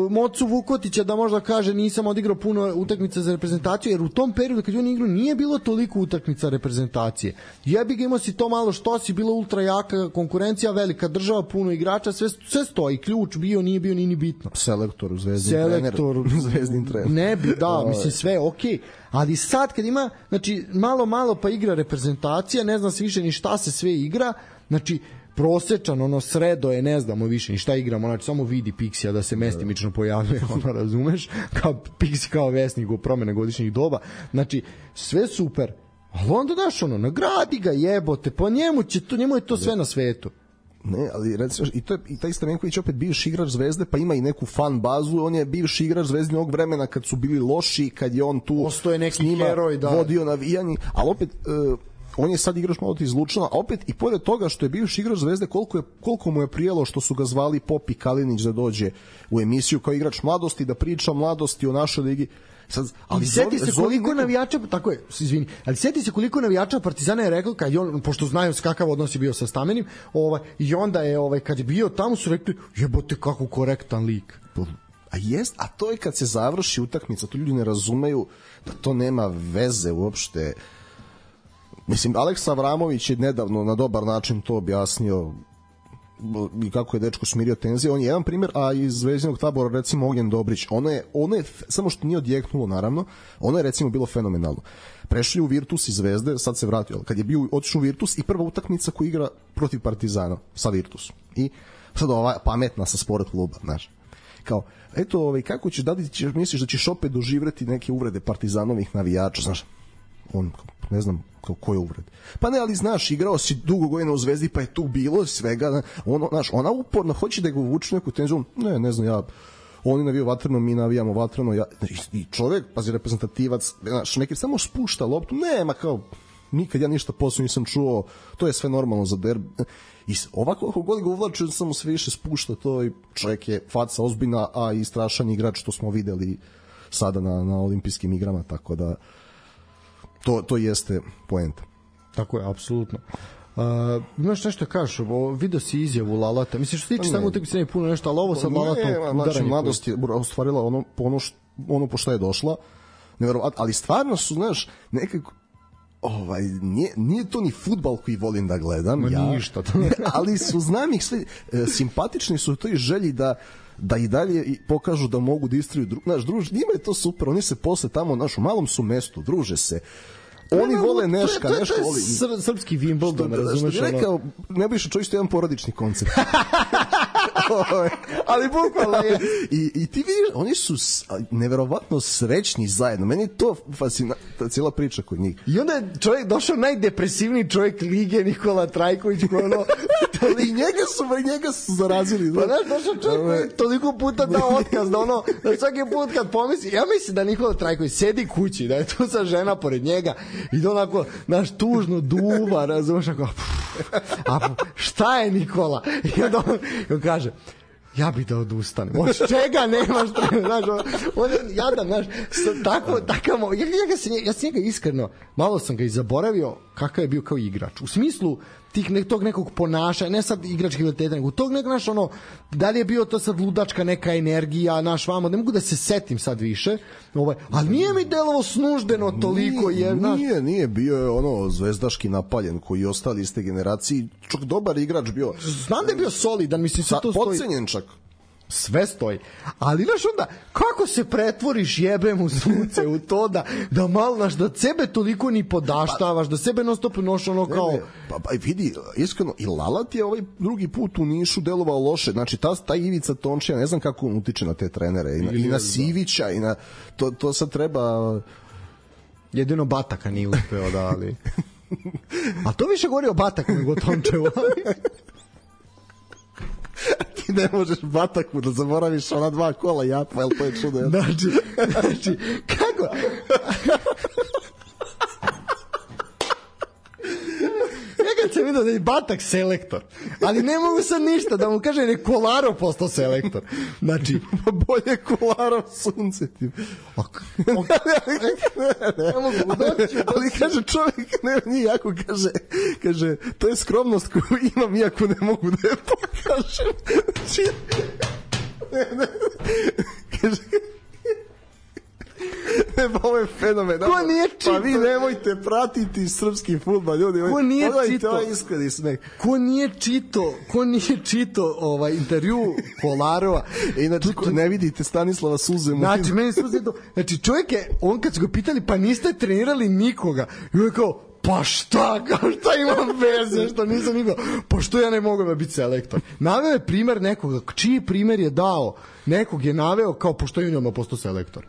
Mocu Vukotića da možda kaže nisam odigrao puno utakmica za reprezentaciju, jer u tom periodu kad je on igrao nije bilo toliko utakmica reprezentacije. Jebi ga, imao si to malo što si, bila ultra jaka konkurencija, velika država, puno igrača, sve, sve stoji, ključ bio, nije bio, nije ni bitno. Selektor, zvezdin Selektor, trener. Zvezdin trener. Ne bi, da, mislim sve, okej. Okay. Ali sad kad ima, znači, malo, malo pa igra reprezentacija, ne znam se više ni šta se sve igra, znači, prosečan, ono sredo je, ne znamo više ni šta igramo, znači samo vidi Pixija da se mestimično pojavljuje, ono, razumeš, kao Pixi kao vesnik u promene godišnjih doba, znači sve super, ali onda daš ono, nagradi ga, jebote, po njemu će to, njemu je to sve na svetu. Ne, ali recimo, i, to je, i taj Stamenković opet bivši igrač Zvezde, pa ima i neku fan bazu, on je bivši igrač Zvezdinog vremena kad su bili loši, kad je on tu Osto je neki njima heroj, da. Vodio navijanje, ali opet... Uh, on je sad igrač malo iz Lučana, a opet i pored toga što je bivši igrač Zvezde, koliko, je, koliko mu je prijelo što su ga zvali Popi Kalinić da dođe u emisiju kao igrač mladosti, da priča mladosti o našoj ligi. Sad, ali seti se koliko neko... navijača, tako je, izvini, ali seti se koliko navijača Partizana je rekao, kad je on, pošto znaju kakav odnos je bio sa Stamenim, ovaj, i onda je, ovaj, kad je bio tamo su rekli, jebote kako korektan lik. A jest, a to je kad se završi utakmica, to ljudi ne razumeju da to nema veze uopšte. Mislim, Aleksa Avramović je nedavno na dobar način to objasnio i kako je dečko smirio tenzije. On je jedan primjer, a iz Zvezdinog tabora recimo Ognjen Dobrić. Ono je, ono je, samo što nije odjeknulo naravno, ono je recimo bilo fenomenalno. Prešli u Virtus iz Zvezde, sad se vratio. Kad je bio otišao u Virtus i prva utakmica koju igra protiv Partizana sa Virtusom. I sad ova pametna sa sport kluba, znaš. Kao, eto, ovaj, kako ćeš, da li ćeš, misliš da ćeš opet doživjeti neke uvrede Partizanovih navijača, znaš? On, ne znam kao koje uvrede. Pa ne, ali znaš, igrao si dugo godina u Zvezdi, pa je tu bilo svega, ono, znaš, ona uporno hoće da ga uvuče neku tenziju, ne, ne znam, ja oni navijaju vatreno, mi navijamo vatreno, ja, i čovjek, pazi, reprezentativac, znaš, neki samo spušta loptu, nema kao, nikad ja ništa posebno nisam čuo, to je sve normalno za derbi. I ovako, ako god ga uvlaču, samo sve više spušta to i čovjek je faca ozbiljna, a i strašan igrač, što smo videli sada na, na olimpijskim igrama, tako da to, to jeste poenta. Tako je, apsolutno. Uh, imaš nešto kažeš, vidio si izjavu Lalata, mislim što se tiče samo utakmice ne puno nešto, ali ovo sa Lalatom znači mladost je ostvarila ono, ono, što, ono po što je došla, neverovatno, ali stvarno su, znaš, nekako ovaj, nije, nije to ni fudbal koji volim da gledam, Ma ja, ništa ali su, znam ih sve, simpatični su u toj želji da da i dalje pokažu da mogu da istriju dru, naš druž, njima je to super, oni se posle tamo, naš, u malom su mestu, druže se, oni no, vole Neška, to je, Neška to je voli. Sr, srpski Wimbledon, razumeš? Što bi rekao, ne bi išao čovjek što je jedan porodični koncept. Ali bukvalno je. I, I ti vidiš, oni su neverovatno srećni zajedno. Meni je to fascinantna cijela priča kod njih. I onda je čovjek došao najdepresivniji čovjek lige, Nikola Trajković, koji ono... I njega su, i njega su zarazili. Pa znaš, došao čovjek koji toliko puta dao otkaz, da ono, da svaki put kad pomisli, ja mislim da Nikola Trajković sedi kući, da je tu sa žena pored njega i da onako, znaš, tužno duva, razumiješ, ako, a šta je Nikola? I onda on, on kaže, ja bih da odustanem. Od čega nemaš trener, znaš, on, on je jadan, znaš, tako, takav, ja, ja, ja, se, ja se njega iskreno, malo sam ga i zaboravio kakav je bio kao igrač. U smislu tih ne, tog nekog ponašanja, ne sad igračkih kvaliteta, nego tog nekog, naš, ono, da li je bio to sad ludačka neka energija, naš vamo, ne mogu da se setim sad više, ovaj, ali nije mi delovo snuždeno toliko, nije, jer, naš... Nije, nije, bio je ono zvezdaški napaljen koji ostali iz te generacije, čak dobar igrač bio. Znam da je bio solidan, mislim, sve to stoji. Podcenjen čak. Sve stoji. Ali znaš onda, kako se pretvoriš jebem u sunce u to da, da malo, znaš, da sebe toliko ni podaštavaš, da sebe non stop noš ono kao... Ne, ne, pa, pa vidi, iskreno, i Lalat je ovaj drugi put u Nišu delovao loše. Znači, ta, ta Ivica Tončija, ne znam kako on utiče na te trenere. I na, i na Sivića, i na... To, to sad treba... Jedino Bataka nije uspeo da, ali... A to više govori o Bataku nego o Tončevu. Ti ne možeš Bataku da zaboraviš ona dva kola Japa, jel to je čudo? Znači, znači, kako? Ja kad sam vidio da je Batak selektor, ali ne mogu sad ništa da mu kaže ne Kolarov postao selektor. Znači, bolje Kolarov sunce ti. Ne mogu doći. Ali kaže čovjek, ne, nije jako kaže, kaže, to je skromnost koju imam iako ne mogu da je pokažem. Znači, ne, ne, kaže, ne, pa ovo je fenomen. Ko nije čito? Pa vi nemojte pratiti srpski fudbal, ljudi. Ko nije čito? Ovaj iskreni smeh. Ko nije čito, ko nije čito ovaj intervju Kolarova. Inače, ko ne vidite Stanislava suze. Znači, meni suze to. Znači, čovjek je, on kad su ga pitali, pa niste trenirali nikoga. I on je kao, pa šta, kao šta imam veze, što nisam nikao, pa što ja ne mogu da biti selektor. Naveo je primer nekoga, čiji primer je dao, nekog je naveo kao, pošto je u njoma postao selektor.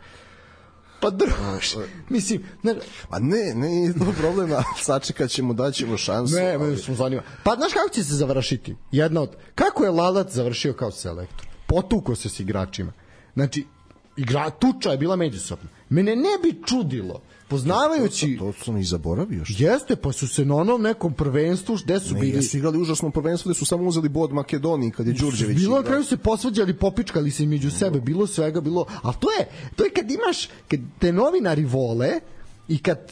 Pa druž, mislim... Ne, pa ne, ne, nije to problema, sačekat ćemo, daćemo šansu. Ne, me smo zanima. Pa znaš kako će se završiti? Jedna od... Kako je Lalat završio kao selektor? Potuko se s igračima. Znači, igra, tuča je bila međusobna. Mene ne bi čudilo, poznavajući... To, to, to sam i zaboravio. Što? Jeste, pa su se na onom nekom prvenstvu, gde su ne, bili... Jesu igrali užasno prvenstvo, gde su samo uzeli bod Makedoniji, kad je Đurđević bilo igrao. Na kraju se posvađali, popičkali se među sebe, bilo svega, bilo... Ali to je, to je kad imaš, kad te novinari vole i kad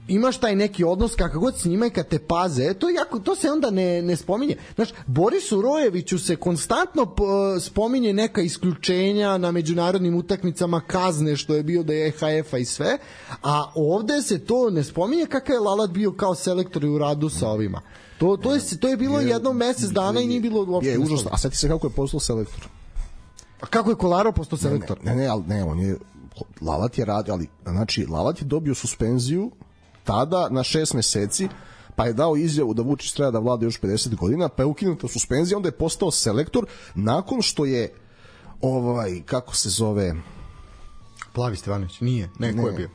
imaš taj neki odnos kakav god s njima i kad te paze, to, jako, to se onda ne, ne spominje. Znaš, Borisu Rojeviću se konstantno p, spominje neka isključenja na međunarodnim utakmicama, kazne što je bio da je E H F-a i sve, a ovde se to ne spominje kakav je Lalat bio kao selektor u radu sa ovima. To, to, je, to je bilo je, jedno mesec dana i nije bilo uopšte. Je, užasno. A sad ti se kako je postao selektor? A kako je Kolarov postao selektor? Ne, ne, ne, ali ne, on je, Lalat je radio, ali, znači, Lalat je dobio suspenziju tada na šest meseci, pa je dao izjavu da Vučić treba da vlada još pedeset godina, pa je ukinuta suspenzija, onda je postao selektor nakon što je ovaj, kako se zove, Plavi Stevanović, nije, ne, ne. Ko je bio?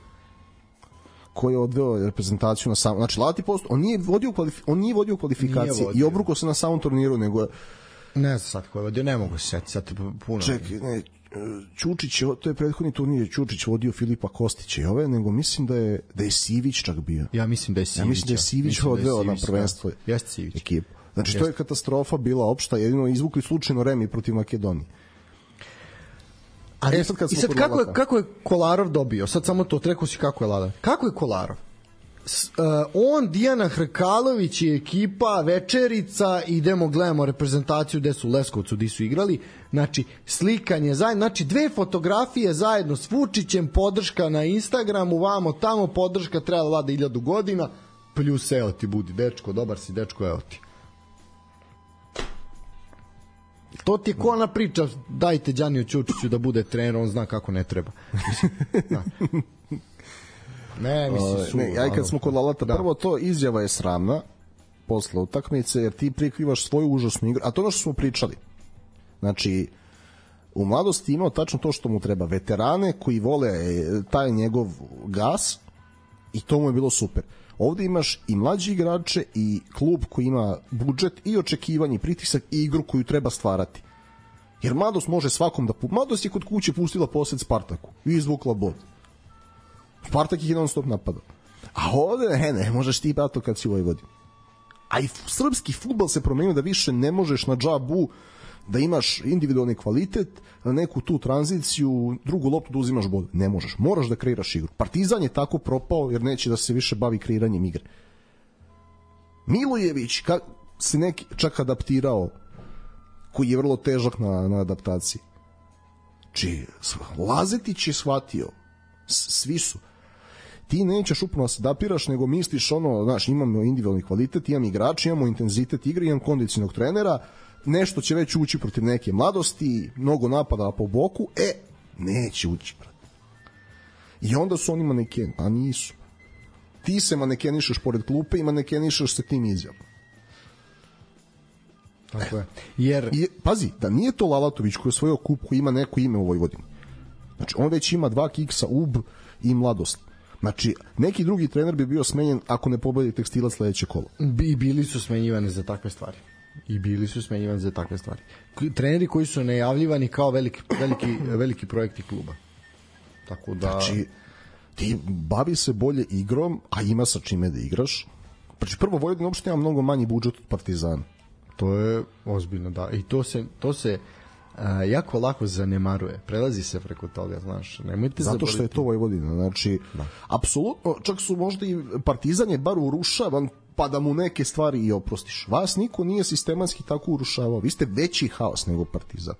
Ko je odveo reprezentaciju na samom, znači Lalat je postao, on nije vodio, kvalif, on nije vodio kvalifikacije vodio. I obrukao se na samom turniru, nego ne znam sad ko je vodio, ne mogu se setiti sad puno. Čekaj, ne, Ćučić, to je prethodni turnir, Ćučić vodio Filipa Kostića i ove, nego mislim da je, da je Sivić čak bio. Ja mislim da je Sivić. Ja mislim da je Sivić odveo na prvenstvo ekipu. Znači, Jest. to je katastrofa bila opšta, jedino izvukli slučajno remi protiv Makedonije. Ali, e, sad I sad kako je, kako je Kolarov dobio? Sad samo to, rekao si kako je Lada. Kako je Kolarov? S, uh, on, Dijana Hrkalović i ekipa, večerica, idemo, gledamo reprezentaciju gde su u Leskovcu, gde su igrali, znači slikanje zajedno, znači dve fotografije zajedno s Vučićem, podrška na Instagramu, vamo tamo, podrška trebala Lada hiljadu godina, plus evo ti budi dečko, dobar si dečko, evo ti. To ti je ko ona priča, dajte Đaniju Ćučiću da bude trener, on zna kako ne treba. Mislim, da. Ne, mislim, su, ne, aj kad smo kod Lalata, da. Prvo to izjava je sramna posle utakmice, jer ti prikrivaš svoju užasnu igru, a to je ono što smo pričali. Znači, u mladosti imao tačno to što mu treba. Veterane koji vole taj njegov gas i to mu je bilo super. Ovde imaš i mlađi igrače i klub koji ima budžet i očekivanje, pritisak i igru koju treba stvarati. Jer mladost može svakom da... Mladost je kod kuće pustila posjed Spartaku i izvukla bod. Spartak ih je non stop napadao. A ovde, ne, ne, možeš ti bato kad si u Vojvodini. A i srpski fudbal se promenio da više ne možeš na džabu da imaš individualni kvalitet, na neku tu tranziciju, drugu loptu da uzimaš bod. Ne možeš, moraš da kreiraš igru. Partizan je tako propao jer neće da se više bavi kreiranjem igre. Milojević ka, se neki čak adaptirao, koji je vrlo težak na, na adaptaciji. Či, Lazetić je shvatio, svi su. Ti nećeš upravo da se adaptiraš, nego misliš ono, znaš, imamo individualni kvalitet, imam igrač, imamo intenzitet igre, imam kondicionog trenera, nešto će već ući protiv neke mladosti, mnogo napada po boku, e, neće ući, brate. I onda su oni manekeni, a nisu. Ti se manekenišeš pored klupe i manekenišeš se tim izjavom. Tako je. Jer... I, pazi, da nije to Lalatović koji je osvojio kup, koji ima neko ime u Vojvodini. Znači, on već ima dva kiksa, U B i mladost. Znači, neki drugi trener bi bio smenjen ako ne pobedi Tekstilac sledeće kolo. I bili su smenjivani za takve stvari. I bili su smenjivani za takve stvari. Treneri koji su najavljivani kao veliki, veliki, veliki projekti kluba. Tako da... Znači, ti bavi se bolje igrom, a ima sa čime da igraš. Znači, prvo, Vojvodina uopšte ima mnogo manji budžet od Partizana. To je ozbiljno, da. I to se... To se A, jako lako zanemaruje, prelazi se preko toga, znaš, nemojte zato zaboraviti. Što je to Vojvodina, znači da. Apsolutno, čak su možda i Partizan je bar urušavan pa da mu neke stvari i oprostiš. Vas niko nije sistematski tako urušavao, vi ste veći haos nego Partizan.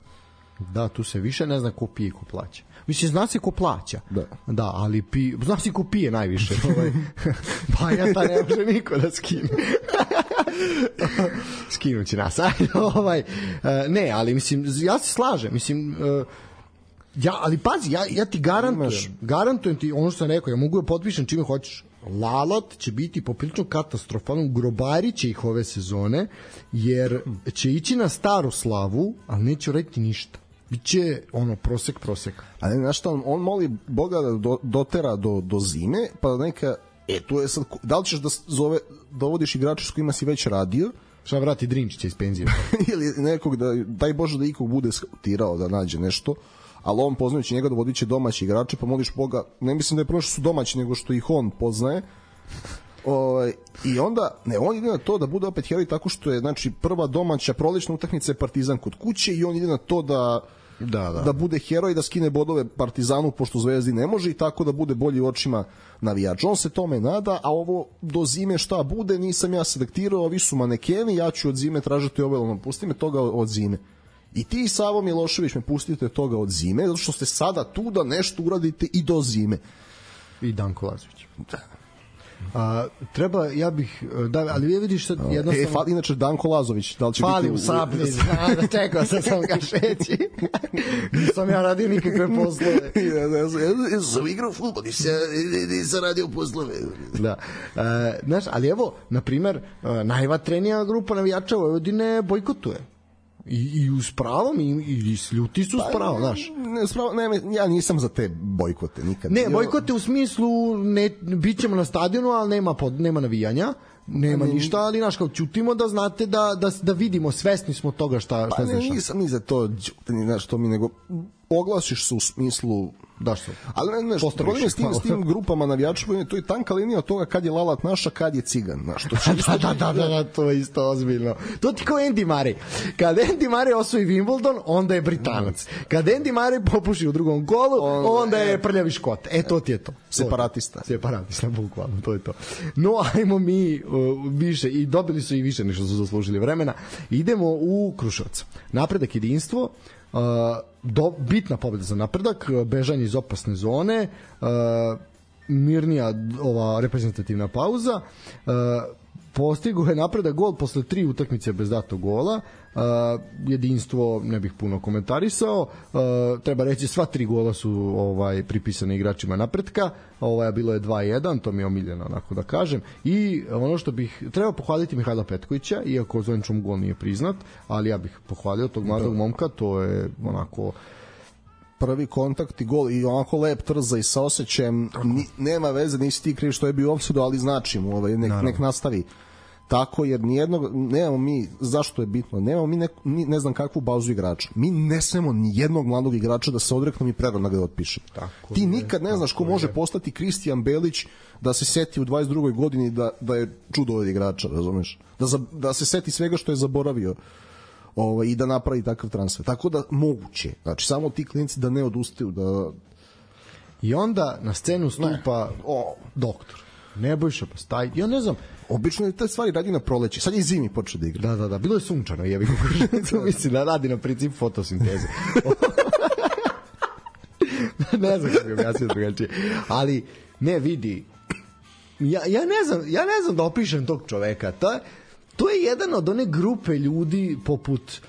Da, tu se više ne zna ko pije, ko plaća. Mislim, zna se ko plaća. Da. Da, ali pi, zna se ko pije najviše. Ovaj. Pa ja ta ne može niko da skine. Skinući nas. ovaj. Ne, ali mislim, ja se slažem. Mislim, ja, ali pazi, ja, ja ti garantujem, Imaš... garantujem ti ono što sam rekao, ja mogu da potpišem čime hoćeš. Lalat će biti poprilično katastrofalno, grobarit će ih ove sezone, jer će ići na staru slavu, ali neće uraditi ništa. Biće ono prosek proseka. A ne, znaš šta, on, on moli Boga da do, dotera do, do zime, pa da neka, e, tu je sad, da li ćeš da zove, dovodiš igrača s kojima si već radio, šta vrati Drinčića iz penzije. ili nekog da, daj Bože da ikog bude skautirao da nađe nešto, ali on poznajući njega dovodit će domaći igrače, pa moliš Boga, ne mislim da je prvo što su domaći, nego što ih on poznaje. O, i onda, ne, on ide na to da bude opet heroj tako što je, znači, prva domaća prolećna utakmica je Partizan kod kuće i on ide na to da da, da. da bude heroj, da skine bodove Partizanu pošto Zvezdi ne može i tako da bude bolji u očima navijača. On se tome nada, a ovo do zime šta bude, nisam ja selektirao, vi su manekeni, ja ću od zime tražiti obelom, pusti me toga od zime. I ti i Savo Milošević me pustite toga od zime, zato što ste sada tu da nešto uradite i do zime. I Danko Lazović. Da. A, treba, ja bih, da, ali vi vidiš sad jednostavno... E, fali, inače Danko Lazović, da li će fali biti... Fali u Sabni, zna, da čekao sam sam ga šeći. Nisam ja radio nikakve poslove. ja, ja, ja, ja sam igrao futbol, nisam, nisam radio poslove. Da. E, znaš, ali evo, na primer, najvatrenija grupa navijača Vojvodine bojkotuje. I, i uz pravom i, i ljuti su s pravom, znaš. Ne, spravo, ne, ja nisam za te bojkote nikad. Ne, bojkote u smislu ne, bit ćemo na stadionu, ali nema, pod, nema navijanja, nema ne, ništa, ali znaš, kao ćutimo da znate da, da, da vidimo, svesni smo toga šta, šta pa ne, nisam ni za to, znaš, to mi nego oglasiš se u smislu da što. Ali ne, ne, problem je s tim, s tim grupama navijača, to je tanka linija od toga kad je Lalat naša, kad je cigan, znaš, to će da, da, da, da, da, to je isto ozbiljno. To ti kao Andy Murray. Kad Andy Murray osvoji Wimbledon, onda je Britanac. Kad Andy Murray popuši u drugom kolu, onda, onda je prljavi Škot. E, to ti je to. Separatista. Separatista, bukvalno, to je to. No, ajmo mi uh, više, i dobili su i više nešto su zaslužili vremena. Idemo u Kruševac. Napredak, jedinstvo, Uh, do, bitna pobjeda za Napredak, bežanje iz opasne zone, uh, mirnija ova reprezentativna pauza, uh, postigo je Napredak gol posle tri utakmice bez datog gola. Uh, jedinstvo ne bih puno komentarisao, uh, treba reći sva tri gola su ovaj pripisane igračima Napretka, ovaj bilo je dva jedan, to mi je omiljeno onako da kažem, i ono što bih treba pohvaliti Mihajla Petkovića, iako zvaničnom gol nije priznat, ali ja bih pohvalio tog mladog da. momka, to je onako prvi kontakt i gol i onako lep trza i sa osjećajem, ni, nema veze, nisi ti kriv što je bio opsudu, ali znači mu, ovaj, nek, nek nastavi tako, jer nijednog, nemamo mi, zašto je bitno, nemamo mi ne, ne znam kakvu bazu igrača. Mi ne smemo ni jednog mladog igrača da se odreknemo i prerano ga otpišemo. Ti je, nikad ne znaš ko može je. postati Kristijan Belić da se seti u dvadeset drugoj godini da, da je čudo od igrača, razumeš? Da, za, da se seti svega što je zaboravio ovaj, i da napravi takav transfer. Tako da moguće. Znači, samo ti klinci da ne odustaju. Da... I onda na scenu stupa o, doktor Nebojša Pastaj. Ja ne znam, obično je te stvari radi na proleće. Sad je zimi počeo da igra. Da, da, da. Bilo je sunčano, jebi ga. Mislim da radi na princip fotosinteze. Ne znam kako bi objasnio drugačije. Ali, ne, vidi, ja, ja, ne znam, ja ne znam da opišem tog čoveka. To je, to je jedan od one grupe ljudi poput,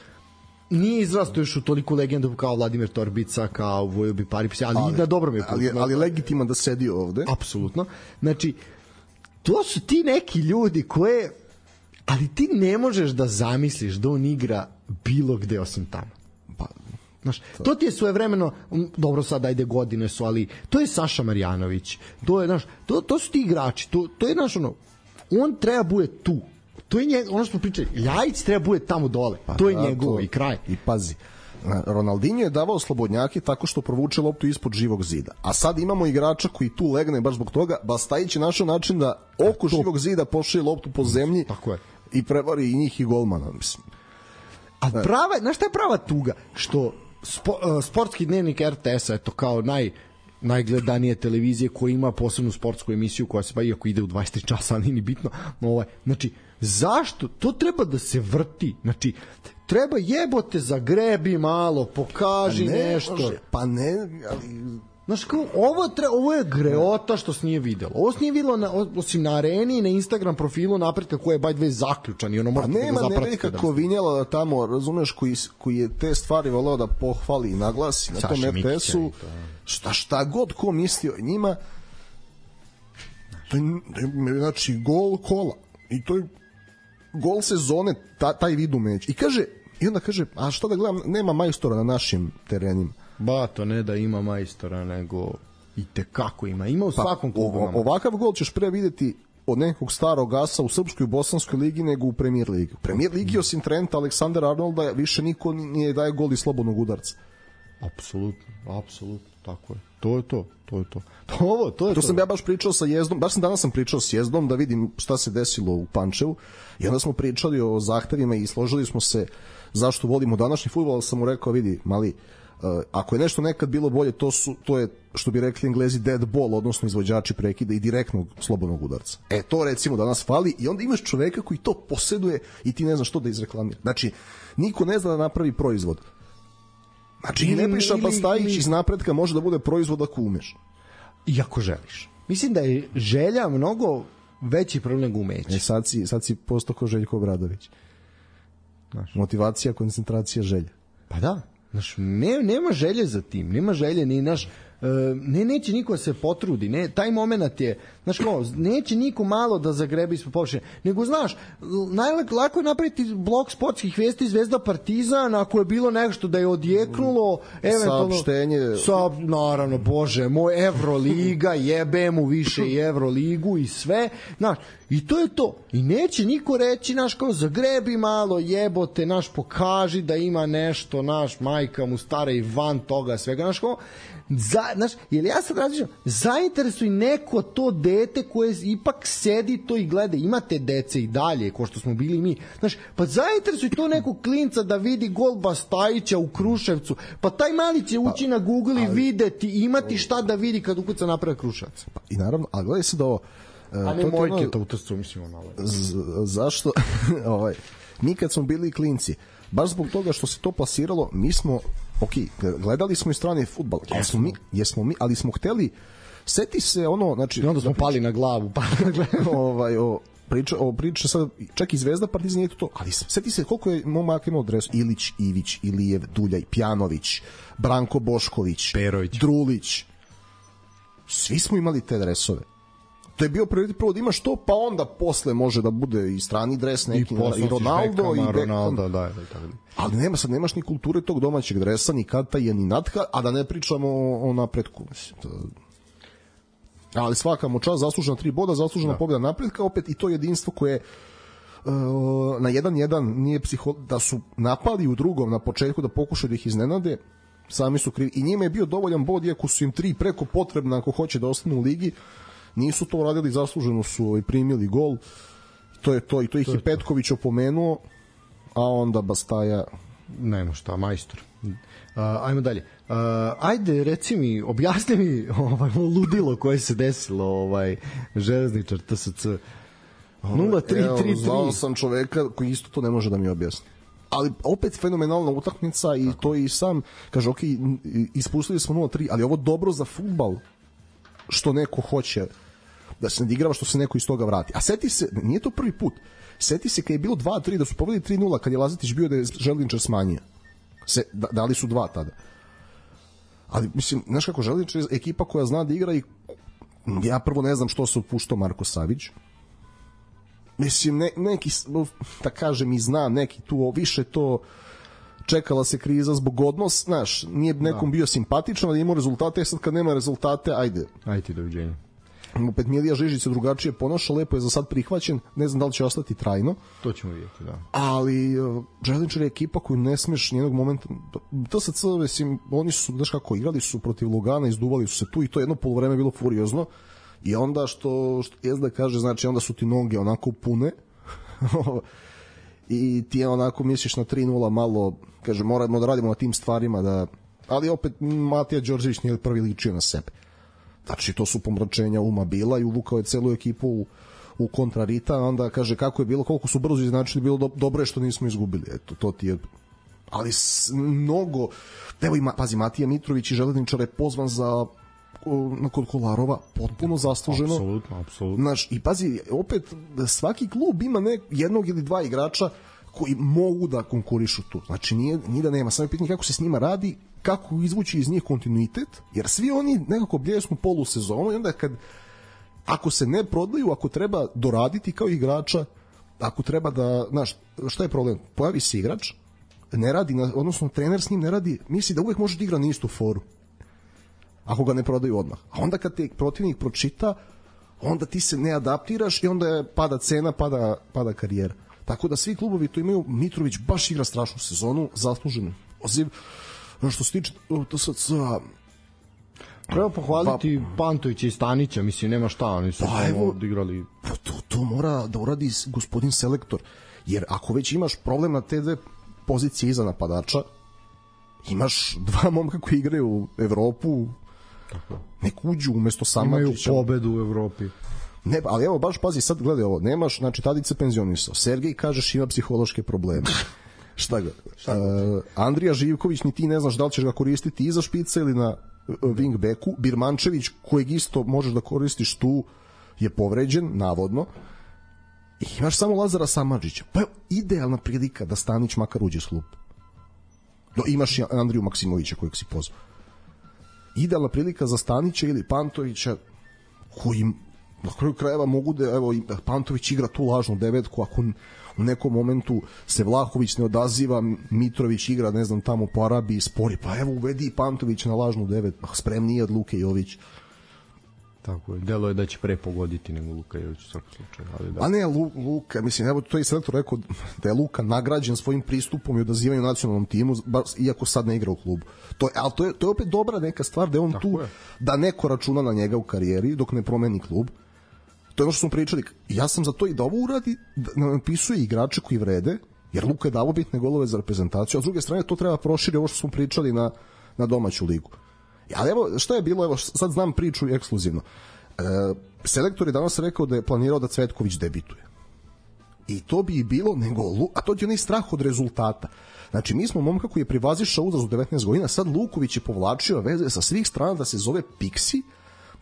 nije izrasto još u toliku legendu kao Vladimir Torbica, kao Vojobi Paripsi, ali, ali na dobro mi je put. Ali, ali legitimo da sedi ovde. Apsolutno. Znači, to su ti neki ljudi koje, ali ti ne možeš da zamisliš da on igra bilo gde osim tamo. Pa, znaš, to. to ti je svojevremeno, dobro sad ajde godine su, ali to je Saša Marjanović, to je, znaš, to, to su ti igrači, to, to je, znaš, ono, on treba bude tu. To je njeg, ono što smo pričali, Ljajić treba bude tamo dole, pa, to je da, njegovo to, i kraj. I pazi, Ronaldinho je davao slobodnjaki tako što provuče loptu ispod živog zida. A sad imamo igrača koji tu legne baš zbog toga. Bastajić je našao način da oko to. živog zida pošalje loptu po zemlji. Tako je. I prevari i njih i golmana, mislim. A prava, znaš šta je prava tuga? Što spo, uh, sportski dnevnik er te esa, eto, kao naj najgledanije televizije koja ima posebnu sportsku emisiju koja se pa iako ide u dvadeset tri časa, ali nije bitno. Ovaj, znači, zašto? To treba da se vrti. Znači, treba jebote zagrebi malo, pokaži pa ne, nešto. Može, pa ne, ali... Znaš, kao, ovo, tre, ovo je greota što se nije videlo. Ovo se nije videlo na, osim na areni i na Instagram profilu Napretka koji je by the way zaključan i ono pa nema, da ga ne vidi kako vinjela tamo, razumeš, koji, koji je te stvari voleo da pohvali i naglasi na tom er te esu. Šta, šta god ko mislio o njima, znači gol kola i to je gol sezone, ta, taj vid umeća. I kaže, i onda kaže, a što da gledam, nema majstora na našim terenima. Ba, to ne da ima majstora, nego i tekako ima. Ima u svakom pa, klubu. Ovakav gol ćeš pre videti od nekog starog asa u srpskoj i bosanskoj ligi nego u Premier ligi. U Premier ligi osim Trenta, Aleksandra Arnolda više niko nije daje gol iz slobodnog udarca. Apsolutno, apsolutno, tako je. To je to, to je to. To, ovo, to, je to to. sam ja baš pričao sa Jezdom, baš sam danas sam pričao s Jezdom da vidim šta se desilo u Pančevu i onda smo pričali o zahtevima i složili smo se zašto volimo današnji fudbal, ali sam mu rekao, vidi, mali, uh, ako je nešto nekad bilo bolje, to su to je, što bi rekli Englezi, dead ball, odnosno izvođači prekida i direktnog slobodnog udarca. E, to recimo danas fali i onda imaš čoveka koji to poseduje i ti ne znaš što da izreklamira. Znači, niko ne zna da napravi proizvod. Znači, ili, Nebojša Bastajić iz Napretka može da bude proizvod ako umeš. I ako želiš. Mislim da je želja mnogo veći problem nego umeće. E, sad si, sad si postao ko Željko Obradović. Znaš. Motivacija, koncentracija, želja. Pa da. Znaš, ne, nema želje za tim. Nema želje ni naš... ne, neće niko da se potrudi, ne, taj moment je, znaš kao, neće niko malo da zagrebe ispod površine, nego znaš, najlako je napraviti blok sportskih vesti Zvezda Partizan, ako je bilo nešto da je odjeknulo, eventualno, saopštenje, sa, naravno, bože, moj Evroliga, jebe mu više i Evroligu i sve, znaš, i to je to, i neće niko reći, znaš, kao, zagrebi malo, jebote, naš, pokaži da ima nešto, naš, majka mu stara i van toga svega, znaš, kao, Za, znaš, jer ja sad različam, zainteresuj neko to dete koje ipak sedi to i gleda, imate dece i dalje, ko što smo bili mi, znaš, pa zainteresuj to nekog klinca da vidi gol Bastajića u Kruševcu, pa taj mali će ući pa, na Google i ali, videti, imati šta da vidi kad ukuca naprave Kruševac. Pa, i naravno, ali gledaj se da ovo, a ne mojke to u trstu, mislim, ono, zašto, ovaj, mi kad smo bili klinci, baš zbog toga što se to plasiralo, mi smo, ok, gledali smo i strani fudbal, jesmo mi, jesmo mi, ali smo hteli, seti se ono, znači, i onda smo pali na glavu, pali na glavu. ovaj, o, priča, o, priča sad, čak i Zvezda, Partizan je to, ali seti se koliko je momak imao dres, Ilić, Ivić, Ilijev, Duljaj, Pjanović, Branko Bošković, Perović, Drulić, svi smo imali te dresove. To je bio prioritet prvo da imaš to, pa onda posle može da bude i strani dres neki, i, i Ronaldo Bekama, i Ronaldo, da, da, da. Ali nema, sad nemaš ni kulture tog domaćeg dresa, ni Kataja, ni Natka, a da ne pričamo o, o napretku. Ali svaka mu čast, zaslužena tri boda, zaslužena da. Pobjeda napretka, opet i to jedinstvo koje uh, na jedan jedan nije psiho, da su napali u drugom na početku da pokušaju da ih iznenade, sami su krivi. I njima je bio dovoljan bod, iako su im tri preko potrebna ako hoće da ostanu u ligi. Nisu to radili, zasluženo su i primili gol. To je to, i to ih je Petković opomenuo, a onda Bastaja nema šta, majstor. Uh, ajmo dalje. Uh, ajde, reci mi, objasni mi ovaj ludilo koje se desilo, ovaj železničar T S C nula tri tri tri. Znao sam čoveka koji isto to ne može da mi objasni. Ali opet fenomenalna utakmica i tako. To i sam kaže, ok, ispustili smo nula tri, ali ovo dobro za fudbal što neko hoće da se nadigrava, što se neko iz toga vrati. A seti se, nije to prvi put, seti se kad je bilo dva tri, da su pobedili tri nula, kad je Lazetić bio da je Željničar smanjio. Se, da, dali su dva tada. Ali, mislim, znaš kako, Željničar je ekipa koja zna da igra i ja prvo ne znam što se upuštao Marko Savić. Mislim, ne, neki, da kažem i znam, neki tu više to čekala se kriza zbog odnos, znaš, nije nekom bio simpatičan, ali imao rezultate, sad kad nema rezultate, ajde. Ajde, doviđenja. Opet Milija Žižić se drugačije ponaša, lepo je za sad prihvaćen, ne znam da li će ostati trajno. To ćemo vidjeti, da. Ali uh, Željničar je ekipa koju ne smeš nijednog momenta, T S C, mislim, oni su, znaš kako, igrali su protiv Lugana, izduvali su se tu i to jedno polovreme bilo furiozno i onda što, što jezda kaže, znači onda su ti noge onako pune i ti onako misliš na tri nula malo, kaže, moramo da radimo na tim stvarima, da, ali opet Matija Đorđević nije prvi ličio na sebe. Znači, to su pomračenja uma bila i uvukao je celu ekipu u, u kontrarita, onda kaže kako je bilo, koliko su brzo iznačili, bilo do, dobro je što nismo izgubili. Eto, to ti je... Ali s, mnogo... Evo ima, pazi, Matija Mitrović i Železničar je pozvan za na kod Kolarova, potpuno zasluženo. Apsolutno, apsolutno. Znaš, i pazi, opet, svaki klub ima nek, jednog ili dva igrača koji mogu da konkurišu tu. Znači, nije, nije da nema. Samo je pitanje kako se s njima radi, kako izvući iz njih kontinuitet, jer svi oni nekako bljesnu polusezonu i onda kad ako se ne prodaju, ako treba doraditi kao igrača, ako treba da, znaš, šta je problem? Pojavi se igrač, ne radi, na, odnosno trener s njim ne radi, misli da uvek može da igra na istu foru. Ako ga ne prodaju odmah. A onda kad te protivnik pročita, onda ti se ne adaptiraš i onda pada cena, pada, pada karijera. Tako da svi klubovi to imaju. Mitrović baš igra strašnu sezonu, zasluženo. Oziv, što se tiče to sad sa... Treba pohvaliti pa, Pantovića i Stanića, mislim, nema šta, oni su pa, samo odigrali... Pa to, to mora da uradi gospodin selektor, jer ako već imaš problem na te dve pozicije iza napadača, imaš dva momka koji igraju u Evropu, tako. Nek uđu umesto Samardžića. Imaju pobedu u Evropi. Ne, ali evo, baš pazi, sad gledaj ovo, nemaš, znači Tadić se penzionisao, Sergej, kažeš, ima psihološke probleme. Šta ga? Šta ga? Uh, Andrija Živković, ni ti ne znaš da li ćeš ga koristiti iza špica ili na uh, wingbacku. Birmančević, kojeg isto možeš da koristiš tu, je povređen, navodno. I imaš samo Lazara Samardžića. Pa je idealna prilika da Stanić makar uđe s klup. No, imaš i Andriju Maksimovića kojeg si pozvao. idealna prilika za Stanića ili Pantovića, koji na kraju krajeva mogu da, evo, Pantović igra tu lažnu devetku, ako u nekom momentu se Vlahović ne odaziva, Mitrović igra, ne znam, tamo po Arabiji, spori, pa evo uvedi Pantović na lažnu devet, spremnije od Luke Jović. Tako je, delo je da će pre pogoditi nego Luka Jović u svakom slučaju. Ali da. A ne, Lu, Luka, mislim, evo to je selektor rekao da je Luka nagrađen svojim pristupom i odazivanjem nacionalnom timu, iako sad ne igra u klubu. To je, ali to je, to je opet dobra neka stvar da je on tako tu, je. Da neko računa na njega u karijeri dok ne promeni klub. To je ono što smo pričali. Ja sam za to i da ovo uradi, da napisuje igrače koji vrede, jer Luka je davo bitne golove za reprezentaciju, a s druge strane to treba proširi ovo što smo pričali na, na domaću ligu. Ali evo, šta je bilo, evo, sad znam priču ekskluzivno. E, selektor je danas rekao da je planirao da Cvetković debituje. I to bi i bilo, nego, a to je onaj strah od rezultata. Znači, mi smo momka koji je privazišao uzrast u devetnaest godina, sad Luković je povlačio veze sa svih strana da se zove Piksi,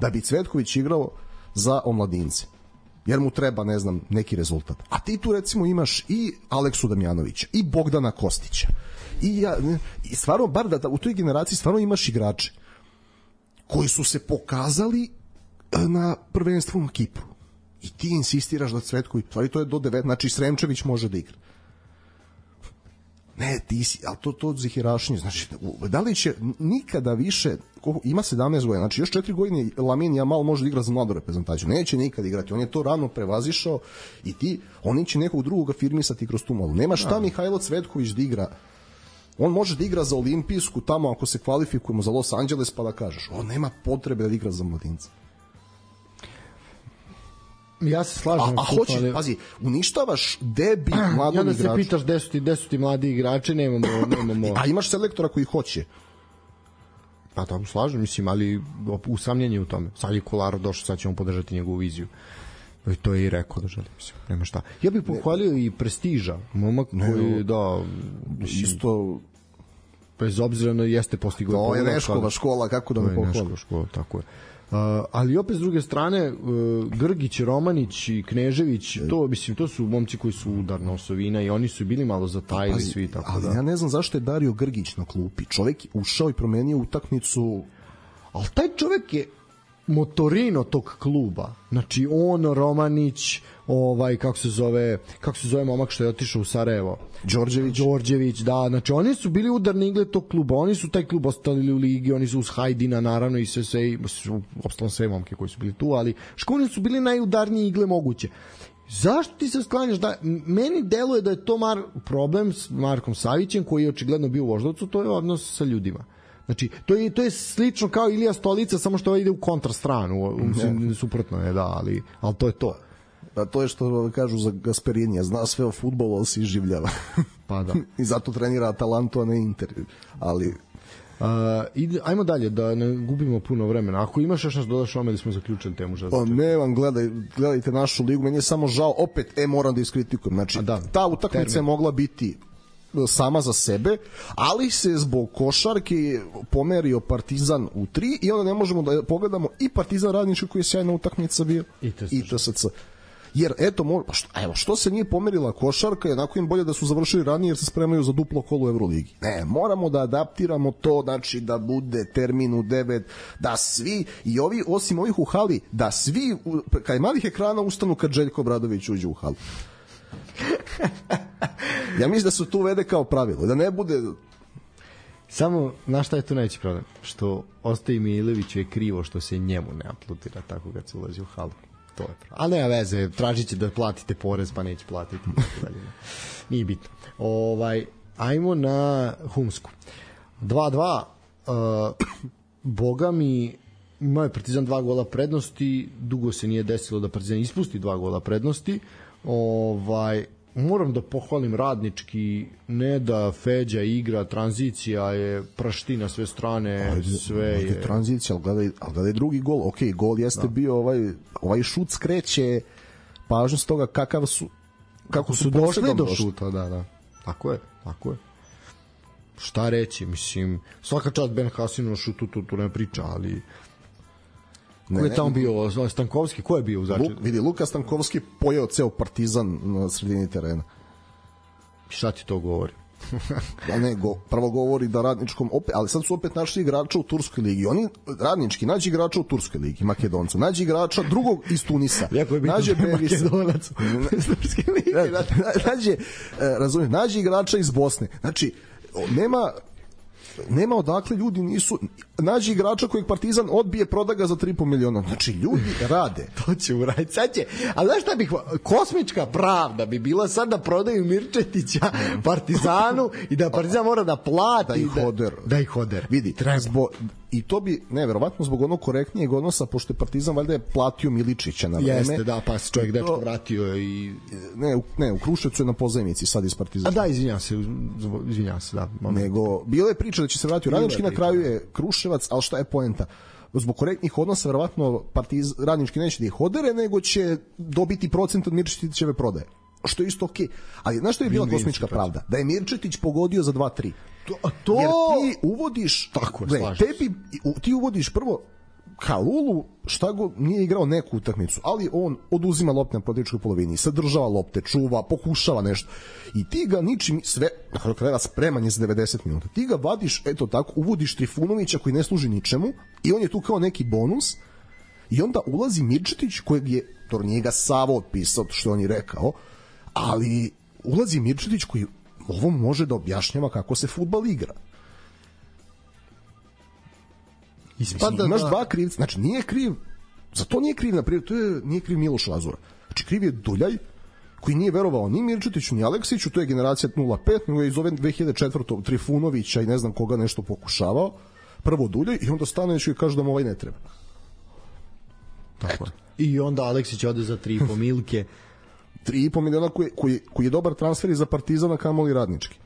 da bi Cvetković igrao za omladince. Jer mu treba, ne znam, neki rezultat. A ti tu recimo imaš i Aleksu Damjanovića, i Bogdana Kostića. I ja, i stvarno, bar da, da u toj generaciji stvarno imaš igrače koji su se pokazali na prvenstvu na Kipru. I ti insistiraš da Cvetković, stvari to je do devet, znači Sremčević može da igra. Ne, ti si, ali to, to zihirašnje, znači, da li će nikada više, ima sedamnaest godina, znači još četiri godine Lamine Yamal može da igra za mladu reprezentaciju, neće nikada igrati, on je to rano prevazišao i ti, oni će nekog drugog afirmisati kroz tu malu. Nema šta Mihajlo Cvetković da igra, on može da igra za olimpijsku tamo ako se kvalifikujemo za Los Angeles pa da kažeš, on nema potrebe da igra za mladince. Ja se slažem. A, a hoće, ali... pazi, uništavaš debi mladog igrača. I onda se pitaš gde su ti, gde su ti mladi igrači, nemamo... nemamo... A imaš selektora koji hoće. Pa tako slažem, mislim, ali usamljenje u tome. Sad je Kolarov došao, sad ćemo podržati njegovu viziju. I to je i rekao da želi, mislim, nema šta. Ja bih pohvalio ne. i Prestiža, momak ne, koji, da... Mislim, isto... Bez obzira na jeste postigao... To je Neškova škola, kako da me pohvalim. To je Neškova škola, tako je. Uh, ali opet s druge strane uh, Grgić, Romanić i Knežević to, mislim, to su momci koji su udarna osovina i oni su bili malo zatajili pa, svi tako ali da. Ja ne znam zašto je Dario Grgić na klupi, čovjek ušao i promenio utakmicu, ali taj čovjek je motorino tog kluba, znači on, Romanić, ovaj, kako se zove kako se zove momak što je otišao u Sarajevo, Đorđević. Đorđević, da, znači oni su bili udarni igle tog kluba, oni su taj klub ostali u ligi, oni su uz Hajdina naravno i sve, sve ostalo sve momke koji su bili tu, ali školni su bili najudarniji igle moguće. Zašto ti se sklanjaš da, meni deluje da je to Mar, problem s Markom Savićem koji je očigledno bio u Voždovcu, to je odnos sa ljudima. Znači, to je, to je slično kao Ilija Stolica, samo što ide u kontrastranu, mislim, suprotno je, da, ali, ali to je to. A to je što kažu za Gasperini, zna sve o fudbalu, ali se iživljava. Pa da. I zato trenira Atalantu, a ne Inter. Ali... Uh, ide, ajmo dalje, da ne gubimo puno vremena. Ako imaš još nas dodaš ome da smo zaključili temu. Pa ne vam, gledaj, gledajte našu ligu, meni je samo žao, opet, e, moram da iskritikujem. Znači, da, ta utakmica je mogla biti sama za sebe, ali se zbog košarke pomerio Partizan u tri i onda ne možemo da pogledamo i Partizan Radnički koji je sjajna utakmica bio i T S C. Jer eto, mo, što, evo, što se nije pomerila košarka, jednako im bolje da su završili ranije jer se spremaju za duplo kolo u Euroligi. Ne, moramo da adaptiramo to, znači da bude termin u devet, da svi, i ovi, osim ovih u hali, da svi, kaj malih ekrana ustanu kad Željko Obradović uđe u halu. Ja mislim da se tu uvede kao pravilo, da ne bude... Samo, znaš šta je tu najveći problem? Što Ostoji Miliviću je krivo što se njemu ne apludira tako kad se ulazi u halu. To je pravo. Ali nema veze, tražit će da platite porez pa neće platiti. Nije bitno. Ovaj, ajmo na Humsku. dva dva, uh, Boga mi, imao je Partizan dva gola prednosti, dugo se nije desilo da Partizan ispusti dva gola prednosti. Ovaj, moram da pohvalim Radnički, ne da Feđa igra, tranzicija je prašti na sve strane, ajde, sve je... Tranzicija, ali gledaj, ali gledaj drugi gol, ok, gol jeste da. bio ovaj, ovaj šut skreće pažnju s toga kakav su, kako su, su došli do šuta, da, da, tako je, tako je. Šta reći, mislim, svaka čast Ben Hasinu na šutu, tu, tu ne priča, ali... Ne, ko je tamo bio? Stankovski? Ko je bio u začetku? Vidi, Luka Stankovski pojeo ceo Partizan na sredini terena. Šta ti to govori? Da ne, go, prvo govori da Radničkom opet, ali sad su opet našli igrača u Turskoj ligi. Oni, Radnički, nađi igrača u Turskoj ligi, Makedoncu, nađi igrača drugog iz Tunisa. Jako je bitno nađe da je Makedonac iz Turske lige. Nađe, razumijem, nađi igrača iz Bosne. Znači, nema nema odakle ljudi nisu nađi igrača kojeg Partizan odbije, proda ga za tri i po miliona. Znači ljudi rade. To će uraditi. Sad će, ali znaš šta bih, kosmička pravda bi bila sad da prodaju Mirčetića Partizanu i da Partizan mora da plati da ih oder. Da, da ih oder. Vidi, zbog, i to bi, ne, verovatno zbog onog korektnijeg odnosa, pošto je Partizan valjda je platio Miličića na vreme. Jeste, da, pa se čovjek dečko vratio i... Ne, u, ne, u Kruševcu je na pozajmici sad iz Partizana. A da, izvinjam se, izvinjam se, da. Moment. Nego, bila je priča da će se vratiti u Radnički, na kraju je Kruševac, ali šta je poenta? Zbog korektnih odnosa, verovatno Partiz, Radnički neće da ih odere, nego će dobiti procent od Mirčetićeve prodaje. Što je isto okej. Okay. Ali znaš što je bila kosmička pravda? Da je Mirčetić pogodio za dva tri. To, to... Jer ti uvodiš... Tako, ne, tebi, ti uvodiš prvo Kalulu, šta go, nije igrao neku utakmicu, ali on oduzima lopte na protivničkoj polovini, sadržava lopte, čuva, pokušava nešto. I ti ga ničim sve, na kraju krajeva spreman je za devedeset minuta. Ti ga vadiš, eto tako, uvodiš Trifunovića koji ne služi ničemu i on je tu kao neki bonus i onda ulazi Mirčetić kojeg je, to nije ga Savo otpisao, što on je rekao, ali ulazi Mirčetić koji ovo može da objašnjava kako se fudbal igra. Ispada, imaš da... dva krivca, znači nije kriv, za to nije kriv, naprijed, to je, nije kriv Miloš Lazura. Znači kriv je Duljaj, koji nije verovao ni Mirčetiću, ni Aleksiću, to je generacija nula pet, nego je iz ove dve hiljade četvrte. Trifunovića i ne znam koga nešto pokušavao, prvo Duljaj i onda Stanović i kaže da mu ovaj ne treba. Tako je. I onda Aleksić ode za tri i po milke. tri i po miliona koji, koji, koji je dobar transfer i za Partizana, kamoli Radnički.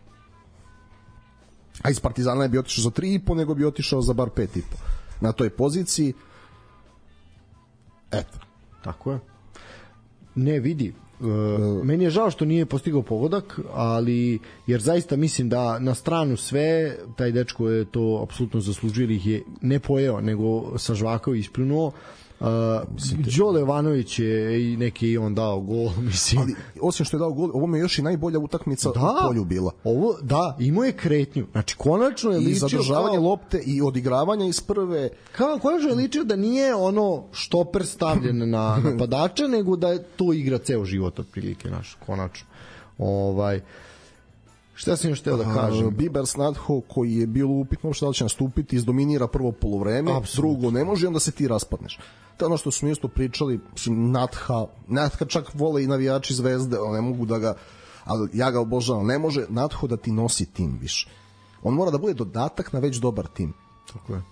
A iz Partizana ne bi otišao za tri i po, nego bi otišao za bar pet i po. Na toj poziciji. Eto. Tako je. Ne, vidi. E, meni je žao što nije postigao pogodak, ali jer zaista mislim da na stranu sve, taj dečko je to apsolutno zaslužio, jer ih je ne pojeo, nego sažvakao i ispljunuo. Uh, Đole Jovanović je i neki i on dao gol, mislim. Ali osim što je dao gol, ovo mi je još i najbolja utakmica da, u polju bila. Ovo, da, imao je kretnju. Znači, konačno je ličio... I zadržavanje kao, lopte i odigravanja iz prve... Kao, konačno je ličio da nije ono štoper stavljen na napadača, nego da je to igra ceo život, otprilike, naš, konačno. Ovaj... Šta sam još teo da kažem? Uh, Biber Snadho, koji je bilo upitno što da će nastupiti, izdominira prvo poluvreme, drugo ne može, onda se ti raspadneš. To je ono što smo isto pričali, Natha, Natha čak vole i navijači Zvezde, ne mogu da ga, ali ja ga obožavam, ne može Natho da ti nosi tim više. On mora da bude dodatak na već dobar tim. Tako je.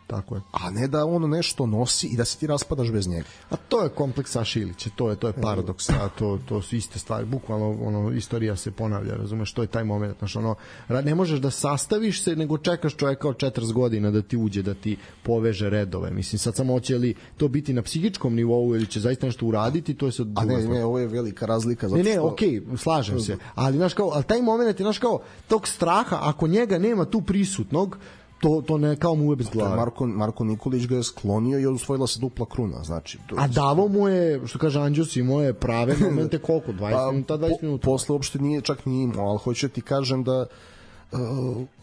Tako je. A ne da on nešto nosi i da se ti raspadaš bez njega. A to je kompleks Saše Ilića, to je to je paradoks, a to to su iste stvari, bukvalno ono istorija se ponavlja, razumeš, to je taj momenat, znači ono ne možeš da sastaviš se, nego čekaš čoveka od četrdeset godina da ti uđe, da ti poveže redove. Mislim sad samo hoće li to biti na psihičkom nivou ili će zaista nešto uraditi, to je sad. A ne, ne, ovo je velika razlika zato što... Ne, ne, što... okej, okay, slažem se. Ali znaš kao, al taj momenat je znaš kao tog straha, ako njega nema tu prisutnog, to to ne kao mu je bez glave. Marko Marko Nikolić ga je sklonio i osvojila se dupla kruna, znači. To... A davo mu je, što kaže Anđus, imao je prave momente koliko dvadeset minuta, dvadeset minuta. Po, posle uopšte nije čak ni imao, al hoću ti kažem da uh,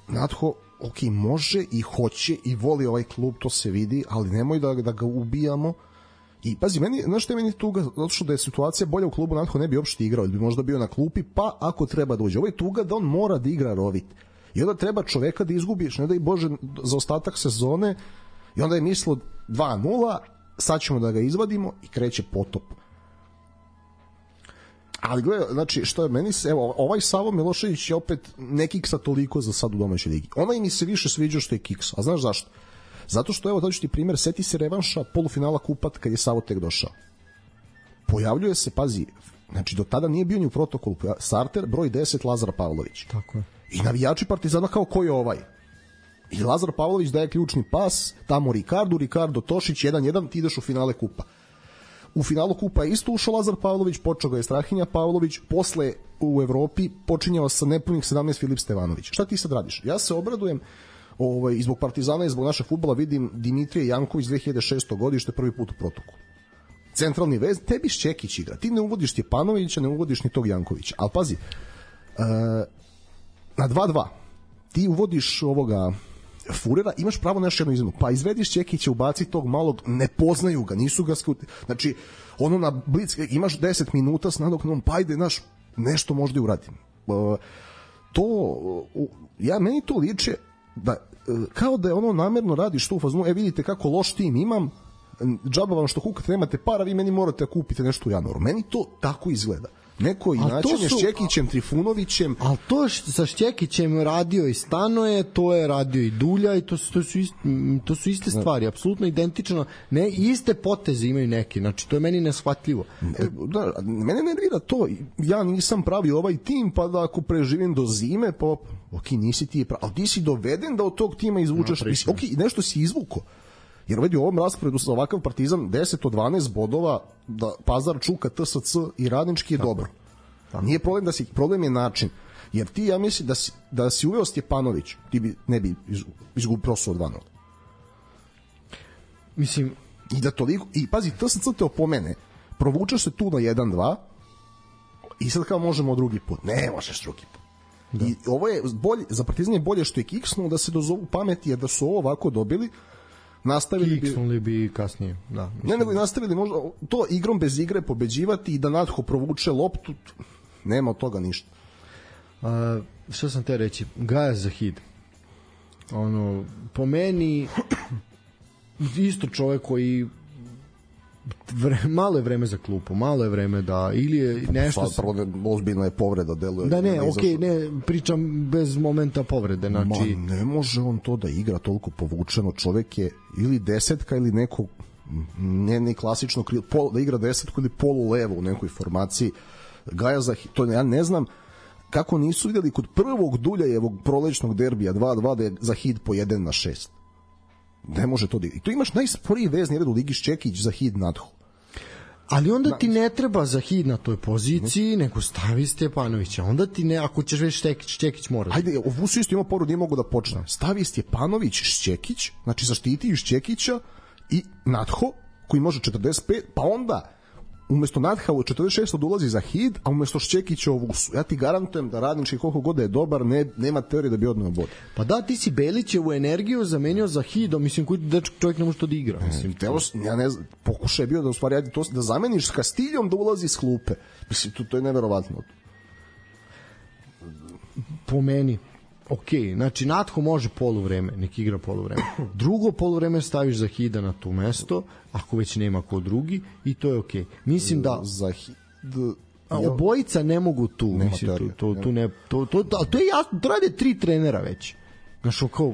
Natho okej, može i hoće i voli ovaj klub, to se vidi, ali nemoj da da ga ubijamo. I pazi, meni, znaš što je meni tuga, zato što da je situacija bolja u klubu, Natho ne bi uopšte igrao, ili bi možda bio na klupi, pa ako treba da uđe. Ovo je tuga da on mora da igra rovit. I onda treba čoveka da izgubiš, ne da i Bože za ostatak sezone, i onda je mislio dva nula, sad ćemo da ga izvadimo i kreće potop. Ali gledaj, znači, što je meni se, evo, ovaj Savo Milošević je opet ne kiksa toliko za sad u domaćoj ligi. Onaj mi se više sviđa što je kiks. A znaš zašto? Zato što, evo, daću ti primjer, seti se revanša polufinala Kupat kad je Savo tek došao. Pojavljuje se, pazi, znači, do tada nije bio ni u protokolu, starter, broj deset, Lazar Pavlović. Tako je. I navijači Partizana kao ko je ovaj. I Lazar Pavlović daje ključni pas, tamo Ricardo, Ricardo Tošić, jedan jedan, ti ideš u finale Kupa. U finalu Kupa je isto ušao Lazar Pavlović, počeo ga je Strahinja Pavlović, posle u Evropi počinjao sa nepunih sedamnaest Filip Stevanović. Šta ti sad radiš? Ja se obradujem, ovaj, zbog Partizana i zbog našeg fudbala vidim Dimitrije Janković dve hiljade šeste godište prvi put u protoku. Centralni vez, tebi Šćekić igra. Ti ne uvodiš Stjepanovića, ne uvodiš ni tog Jankovića. Ali pazi, uh, na dva dva ti uvodiš ovoga Furera, imaš pravo na još jednu izmenu, pa izvediš Čekića, ubaci tog malog, ne poznaju ga, nisu ga skuti, znači ono na blic, imaš deset minuta s nadoknom, pa ajde, naš, nešto možda i uradim. Uh, to, uh, ja, meni to liče da, uh, kao da je ono namerno radiš to u fazonu, e vidite kako loš tim imam, džaba vam što kukate, nemate para, vi meni morate da kupite nešto u januaru. Meni to tako izgleda. Neko inačenje s Čekićem, Trifunovićem. Ali to što sa Čekićem radio i Stanoje, to je radio i Dulja i to su, to su, ist, to su iste stvari, apsolutno identično. Ne, iste poteze imaju neki, znači to je meni neshvatljivo. Da, mene nervira to, ja nisam pravio ovaj tim, pa da ako preživim do zime, pa ok, nisi ti je pravi, ali ti si doveden da od tog tima izvučeš, no, ok, nešto si izvuko. Jer vidi u ovom rasporedu sa ovakav Partizan deset od dvanaest bodova, da Pazar čuka T S C i Radnički je tako dobro. Tako. Nije problem da si, problem je način. Jer ti, ja mislim da si, da si uveo Stjepanović, ti bi, ne bi izgubio prosto od dva nula. Mislim, i da toliko, i pazi, T S C te opomene, provučeš se tu na jedan dva i sad kao možemo drugi put. Ne možeš drugi put. Da. I ovo je bolje, za Partizan je bolje što je kiksnuo da se dozovu pameti, jer da su ovo ovako dobili, nastavili bi, kiksnuli bi kasnije, da. Ne, nego i nastavili možda to igrom bez igre pobeđivati i da Natho provuče loptu, nema od toga ništa. A, što sam te reći, Gaja Zahid, ono, po meni isto čovjek koji vre, malo je vreme za klupu, malo je vreme da ili je nešto sad prvo ozbiljna je povreda deluje. Da ne, okej, okay, ne pričam bez momenta povrede, znači ma, ne može on to da igra toliko povučeno, čovjek je ili desetka ili neko ne ni klasično krilo, pol, da igra desetku ili polu levo u nekoj formaciji. Gaja za to ja ne znam kako nisu videli kod prvog Duljajevog prolećnog derbija dva dva da je Zahid po jedan na šest. Ne može to da... I tu imaš najsporiji vezni red u ligi Ščekić, Zahid, Natho. Ali onda ti ne treba Zahid na toj poziciji, nego stavi Stjepanovića. Onda ti ne, ako ćeš već Ščekić, Ščekić mora. Ajde, ovu su isto imao poru, nije mogu da počne. Stavi Stjepanović, Ščekić, znači zaštiti Ščekića i Natho, koji može četrdeset pet, pa onda umesto Natha u četrdeset šest dolazi Zahid, a umesto Ščekića u Vusu. Ja ti garantujem da Radnički koliko god je dobar, ne, nema teorije da bi odneo bod. Pa da, ti si Belićevu energiju zamenio Zahidom, mislim, koji dečak čovjek ne može to da igra. Mislim, to... ja ne znam, pokušaj je bio da u stvari to, da zameniš s Kastiljom da ulazi iz klupe. Mislim, to, to je neverovatno. Po meni, ok, znači Natho može poluvreme, nek igra poluvreme. Drugo poluvreme staviš Zahida na to mesto, ako već nema ko drugi, i to je ok. Mislim da Zahid... A obojica ne mogu tu, nema mislim, teorija, to, to, tu ne, to, to, to, to je jasno, to rade tri trenera već. Znaš, kao...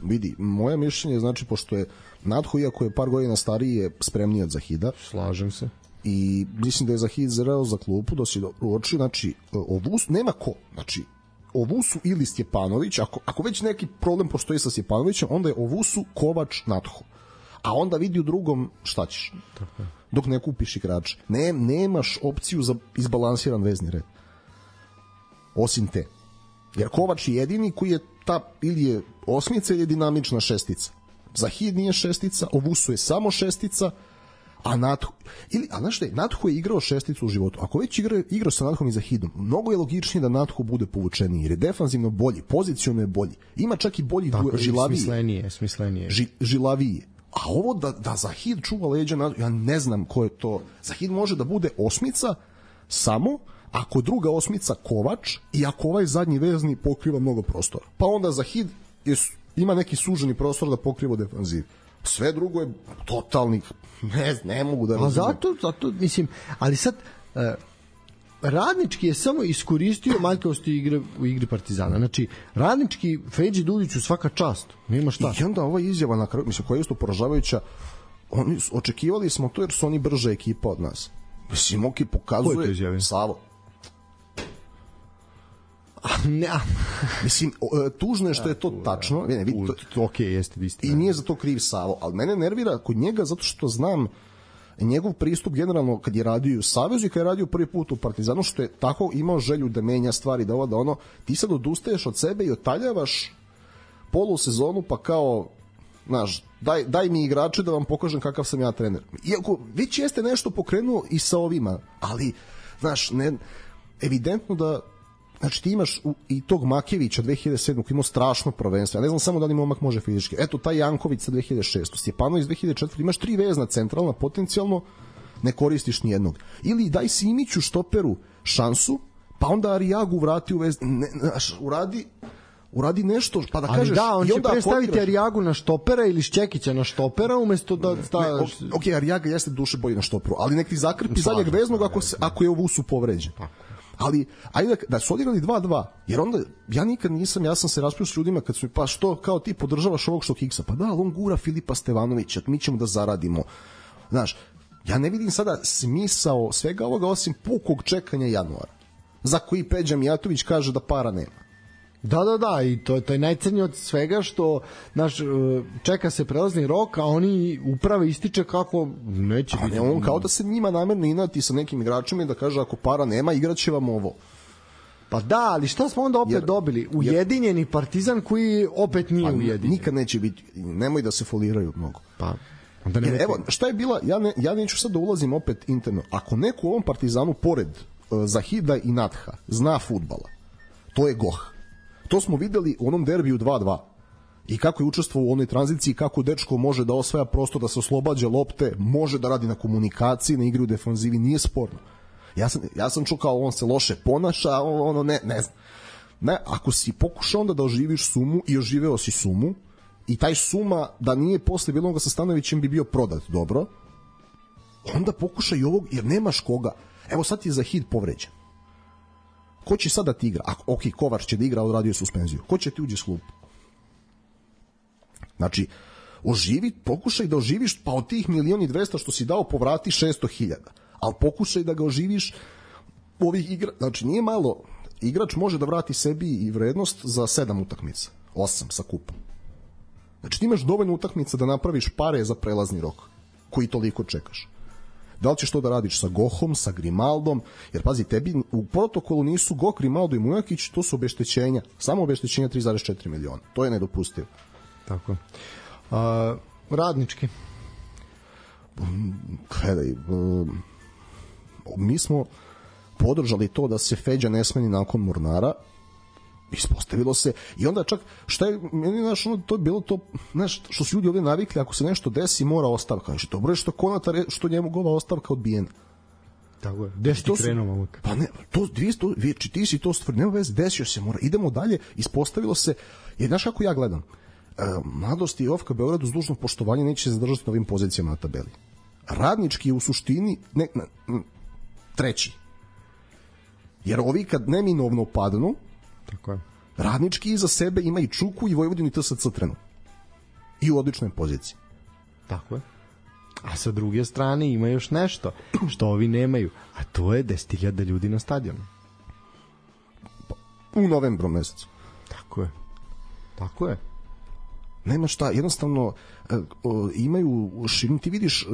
Vidi, moje mišljenje znači, pošto je Natho, iako je par godina stariji, je spremniji od Zahida. Slažem se. I mislim da je Zahid zreo za klupu, da si uoči, znači, Ovus, nema ko, znači, Ovusu ili Stjepanović, ako, ako već neki problem postoji sa Stjepanovićem, onda je Ovusu, Kovač, Natho. A onda vidi u drugom šta ćeš. Tako. Dok ne kupiš igrača. Ne, nemaš opciju za izbalansiran vezni red. Osim te. Jer Kovač je jedini koji je ta, ili je osmica ili je dinamična šestica. Zahid nije šestica, Ovusu je samo šestica, a Natho, ili, a znaš šta je, Natho je igrao šesticu u životu. Ako već igra, igrao sa Nathom i Zahidom, mnogo je logičnije da Natho bude povučeniji, jer je defanzivno bolji, pozicionno je bolji. Ima čak i bolji tako, žilaviji. Smislenije, smislenije. Ži, žilaviji. A ovo da, da Zahid čuva leđa, ja ne znam ko je to. Zahid može da bude osmica samo ako druga osmica Kovač i ako ovaj zadnji vezni pokriva mnogo prostora. Pa onda Zahid je, ima neki suženi prostor da pokriva defanziv. Sve drugo je totalni, ne, ne mogu da razumem. A zato, zato, mislim, ali sad... Uh, Radnički je samo iskoristio manjkavosti igre u igri Partizana. Znači, Radnički Feđi Duljiću svaka čast. Nema šta. I onda ova izjava na kraju, mislim, koja je isto poražavajuća, oni, očekivali smo to jer su oni brža ekipa od nas. Mislim, ok, pokazuje... Ko je to izjavio? Savo. Ne. Mislim, tužno je što je to tačno. Ne, vidi, to, ok, jeste istina. I nije za to kriv Savo, ali mene nervira kod njega zato što znam njegov pristup generalno kad je radio u Savezu i kad je radio prvi put u Partizanu, što je tako imao želju da menja stvari, da ovo, da ono, ti sad odustaješ od sebe i otaljavaš polusezonu, pa kao, znaš, daj, daj mi igrače da vam pokažem kakav sam ja trener. Iako već jeste nešto pokrenuo i sa ovima, ali, znaš, ne, evidentno da znači ti imaš u, i tog Makevića dve hiljade sedme koji imao strašno prvenstvo, ja ne znam samo da li momak može fizički, eto taj Janković sa dve hiljade šeste, Stjepanović dve hiljade četvrte, imaš tri vezna centralna potencijalno, ne koristiš nijednog. Ili daj Simiću štoperu šansu, pa onda Arijagu vrati u vez, ne, naš, uradi uradi nešto, pa da ali kažeš... da, on će predstaviti potigraš... Arijagu na štopera ili Šćekića na štopera umesto da staviš... Ne, ok, Arijaga jeste duše bolji na štoperu, ali nek ti zakrpi zadnjeg veznog ako, se, ako je u Vusu povređen. Ali, ajde da, da su odigrali dva dva, jer onda, ja nikad nisam, ja sam se raspio s ljudima kad su mi, pa što, kao ti podržavaš ovog što kiksa, pa da, ali on gura Filipa Stevanovića, mi ćemo da zaradimo. Znaš, ja ne vidim sada smisao svega ovoga osim pukog čekanja januara, za koji Peđa Mijatović kaže da para nema. Da, da, da, i to, to je najcrnije od svega što naš, čeka se prelazni rok, a oni uprave ističe kako neće a biti. Ne, on kao da se njima namerno inati sa nekim igračima i da kaže ako para nema, igraće vam ovo. Pa da, ali šta smo onda opet jer, dobili? Ujedinjeni Partizan koji opet nije pa, ujedinjen. Nikad neće biti, nemoj da se foliraju mnogo. Pa, onda ne jer, evo, šta je bila, ja, ne, ja neću sad da ulazim opet interno, ako neko u ovom Partizanu pored uh, Zahida i Natha zna fudbala, to je Goh. To smo videli u onom derbiju dva dva. I kako je učestvovao u onoj tranziciji, kako dečko može da osvaja prostor, da se oslobađa lopte, može da radi na komunikaciji, na igri u defanzivi, nije sporno. Ja sam, ja sam čuo kao on se loše ponaša, ono ne, ne znam. Ne, ako si pokušao onda da oživiš Sumu i oživeo si Sumu i taj Suma da nije posle bilo onoga sa Stanovićem bi bio prodat dobro, onda pokušaj i ovog, jer nemaš koga. Evo sad ti je Zahid povređen. Ko će sada ti igra? Ako, ok, Kovač će da igra, odradio suspenziju. Ko će ti uđi s klupu? Znači, oživi, pokušaj da oživiš, pa od tih milion i dvesta što si dao povrati šesto hiljada. Ali pokušaj da ga oživiš ovih igra. Znači, nije malo. Igrač može da vrati sebi i vrednost za sedam utakmica. Osam sa kupom. Znači, ti imaš dovoljno utakmica da napraviš pare za prelazni rok, koji toliko čekaš. Da li ćeš to da radiš sa Gohom, sa Grimaldom, jer pazi, tebi u protokolu nisu Goh, Grimaldo i Mujakić, to su obeštećenja, samo obeštećenja tri zarez četiri miliona. To je nedopustivo. Tako. A, radnički? Gledaj, mi smo podržali to da se Feđa ne smeni nakon Mornara, ispostavilo se i onda čak šta je meni znaš ono to je bilo to znaš što su ljudi ovdje navikli ako se nešto desi mora ostavka znači dobro je što Konatar što njemu gova ostavka odbijena tako je desi ti krenuo momak pa ne to dvjesto ti si to stvar nema veze desio se mora idemo dalje ispostavilo se jer znaš kako ja gledam e, Mladost i Ofka Beogradu uz dužno poštovanje neće se zadržati na ovim pozicijama na tabeli radnički je u suštini ne, ne, treći jer ovi kad neminovno padnu tako je. Radnički iza sebe ima i Čuku i Vojvodinu i T S C Trenu. I u odličnoj poziciji. Tako je. A sa druge strane ima još nešto što ovi nemaju, a to je deset hiljada ljudi na stadionu. U novembru mesecu. Tako je. Tako je. Nema šta, jednostavno e, o, imaju širinu, ti vidiš e,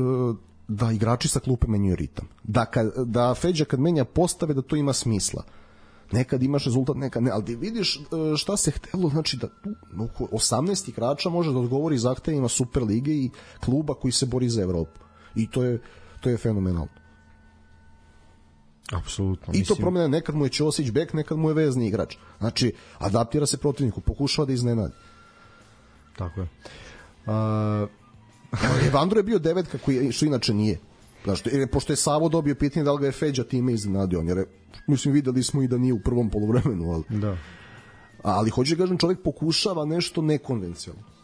da igrači sa klupe menjaju ritam. Da, kad, da Feđa kad menja postave da to ima smisla. Nekad imaš rezultat, nekad ne, ali ti vidiš šta se htelo, znači da oko osamnaest igrača može da odgovori zahtevima Super lige i kluba koji se bori za Evropu. I to je, to je fenomenalno. Apsolutno. I to promjena, nekad mu je Ćosić bek, nekad mu je vezni igrač. Znači, adaptira se protivniku, pokušava da iznenadi. Tako je. Uh... Evandro je bio devetka, koji, što inače nije. Znači, pošto je Savo dobio pitanje da li ga je Feđa time iznenadio, jer je, mislim, videli smo i da nije u prvom poluvremenu, ali, da. ali hoće da kažem, čovjek pokušava nešto nekonvencionalno.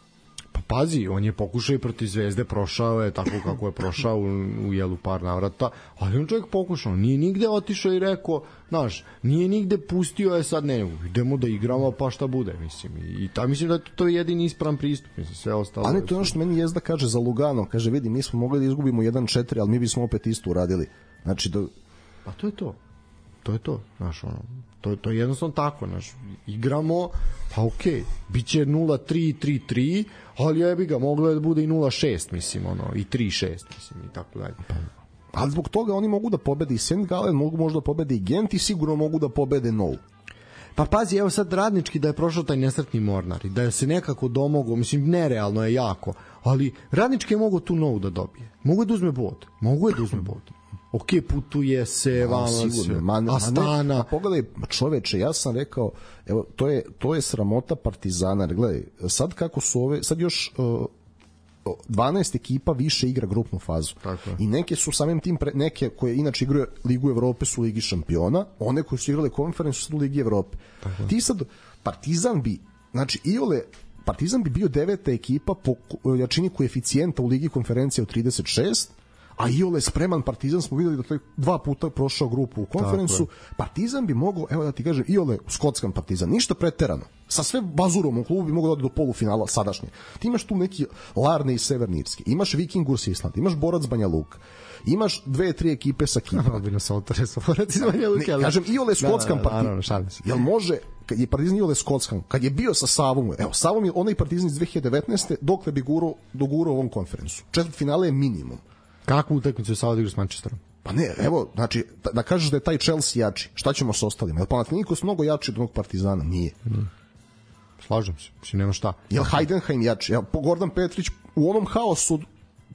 Pa pazi, on je pokušao i protiv Zvezde, prošao je tako kako je prošao u, u jelu par navrata, ali on čovjek pokušao, nije nigde otišao i rekao, znaš, nije nigde pustio je sad ne, idemo da igramo pa šta bude, mislim, i, i ta, mislim da to je jedini ispravan pristup, mislim, sve ostalo. A ne, to je ono što meni Jezda kaže za Lugano, kaže, vidi, mi smo mogli da izgubimo jedan četiri, ali mi bismo opet isto uradili. Znači, da... Pa to je to, to je to, znaš, ono, to, to je jednostavno tako, znaš, igramo, pa okej, okay, bit će nula tri, tri tri, ali jebi ga, moglo je da bude i nula šest, mislim, ono, i tri šest, mislim, i tako dalje. Pa, ali zbog toga oni mogu da pobede i Saint Gallen, mogu možda da pobede i Gent i sigurno mogu da pobede Nou. Pa pazi, evo sad Radnički da je prošao taj nesretni Mornar i da je se nekako domogao, mislim, nerealno je jako, ali Radnički je mogo tu Nou da dobije. Mogu je da uzme bod, mogu je da uzme bod. ok, putuje se, Ma, vamo sigurno, se, ma, ma Astana. Ne, a pogledaj, čoveče, ja sam rekao, evo, to je, to je sramota Partizana, jer gledaj, sad kako su ove, sad još uh, dvanaest ekipa više igra grupnu fazu. Tako je. I neke su samim tim, pre, neke koje inače igraju Ligu Evrope su u Ligi šampiona, one koje su igrale konferencu su u Ligi Evrope. Tako. Ti sad, Partizan bi, znači, iole, Partizan bi bio deveta ekipa po jačini koeficijenta u Ligi konferencije od trideset šest, a iole spreman Partizan smo videli da to je dva puta prošao grupu u konferencu. Partizan bi mogao, evo da ti kažem, iole skotsan Partizan, ništa preterano. Sa sve bazurom u klubu bi mogao da ode do polufinala sadašnje. Ti imaš tu neki Larne i Severni Irski, imaš Vikingurs Island, imaš Borac Banja Luka, imaš dve, tri ekipe sa Kipra. Malo bi nas autoreso Borac iz Banja Luka. Ne, kažem, iole skotsan Partizan. Jel može, kad je Partizan iole skotsan, kad je bio sa Savom, evo, Savom je onaj Partizan iz dve hiljade devetnaeste dokle bi gurao, dogurao ovom konferencu. Četvrt finale je minimum. Kakvu utakmicu je Sava da igra s Manchesterom? Pa ne, evo, znači, da, da kažeš da je taj Chelsea jači, šta ćemo s ostalima? Jel Panathinaikos mnogo jači od onog Partizana? Nije. Mm. Slažem se, mislim, nema šta. Jel Heidenheim jači? Jel Gordon Petrić u onom haosu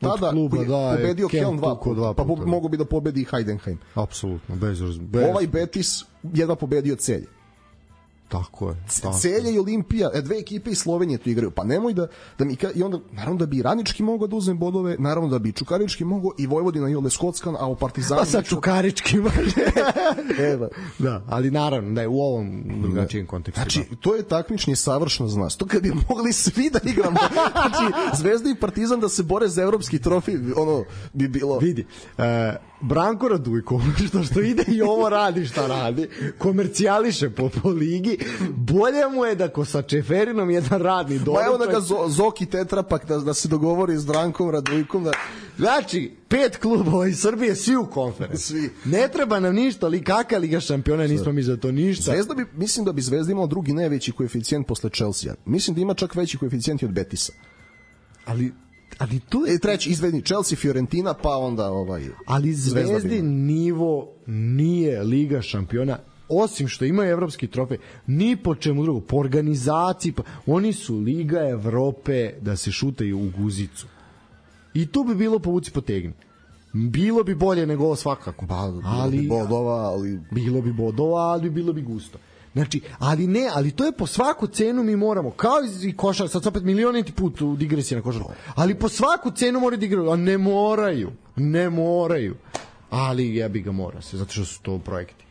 tada kluba, koji je da, pobedio Kelm dva puta, dva pa puta, mogo bi da pobedi i Heidenheim. Apsolutno, bez, bez... Ovaj Betis jedva pobedio Celje. Tako je. Tako. Celje i Olimpija, dve ekipe iz Slovenije tu igraju. Pa nemoj da, da mi ka, i onda naravno da bi Radnički mogao da uzme bodove, naravno da bi Čukarički mogao i Vojvodina i Ole Skockan, a u Partizanu... Pa sa Čukarički može. Evo. Da, ali naravno da je u ovom drugačijem kontekstu. Znači, to je takmičenje savršeno za nas. To kad bi mogli svi da igramo, znači, Zvezda i Partizan da se bore za evropski trofej, ono bi bilo... Vidi, uh, Branko Radujko, što što ide i ovo radi šta radi, komercijališe po, po ligi, bolje mu je da ko sa Čeferinom jedan radni doručak. Ma evo da ga zo, Zoki Tetrapak da, da se dogovori s Brankom Radujkom. Da... Znači, pet klubova iz Srbije, svi u konferenciji. Svi. Ne treba nam ništa, ali kakva Liga šampiona, nismo mi za to ništa. Zvezda bi, mislim da bi Zvezda imala drugi najveći koeficijent posle Chelsea. Mislim da ima čak veći koeficijent i od Betisa. Ali... Ali tu je treći izvedni Chelsea, Fiorentina, pa onda ovaj. Ali Zvezdi nivo nije Liga šampiona, osim što imaju evropski trofej, ni po čemu drugo, po organizaciji, pa oni su Liga Evrope da se šutaju u guzicu. I tu bi bilo povuci potegni. Bilo bi bolje nego ovo svakako. Ba, bilo ali, bi bodova, ali... Bilo bi bodova, ali bilo bi gusto. Znači, ali ne, ali to je po svaku cenu mi moramo, kao i košar, sad opet milioniti put u digresiji na košarku, ali po svaku cenu moraju da igraju, a ne moraju, ne moraju, ali ja bi ga mora se, zato što su to projekti.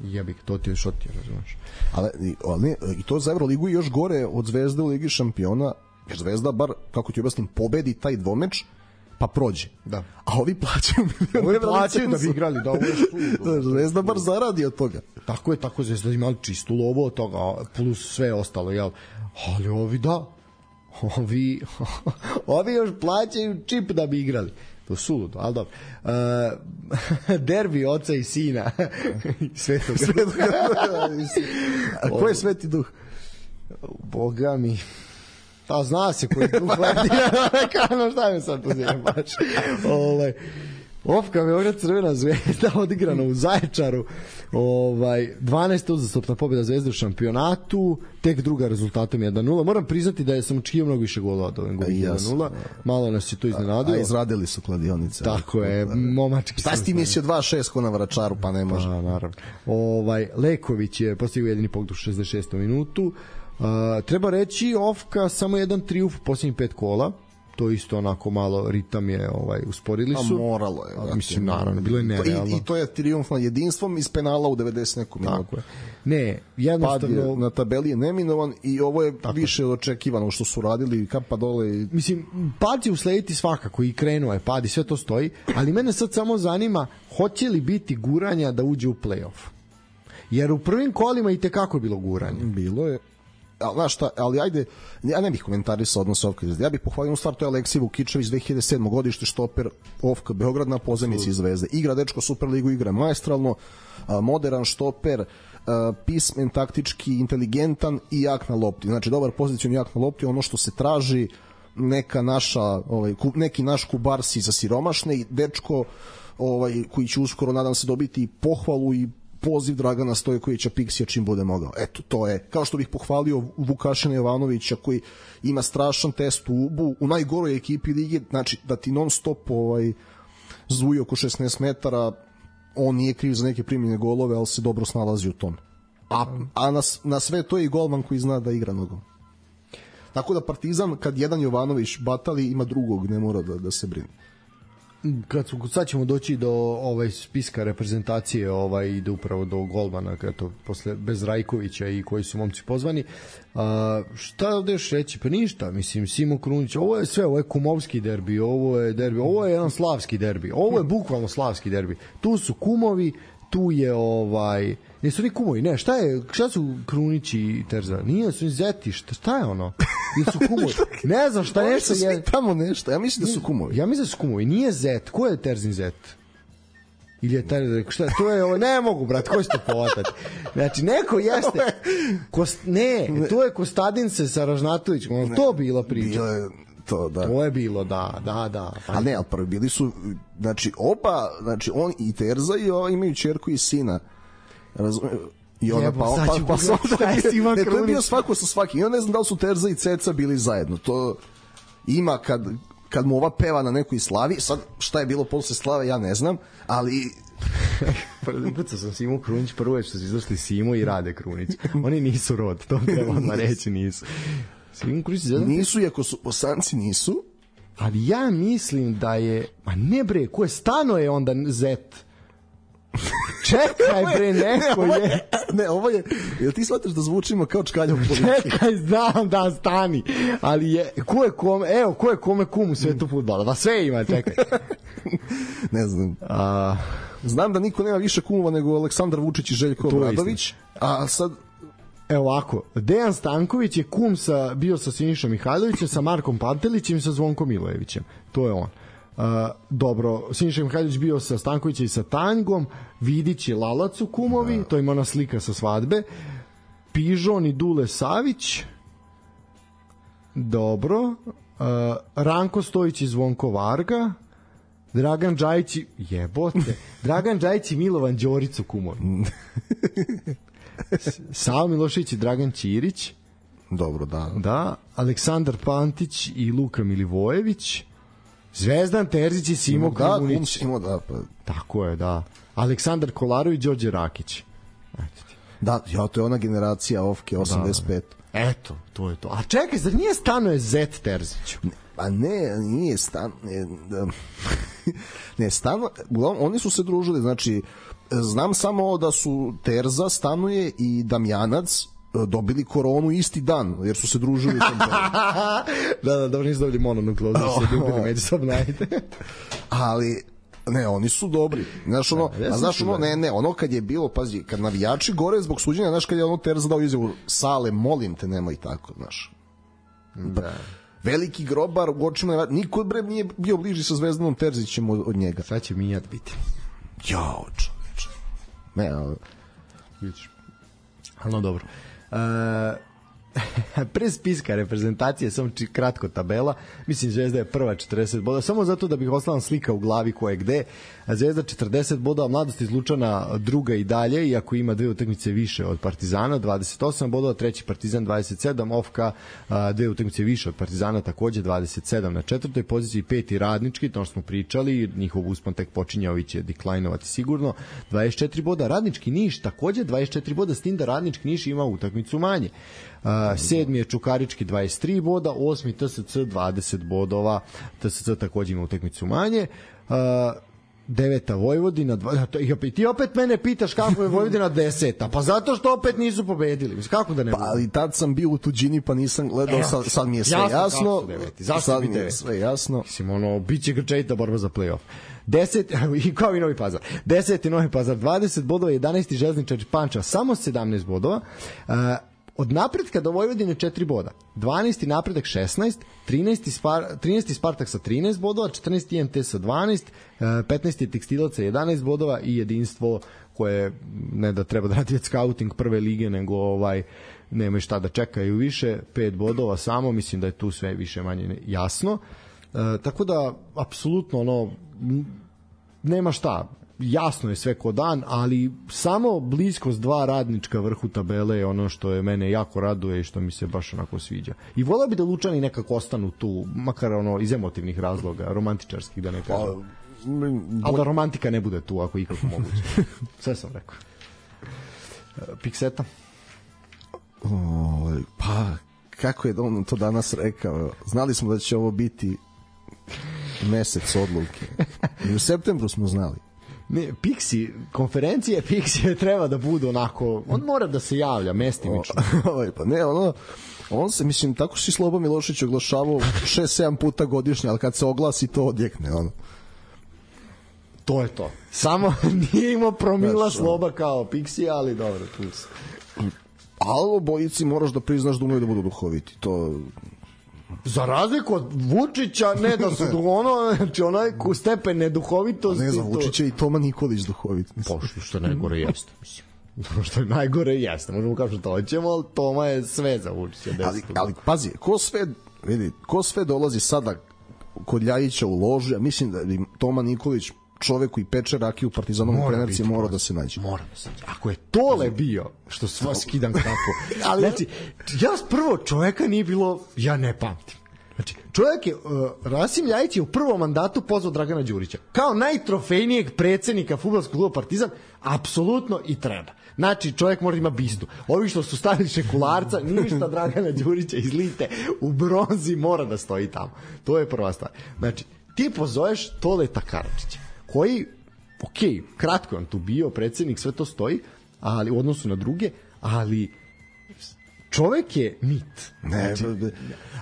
Ja bih, to ti je šotio, razumiješ. Ali, ali i to za Euroligu još gore od Zvezde u Ligi šampiona, jer Zvezda bar, kako ti objasnim, pobedi taj dvomeč, pa prođe. Da. A ovi plaćaju ovi plaćaju da bi igrali, da ovo je šudo. Zvezda bar zaradi od toga. Tako je, tako Zvezda imali čistu lovu od toga, plus sve ostalo, jel? Ali ovi da, ovi, ovi još plaćaju čip da bi igrali. To je suludo, ali dobro. Uh, derbi oca i sina. Svetog. Svetog. A ko je Sveti Duh? Boga mi... Pa zna se koji duh leti. Kano, šta me sad pozivam baš. Ovaj, Ofka Beograd Crvena Zvezda odigrana u Zaječaru. Ovaj, dvanaesta uzastopna pobjeda Zvezde u šampionatu, tek druga rezultatom jedan nula. Moram priznati da je sam očekivao mnogo više golova od ovog jedan nula. Malo nas je to iznenadilo. A izradili su kladionice. Tako je, momački. Šta si ti mislio dva šest ko na Vračaru, pa ne može. Pa, naravno. Ovaj, Leković je postigao jedini pogodak u šezdeset šestom minutu. Uh, treba reći Ofka samo jedan trijumf u posljednjih pet kola, to isto onako malo ritam je ovaj usporili su. A moralo je. A, mislim naravno, bilo je nerealno. I, i to je trijumf nad jedinstvom iz penala u devedeset nekom minutu. Tako je. Ne, jednostavno pad je, na tabeli je neminovan i ovo je tako više od očekivano što su radili, kapa dole i... Mislim, pad će uslediti svakako i krenuo je pad i sve to stoji, ali mene sad samo zanima hoće li biti guranja da uđe u play-off. Jer u prvim kolima i tekako je bilo guranje. Bilo je. Ali, znaš šta, ali ajde, ja ne bih komentarisao odnos Ofka. Ja bih pohvalio u stvar, to je Aleksij Vukičević, dve hiljade sedme godište, štoper Ofka Beograd na pozemici Zvezde. Igra dečko Superligu, igra maestralno, modern štoper, pismen, taktički, inteligentan i jak na lopti. Znači, dobar pozicion jak na lopti, ono što se traži, neka naša, ovaj, neki naš Kubarsi za siromašne i dečko ovaj, koji će uskoro, nadam se, dobiti pohvalu i poziv Dragana Stojkovića Piksija čim bude mogao. Eto, to je. Kao što bih pohvalio Vukašina Jovanovića koji ima strašan test u U B U, u najgoroj ekipi ligi, znači da ti non stop ovaj, zvuji oko šesnaest metara, on nije kriv za neke primljene golove, ali se dobro snalazi u tome. A, a na, na sve to je i golman koji zna da igra nogom. Tako da Partizan, kad jedan Jovanović batali, ima drugog, ne mora da, da se brine. Kad su, sad ćemo doći do ovaj spiska reprezentacije, ovaj ide upravo do golmana, eto, posle bez Rajkovića i koji su momci pozvani. A, šta ovde još reći? Pa ništa, mislim, Simo Krunić, ovo je sve, ovo je kumovski derbi, ovo je derbi, ovo je jedan slavski derbi, ovo je bukvalno slavski derbi. Tu su kumovi, tu je ovaj, nisu ni kumovi, ne, šta je, šta su Krunić i Terza? Nije, su zeti, šta, šta je ono? Ili su kumovi? Ne znam šta nešto je. Tamo nešto, ja mislim da su kumovi. Ja mislim da su kumovi, nije zet, ko je Terzin zet? Ili je taj, šta, to je ovo, ne mogu, brat, ko će to povatati? Znači, neko jeste, kost, ne, to je Kostadince sa Ražnatovićem, to bila priča. Bilo je to, da. To je bilo, da, da, da. Pa. A ne, ali prvi bili su, znači, oba, znači, on i Terza i ova imaju čerku i sina. Razumiju? I ona Jebo, pa on sad ću pa, pa, pa, šta je Sima ne, to je Krunić. bio svako sa svakim. I on ne znam da li su Terza i Ceca bili zajedno. To ima kad, kad mu ova peva na nekoj slavi. Sad šta je bilo posle slave ja ne znam, ali Pucao sam Simu Krunić, prvo je što su izašli Simo i Rade Krunić. Oni nisu rod, to treba odmah reći, nisu. Simo Krunić zajedno... Nisu, iako su Bosanci nisu. Ali ja mislim da je... Ma ne bre, ko je stano je onda zet? Čekaj bre, neko ne, je... Ne, ovo je... Jel ti shvataš da zvučimo kao čkalja u politici? Čekaj, znam da stani. Ali je... Ko je kome... Evo, ko je kome kum u svetu fudbala? Da sve ima, čekaj. Ne znam. A... Znam da niko nema više kumova nego Aleksandar Vučić i Željko Obradović. A sad... Evo ovako, Dejan Stanković je kum sa, bio sa Sinišom Mihajlovićem, sa Markom Pantelićem i sa Zvonkom Milojevićem. To je on. Uh, dobro, Siniša Mihajlović bio sa Stankovićem i sa Tanjgom, Vidić i Lalac u kumovi, da. To ima ona slika sa svadbe, Pižon i Dule Savić, dobro, uh, Ranko Stojić i Zvonko Varga, Dragan Džajić i... jebote, Dragan Džajić i Milovan Đorić u kumovi. Savo Milošević i Dragan Ćirić, dobro, da. Da, Aleksandar Pantić i Luka Milivojević, Zvezdan Terzić i Simo da, Krunić. Simo, da, pa. Tako je, da. Aleksandar Kolarović i Đorđe Rakić. Eto ti. Da, ja, to je ona generacija Ofke osamdeset pet. Da, eto, to je to. A čekaj, zar nije stano je Zet Terziću? Pa ne, nije stan... Ne, ne stano... Oni su se družili, znači, znam samo da su Terza, Stanuje i Damjanac dobili koronu isti dan, jer su se družili u tom da, da, dobro nisu dobili mononukleozu, oh, se ljubili međusobno, ajde. Ali, ne, oni su dobri. Znaš, ono, da, a znaš, ono, ne, ne, ono kad je bilo, pazi, kad navijači gore zbog suđenja, znaš, kad je ono Terza dao izjavu, Sale, molim te, nemoj tako, znaš. Da. Veliki grobar, u očima, niko bre nije bio bliži sa Zvezdanom Terzićem od, od njega. Sad će Mijat biti. Jao, čoveče. Ne, ali... Vidiš. Ali no, dobro. E, pre spiska reprezentacije, samo či, kratko tabela, mislim Zvezda je prva četrdeset boda, samo zato da bih ostala slika u glavi ko je gde. Zvezda četrdeset bodova, Mladost iz Lučana druga i dalje, iako ima dve utakmice više od Partizana, dvadeset osam bodova, treći Partizan dvadeset sedam, Ofka dve utakmice više od Partizana, takođe dvadeset sedam na četvrtoj poziciji, peti Radnički, to što smo pričali, njihov uspon tek počinje, ovi će deklajnovati sigurno, dvadeset četiri boda, Radnički Niš takođe dvadeset četiri boda, s tim da Radnički Niš ima utakmicu manje. Uh, sedmi je Čukarički dvadeset tri boda, osmi T S C dvadeset bodova, T S C takođe ima utakmicu manje. Uh, deveta Vojvodina, dva, i ti opet mene pitaš kako je Vojvodina deseta, pa zato što opet nisu pobedili. Kako da ne pa, ali tad sam bio u tuđini pa nisam gledao, sad, sad mi je sve jasno, jasno zašto sad mi je sve jasno. Mislim, ono, bit će grčajita borba za play-off. deset, i kao i Novi Pazar. deseti Novi Pazar, dvadeset bodova, jedanaesti Železničar Pančevo, samo sedamnaest bodova. Uh, od napretka do Vojvodine četiri boda. dvanaesti napredak šesnaest, trinaesti, Spar, trinaesti Spartak sa trinaest bodova, četrnaesti I M T sa dvanaest, petnaesti Tekstilac sa jedanaest bodova i Jedinstvo koje ne da treba da radi već scouting prve lige, nego ovaj nema šta da čekaju više, pet bodova samo, mislim da je tu sve više manje jasno. E, tako da apsolutno ono nema šta, jasno je sve ko dan, ali samo bliskost dva Radnička vrhu tabele je ono što je mene jako raduje i što mi se baš onako sviđa. I voleo bi da Lučani nekako ostanu tu, makar ono iz emotivnih razloga, romantičarskih da ne kažem. Ali da romantika ne bude tu, ako ikako moguće. Sve sam rekao. Pikseta? O, pa, kako je on to danas rekao? Znali smo da će ovo biti mesec odluke. I u septembru smo znali. Ne, Pixi, konferencije Pixi treba da budu onako, on mora da se javlja mestimično. O, pa ne, ono, on se, mislim, tako si Slobo Milošić oglašavao šest sedam puta godišnje, ali kad se oglasi to odjekne, ono. To je to. Samo nije imao promila Sloba kao Pixi, ali dobro, tu se. Ali obojici moraš da priznaš da umeju da budu duhoviti. To... Za razliku od Vučića, ne da su ono, znači onaj stepen neduhovitosti. Ne, za Vučića to... i Toma Nikolić duhovit. Pošto što najgore jeste, mislim. Što je najgore jeste, možemo kao što to hoćemo, ali Toma je sve za Vučića. Ali, ali pazi, ko sve, vidi, ko sve dolazi sada kod Ljajića u loži, a mislim da bi Toma Nikolić, čovek koji peče rakiju u Partizanom trenerci, mora da se nađe. Mora da se nađe. Ako je Tole bio, što sva skidam kapu. Ali, znači, ja prvo čoveka nije bilo, ja ne pamtim. Znači, čovjek je, uh, Rasim Ljajić je u prvom mandatu pozvao Dragana Đurića. Kao najtrofejnijeg predsednika fudbalskog kluba Partizan, apsolutno i treba. Znači, čovjek mora da ima bistu. Ovi što su stavili šekularca, ništa Dragana Đurića izlite, u bronzi mora da stoji tamo. To je prva stvar. Znači, ti pozoveš Toleta Karadžića, koji, ok, kratko je on tu bio, predsednik, sve to stoji, ali u odnosu na druge, ali čovek je mit. Ne, znači,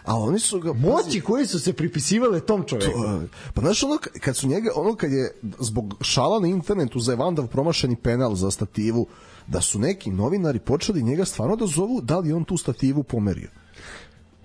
a oni su ga moći koji su se pripisivale tom čoveku. To, pa znaš ono kad su njega, ono kad je zbog šala na internetu za Evandav promašeni penal za stativu, da su neki novinari počeli njega stvarno da zovu da li on tu stativu pomerio.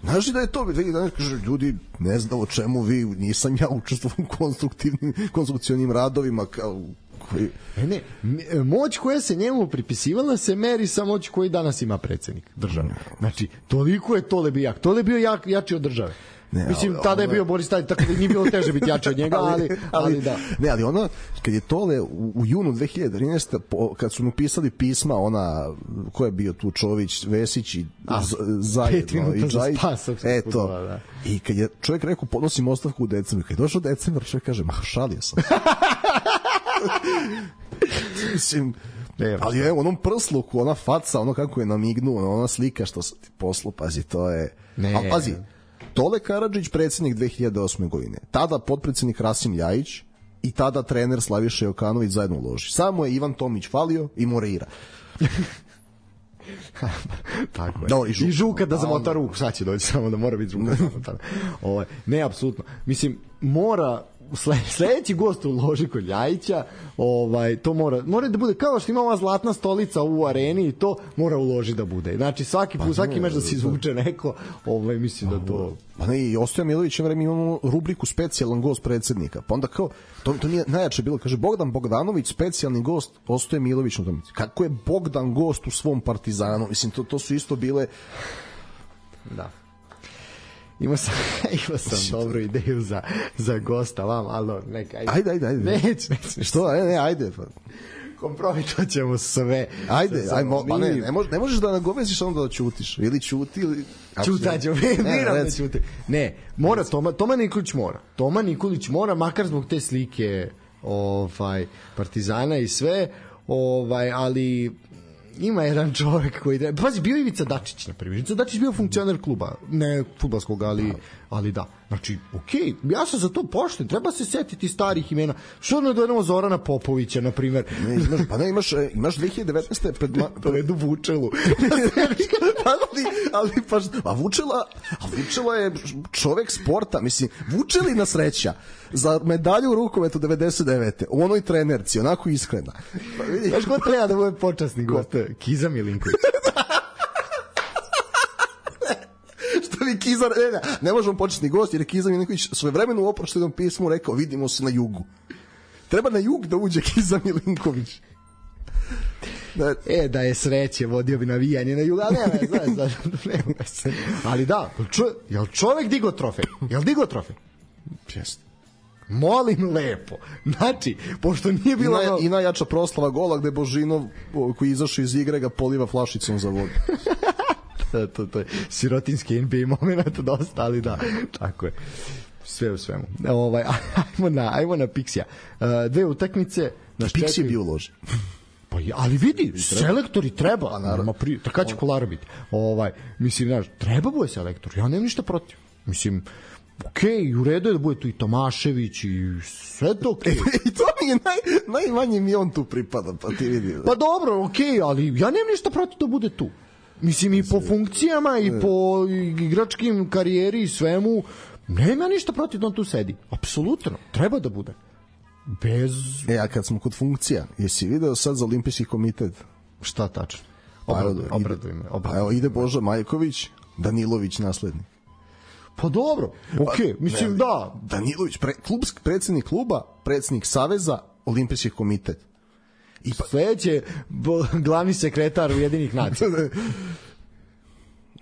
Znaš li da je to, vidi danas kaže, ljudi, ne znam o čemu vi, nisam ja učestvovao u konstruktivnim, konstrukcionim radovima, kao, koji... Ne, ne, moć koja se njemu pripisivala se meri sa moć koji danas ima predsednik države. Znači, toliko je Tole bio jak. Tole je bio jak, jači od države. Ne, mislim, ali, tada je bio Boris Tadić, tako da nije bilo teže biti jači od njega, ali, ali, ali da. Ne, ali ono, kad je Tole u, u junu dve hiljade trinaeste. Po, kad su mu pisali pisma, ona, ko je bio tu, Čović, Vesić i A, z, zajedno, i Džajić, eto, da. I kad je čovjek rekao, podnosim ostavku u decembru, kad je došao decembar, čovjek kaže, ma, šalio sam. Mislim, ne, ali je u onom prsluku, ona faca, ono kako je namignuo, ona slika što se ti poslu, pazi, to je... Ne. Ali pazi, Tole Karadžić, predsednik dve hiljade osme. godine. Tada potpredsednik Rasim Ljajić i tada trener Slaviša Jokanović zajedno u loži. Samo je Ivan Tomić falio i Moreira. Tako je. No, i, žuka. I žuka da zamota ruku, sad će doći samo da mora biti žuka. Ovo, ne, apsolutno. Mislim, mora sledeći gost u loži kod Ljajića, ovaj, to mora, mora da bude kao što ima ova zlatna stolica u areni i to mora u loži da bude. Znači svaki put, svaki meč da se izvuče neko, ovaj, mislim da to... Pa ne, i Ostoja Milović vreme imamo rubriku specijalan gost predsednika. Pa onda kao, to, to nije najjače bilo, kaže Bogdan Bogdanović, specijalni gost Ostoja Milović. Kako je Bogdan gost u svom Partizanu? Mislim, to, to su isto bile... Da. Imao sam, imao sam dobru ideju za, za gosta vam, ali neka, ajde. Ajde, ajde, ajde. Neć, neć. Što? Ajde, ne, ajde. Pa. Kompromitovat ćemo sve. Ajde, ajde, mo, pa ne, ne, možeš, ne možeš da nagoveziš onda da ćutiš. Ili ćuti, ili... Ćutaću, miram da ćuti. Ne, mora, Toma, Toma Nikolić mora. Toma Nikolić mora, makar zbog te slike ovaj, Partizana i sve, ovaj, ali... Ima jedan čovjek koji... Da... Pazi, bio Ivica Dačić, na primjer. Ivica Dačić bio funkcioner kluba, ne fudbalskog, ali, ali da. Znači, okej, okay, ja sam za to pošten, treba se setiti starih imena. Što ne dojedemo Zorana Popovića, na primjer? Ne, imaš, pa ne, imaš, imaš dve hiljade devetnaeste. Pred ma... Predu Vučelu. ali, ali pa... A Vučela, a Vučela je čovek sporta, mislim, Vučelina sreća za medalju u rukometu devedeset devete. U onoj trenerci, onako iskrena. Pa vidi, znaš ko treba da bude počasni gost? Kiza Milinković. Što bi Kiza, ne, ne, ne možemo početni gost, jer je Kiza Milinković svojevremeno u oproštenom pismu rekao, vidimo se na jugu. Treba na jug da uđe Kiza Milinković. Da. E, da je sreće, vodio bi navijanje na jug, ali ne, ne, znaš, ne, ne, ali da, čo, jel čovek digo trofej? Jel digo trofej? Jeste. Molim lepo. Znači, pošto nije bilo... I, naj, i najjača proslava gola gde Božinov, koji izašao iz igre, ga poliva flašicom za vodu. to, to, to je sirotinski N B A moment dosta, ali da, tako je. sve u svemu. Ovaj, ajmo na, ajmo na Pixija. Uh, dve utakmice. Pixi je bio loži. Pa, ali vidi, selektori treba. Pa, naravno. Pri, kada će Kolara biti? Ovaj, mislim, znaš, treba bude selektor. Ja nemam ništa protiv. Mislim, okej, okay, u redu je da bude tu i Tomašević i sve to okej. Okay. I to mi je naj, najmanje mi on tu pripada, pa ti vidi. Pa dobro, okej, okay, ali ja nemam ništa protiv da bude tu. Mislim, i po funkcijama, i po igračkim karijeri i svemu, nema ništa protiv da on tu sedi. Apsolutno, treba da bude. Bez... E, a kad smo kod funkcija, jesi video sad za Olimpijski komitet? Šta tačno? Obraduj me. Pa evo, ide Boža Majković, Danilović naslednik. Pa dobro, okej, okay, mislim ne, da. Danilović, pre, klubski predsjednik kluba, predsjednik saveza, Olimpijski komitet. I pa... sledeće, glavni sekretar Ujedinjenih nacija.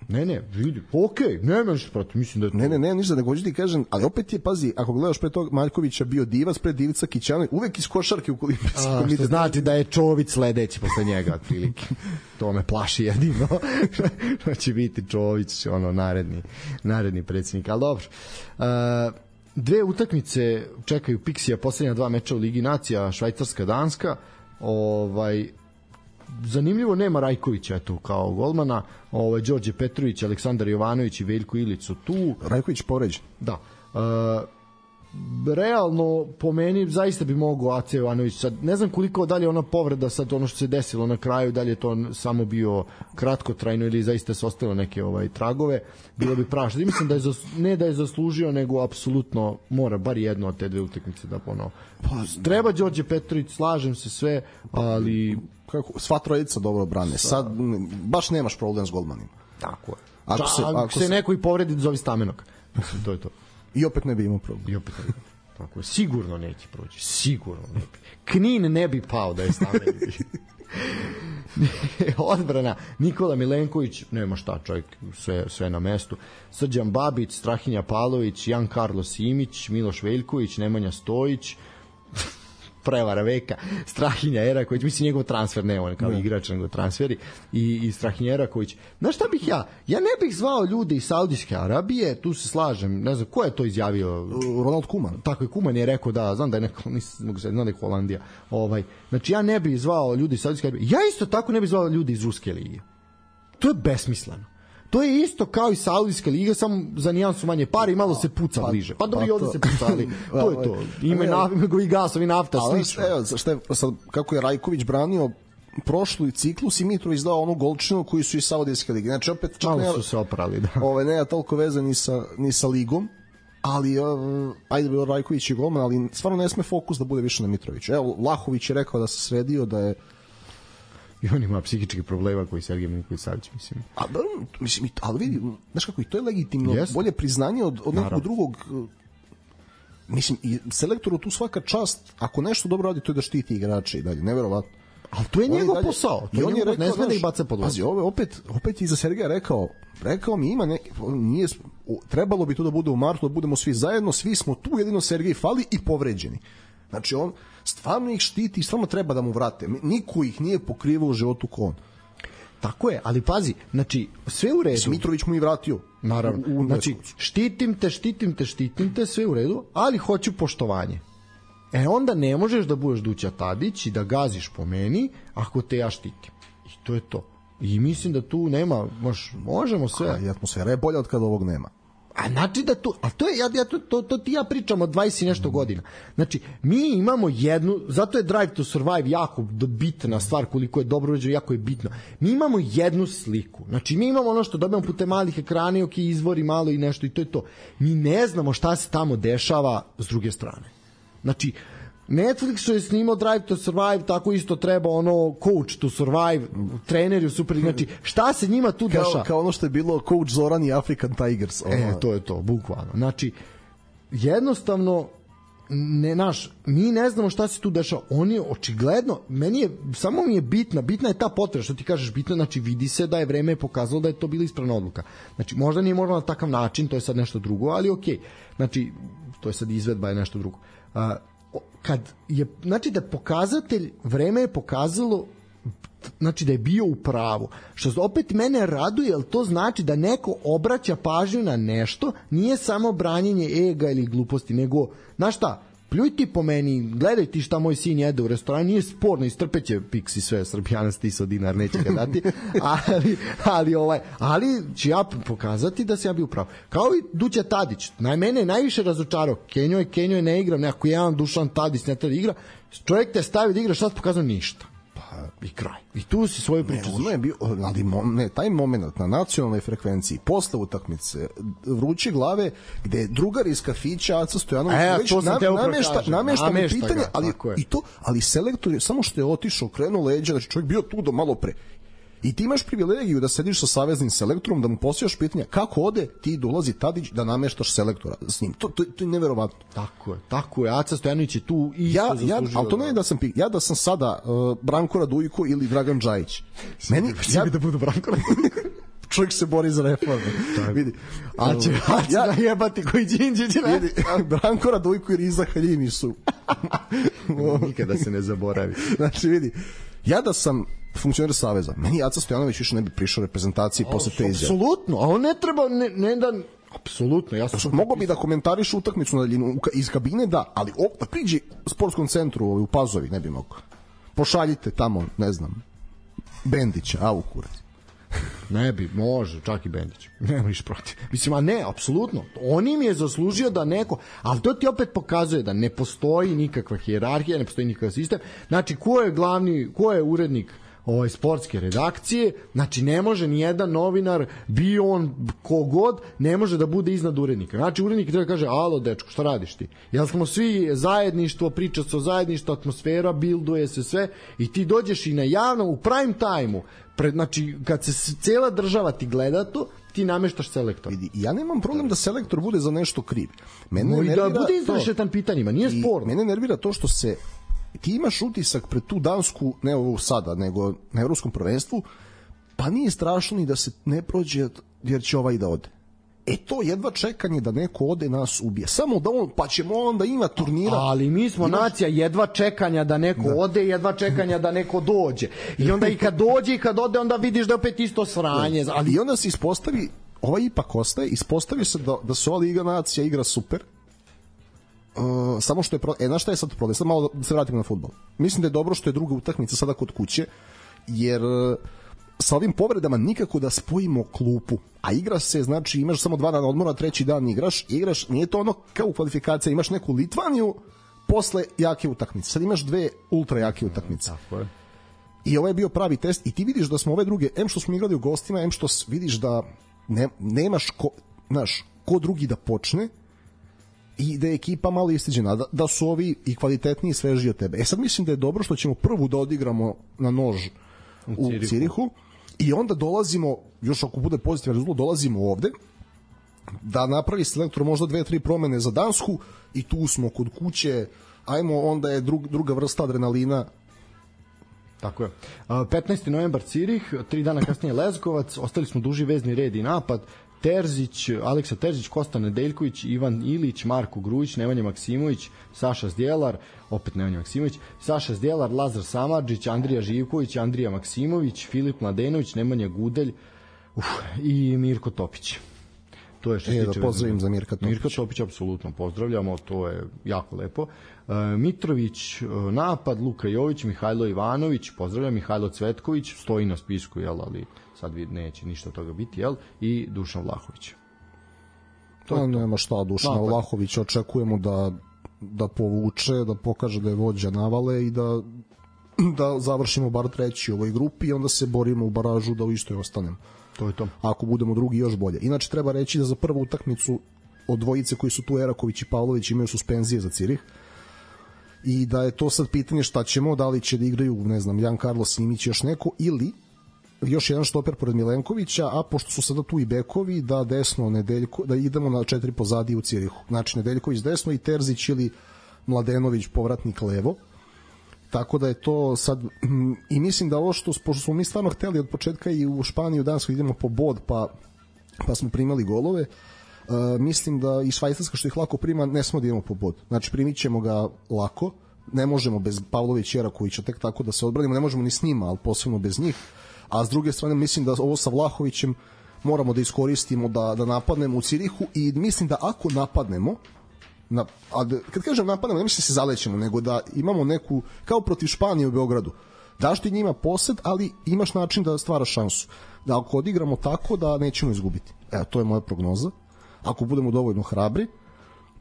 Ne, ne, vidi, okej, okay, nema ništa protiv, mislim da je to... Ne, ne, ne, ništa, nego hoću ti kažem, ali opet je, pazi, ako gledaš pre tog Maljkovića bio Divac, pre Divica Kićanović, uvek iz košarke u Olimpijski komitet. Što znači da je Čović sledeći posle njega, otprilike. To me plaši jedino. Što će biti Čović, ono, naredni, naredni predsjednik, ali dobro. Uh, dve utakmice čekaju Pixija, poslednja dva meča u Ligi nacija, Švajcarska, Danska, ovaj... zanimljivo, nema Rajkovića tu kao golmana, ovaj Đorđe Petrović, Aleksandar Jovanović i Veljko Ilić su tu. Rajković povređen. Da. E, realno po meni zaista bi mogao Aca Jovanović, sad ne znam koliko dalje ona povreda, sad ono što se desilo na kraju, dalje je to samo bio kratkotrajno ili zaista se ostalo neke ovaj tragove, bilo bi prašno. Mislim da je zas, ne da je zaslužio, nego apsolutno mora bar jedno od te dve utakmice da ono. Pa, treba Đorđe Petrović, slažem se sve, ali kako sva trojica dobro brane. Sad baš nemaš problem s golmanima. Tako je. Ako se, ako se, se neko i povredi, zove Stamenog. Mislim, to je to. I opet ne bi imao problem. I opet ne bi. Tako je. Sigurno neće proći. Sigurno ne bi. Knin ne bi pao da je Stamenog. Odbrana Nikola Milenković, nema šta, čovjek, sve, sve na mestu. Srđan Babić, Strahinja Pavlović, Jan Carlos Simić, Miloš Veljković, Nemanja Stojić, prevara veka, Strahinja Eraković, mislim njegov transfer, ne on kao ne. igrač, nego transferi, i, i Strahinja Eraković. Znaš šta bih ja? Ja ne bih zvao ljude iz Saudijske Arabije, tu se slažem, ne znam, ko je to izjavio? Ronald Koeman. Tako je, Koeman je rekao, da, znam da je neko, nisam, znam da je Holandija. Ovaj, znači, ja ne bih zvao ljudi iz Saudijske Arabije. Ja isto tako ne bih zvao ljudi iz Ruske lige. To je besmisleno. To je isto kao i Saudijska liga, samo za nijansu manje pare i malo se puca pa, bliže. Pa dobro, i ovde se pucali. To je to. Ime nafta, i gasovi, nafta, slično. Evo, šta je, sad, kako je Rajković branio prošlu ciklus i Mitrović dao onu golčinu koji su iz Saudijske lige. Znači, opet čak malo nema, su se oprali, da. Ove, nema toliko veze ni sa, ni sa ligom, ali uh, ajde bilo Rajković i golman, ali stvarno ne sme fokus da bude više na Mitroviću. Evo, Vlahović je rekao da se sredio, da je i on ima psihičkih problema koji Sergej Milinković-Savić, mislim. A da, mislim, ali vidi, znaš kako, i to je legitimno, yes. Bolje priznanje od, od nekog drugog. Mislim, i selektoru tu svaka čast, ako nešto dobro radi, to je da štiti igrače i dalje, neverovatno. Ali to je njegov posao, to je njegov, ne sme da ih baca pod vas. Pazi, ovo opet, opet i za Sergeja rekao, rekao mi ima neki, nije, trebalo bi to da bude u martu, da budemo svi zajedno, svi smo tu, jedino Sergej fali i povređeni. Znači, on stvarno ih štiti i stvarno treba da mu vrate. Niko ih nije pokrivao u životu ko on. Tako je, ali pazi, znači, sve u redu. Mitrović mu i vratio. Naravno. U, u znači, štitim te, štitim te, štitim te, sve u redu, ali hoću poštovanje. E onda ne možeš da budeš Duća Tadić i da gaziš po meni ako te ja štitim. I to je to. I mislim da tu nema, mož, možemo sve. A, i atmosfera je bolja od kada ovog nema. A znači da tu, a to je, ja, ja, to, to, to ti ja pričam od dvadeset i nešto godina. Znači, mi imamo jednu, zato je Drive to Survive jako bitna stvar, koliko je dobro uređeno, jako je bitno. Mi imamo jednu sliku. Znači, mi imamo ono što dobijamo putem malih ekrana, ok, izvori malo i nešto i to je to. Mi ne znamo šta se tamo dešava s druge strane. Znači, Netflix je snimao Drive to Survive, tako isto treba ono Coach to Survive, treneri u Super, znači šta se njima tu dešava? Kao, kao ono što je bilo Coach Zoran i African Tigers. Ono. E, to je to, bukvalno. Znači, jednostavno, ne, naš, mi ne znamo šta se tu dešava. On je očigledno, meni je, samo mi je bitna, bitna je ta potreba, što ti kažeš bitno, znači vidi se da je vreme pokazalo da je to bila ispravna odluka. Znači, možda nije možda na takav način, to je sad nešto drugo, ali okej. Okay. Znači, to je sad izvedba, je nešto drugo. Uh, kad je, znači da pokazatelj, vreme je pokazalo znači da je bio u pravu. Što opet mene raduje, jer to znači da neko obraća pažnju na nešto, nije samo branjenje ega ili gluposti, nego, znaš šta, pljuj ti po meni, gledaj ti šta moj sin jede u restoranu, nije sporno, istrpeće Pixi sve, Srbijana stiso dinar, neće ga dati, ali, ali, ovaj, ali ću ja pokazati da sam ja bio pravo. Kao i Duća Tadić, naj mene je najviše razočarao, Kenjo je, Kenjo je ne igram, nekako jedan Dušan Tadić ne treba da igra, čovjek te stavi da igra, šta ti pokazao? Ništa. I kraj. I tu si svoju priču. Ne, je bio, ali ne, taj moment na nacionalnoj frekvenciji posle utakmice vruće glave gde drugar iz kafića Aca Stojanović e, već nam, namešta, namešta mu pitanje, ali, i to, ali selektor je samo što je otišao, krenuo leđa, znači čovjek bio tu do malo pre. I ti imaš privilegiju da sediš sa saveznim selektorom, da mu postavljaš pitanja kako ode, ti dolazi Tadić da nameštaš selektora s njim. To, to, to je neverovatno. Tako je, tako je. Aca Stojanović je tu i ja, ja, ali to ne je da sam ja da sam sada uh, Branko Radujko ili Dragan Džajić. Meni ja bi da budu Branko Radujko. Čovjek se bori za reforme. Vidi. A će ja najebati koji Đinđić ne. Vidi, Branko Radujko i Riza Haljimi su. Nikada se ne zaboravi. Znači vidi, ja da sam funkcioner saveza, meni Aca Stojanović više ne bi prišao reprezentaciji o, posle te izjave. Apsolutno, a on ne treba, ne, ne da... Apsolutno, ja sam... Mogu bi da komentariš utakmicu na daljinu iz kabine, da, ali o, da priđi u sportskom centru u Pazovi, ne bi mogao. Pošaljite tamo, ne znam, Bendića, a u kurac. Ne bi, može, čak i Bendić. Nema niš protiv. Mislim, a ne, apsolutno. On im je zaslužio da neko... Ali to ti opet pokazuje da ne postoji nikakva hijerarhija, ne postoji nikakav sistem. Znači, ko je glavni, ko je urednik ovaj sportske redakcije, znači ne može ni jedan novinar, bio on kogod, ne može da bude iznad urednika. Znači urednik treba da kaže, alo dečko, šta radiš ti? Jel smo svi zajedništvo, priča se o zajedništvu, atmosfera, bilduje se sve i ti dođeš i na javno, u prime time-u, pred, znači kad se cijela država ti gleda to, ti nameštaš selektor. Vidi, ja nemam problem da selektor bude za nešto kriv. Mene no, nervira da bude izrešetan pitanjima, nije sporno. Mene nervira to što se ti imaš utisak pred tu Dansku, ne ovo sada, nego na evropskom prvenstvu, pa nije strašno ni da se ne prođe jer će ovaj da ode. E to jedva čekanje da neko ode nas ubije. Samo da on, pa ćemo onda ima turnira. Ali mi smo imaš... nacija jedva čekanja da neko da. ode, jedva čekanja da neko dođe. I onda i kad dođe i kad ode, onda vidiš da opet isto sranje. Ali... I onda se ispostavi, ovaj ipak ostaje, ispostavi se da, da se ova Liga nacija igra super. Uh, samo što je pro... e, znaš šta je sad problem? Sad malo da se vratimo na fudbal. Mislim da je dobro što je druga utakmica sada kod kuće, jer uh, sa ovim povredama nikako da spojimo klupu, a igra se, znači imaš samo dva dana odmora, treći dan igraš, igraš, nije to ono kao u kvalifikaciji, imaš neku Litvaniju posle jake utakmice. Sad imaš dve ultra jake utakmice. Tako je. I ovo je bio pravi test i ti vidiš da smo ove druge, em što smo igrali u gostima, em što vidiš da ne, nemaš ko, znaš, ko drugi da počne, i da je ekipa malo istiđena, da, da su ovi i kvalitetniji i svežiji od tebe. E sad mislim da je dobro što ćemo prvu da odigramo na nož u, u Cirihu. Cirihu i onda dolazimo, još ako bude pozitivan rezultat, dolazimo ovde da napravi selektor možda dve, tri promene za Dansku i tu smo kod kuće, ajmo, onda je drug, druga vrsta adrenalina. Tako je. petnaesti novembar Cirih, tri dana kasnije Leskovac, ostali smo duži vezni red i napad, Terzić, Aleksa Terzić, Kosta Nedeljković, Ivan Ilić, Marko Grujić, Nemanja Maksimović, Saša Zdjelar, opet Nemanja Maksimović, Saša Zdjelar, Lazar Samardžić, Andrija Živković, Andrija Maksimović, Filip Mladenović, Nemanja Gudelj, uf, i Mirko Topić. To je što se tiče. Da pozdravim za Mirka Topić. Mirka Topić apsolutno pozdravljamo, to je jako lepo. Uh, Mitrović, uh, napad, Luka Jović, Mihajlo Ivanović, pozdravljam, Mihajlo Cvetković, stoji na spisku, jel, ali sad neće ništa toga biti, jel, i Dušan Vlahović. To pa, nema šta, Dušan Vlahović očekujemo da, da povuče, da pokaže da je vođa navale i da, da završimo bar treći u ovoj grupi i onda se borimo u baražu da u istoj ostanemo. To je to. Ako budemo drugi, još bolje. Inače, treba reći da za prvu utakmicu od dvojice koji su tu, Eraković i Pavlović, imaju suspenzije za Cirih i da je to sad pitanje šta ćemo, da li će da igraju, ne znam, Jan Carlos Simić, još neko, ili još jedan štoper pored Milenkovića, a pošto su sada tu i bekovi, da desno Nedeljko, da idemo na četiri pozadi u Cirihu. Znači Nedeljković desno i Terzić ili Mladenović povratnik levo. Tako da je to sad i mislim da ovo što, pošto smo mi stvarno hteli od početka i u Španiju, Dansku idemo po bod, pa, pa smo primali golove, uh, mislim da i Švajcarska što ih lako prima, ne smo da idemo po bod. Znači primit ćemo ga lako, ne možemo bez Pavlović i Erakovića tek tako da se odbranimo, ne možemo ni s njima, ali posebno bez njih. A s druge strane mislim da ovo sa Vlahovićem moramo da iskoristimo da, da napadnemo u Cirihu i mislim da ako napadnemo, na, a da, kad kažem napadnemo, ne mislim da se zalećemo, nego da imamo neku, kao protiv Španije u Beogradu, daš ti njima posed, ali imaš način da stvaraš šansu. Da ako odigramo tako, da nećemo izgubiti. Evo, to je moja prognoza. Ako budemo dovoljno hrabri,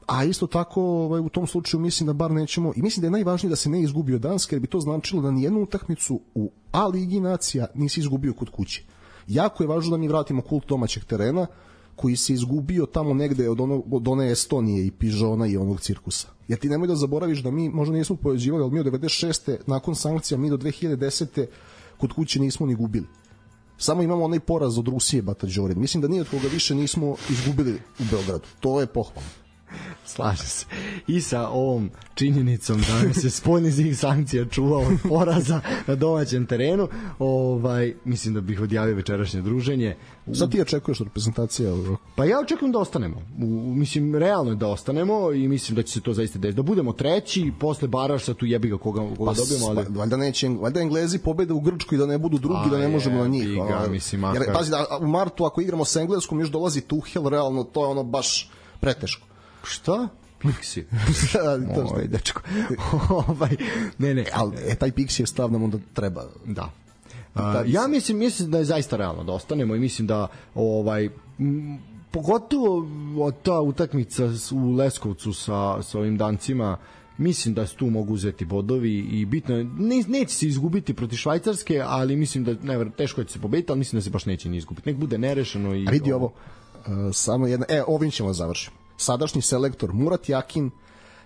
a isto tako ovaj, u tom slučaju mislim da bar nećemo, i mislim da je najvažnije da se ne izgubi od Danske, jer bi to značilo da nijednu utakmicu u A ligi nacija nisi izgubio kod kuće. Jako je važno da mi vratimo kult domaćeg terena koji se izgubio tamo negde od, ono, od one Estonije i Pižona i onog cirkusa. Jer ti nemoj da zaboraviš da mi možda nismo pojeđivali, ali mi od devedeset šeste nakon sankcija, mi do dve hiljade desete kod kuće nismo ni gubili. Samo imamo onaj poraz od Rusije, Bata Đorin. Mislim da nije od koga više nismo izgubili u Beogradu. To je pohvalno. Slažem se. I sa ovom činjenicom da se spoljni zih sankcija čuvao od poraza na domaćem terenu, ovaj, mislim da bih odjavio večerašnje druženje. Sad ti očekuješ reprezentacija? Pa ja očekujem da ostanemo. U, mislim, realno je da ostanemo i mislim da će se to zaista desiti. Da budemo treći, posle Baraša tu jebi ga koga, koga pa, dobijemo. Ali... Valjda neće, valjda Englezi pobede u Grčkoj da ne budu drugi, a da ne možemo je, na njih. Ga, mislim, makar... Jer, pazi, da, u martu ako igramo sa Engleskom još dolazi Tuchel, realno to je ono baš preteško. Šta? Pixi. Oj, dečko. ovaj, ne, ne. Ali e, taj Pixi je stav nam onda treba. Da. Uh, ja mislim, mislim da je zaista realno da ostanemo i mislim da ovaj m, pogotovo od ta utakmica u Leskovcu sa, sa ovim Dancima, mislim da se tu mogu uzeti bodovi i bitno ne, neće se izgubiti protiv Švajcarske, ali mislim da ne, teško je se pobediti, ali mislim da se baš neće ni izgubiti. Nek bude nerešeno. I a vidi ovo, uh, samo jedna, e, ovim ćemo završiti. Sadašnji selektor Murat Yakin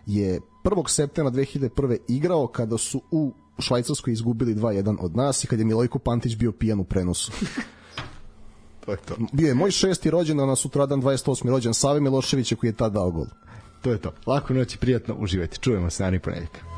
je prvog septembra dve hiljade prve igrao kada su u Švajcarskoj izgubili dva jedan od nas i kad je Milojko Pantić bio pijan u prenosu. To je to. Bio je moj šesti rođendan, na sutradan dvadeset osmi rođendan Save Miloševića koji je tad dao gol. To je to. Lako noć i prijatno, uživajte. Čujemo se naredni ponedjeljak.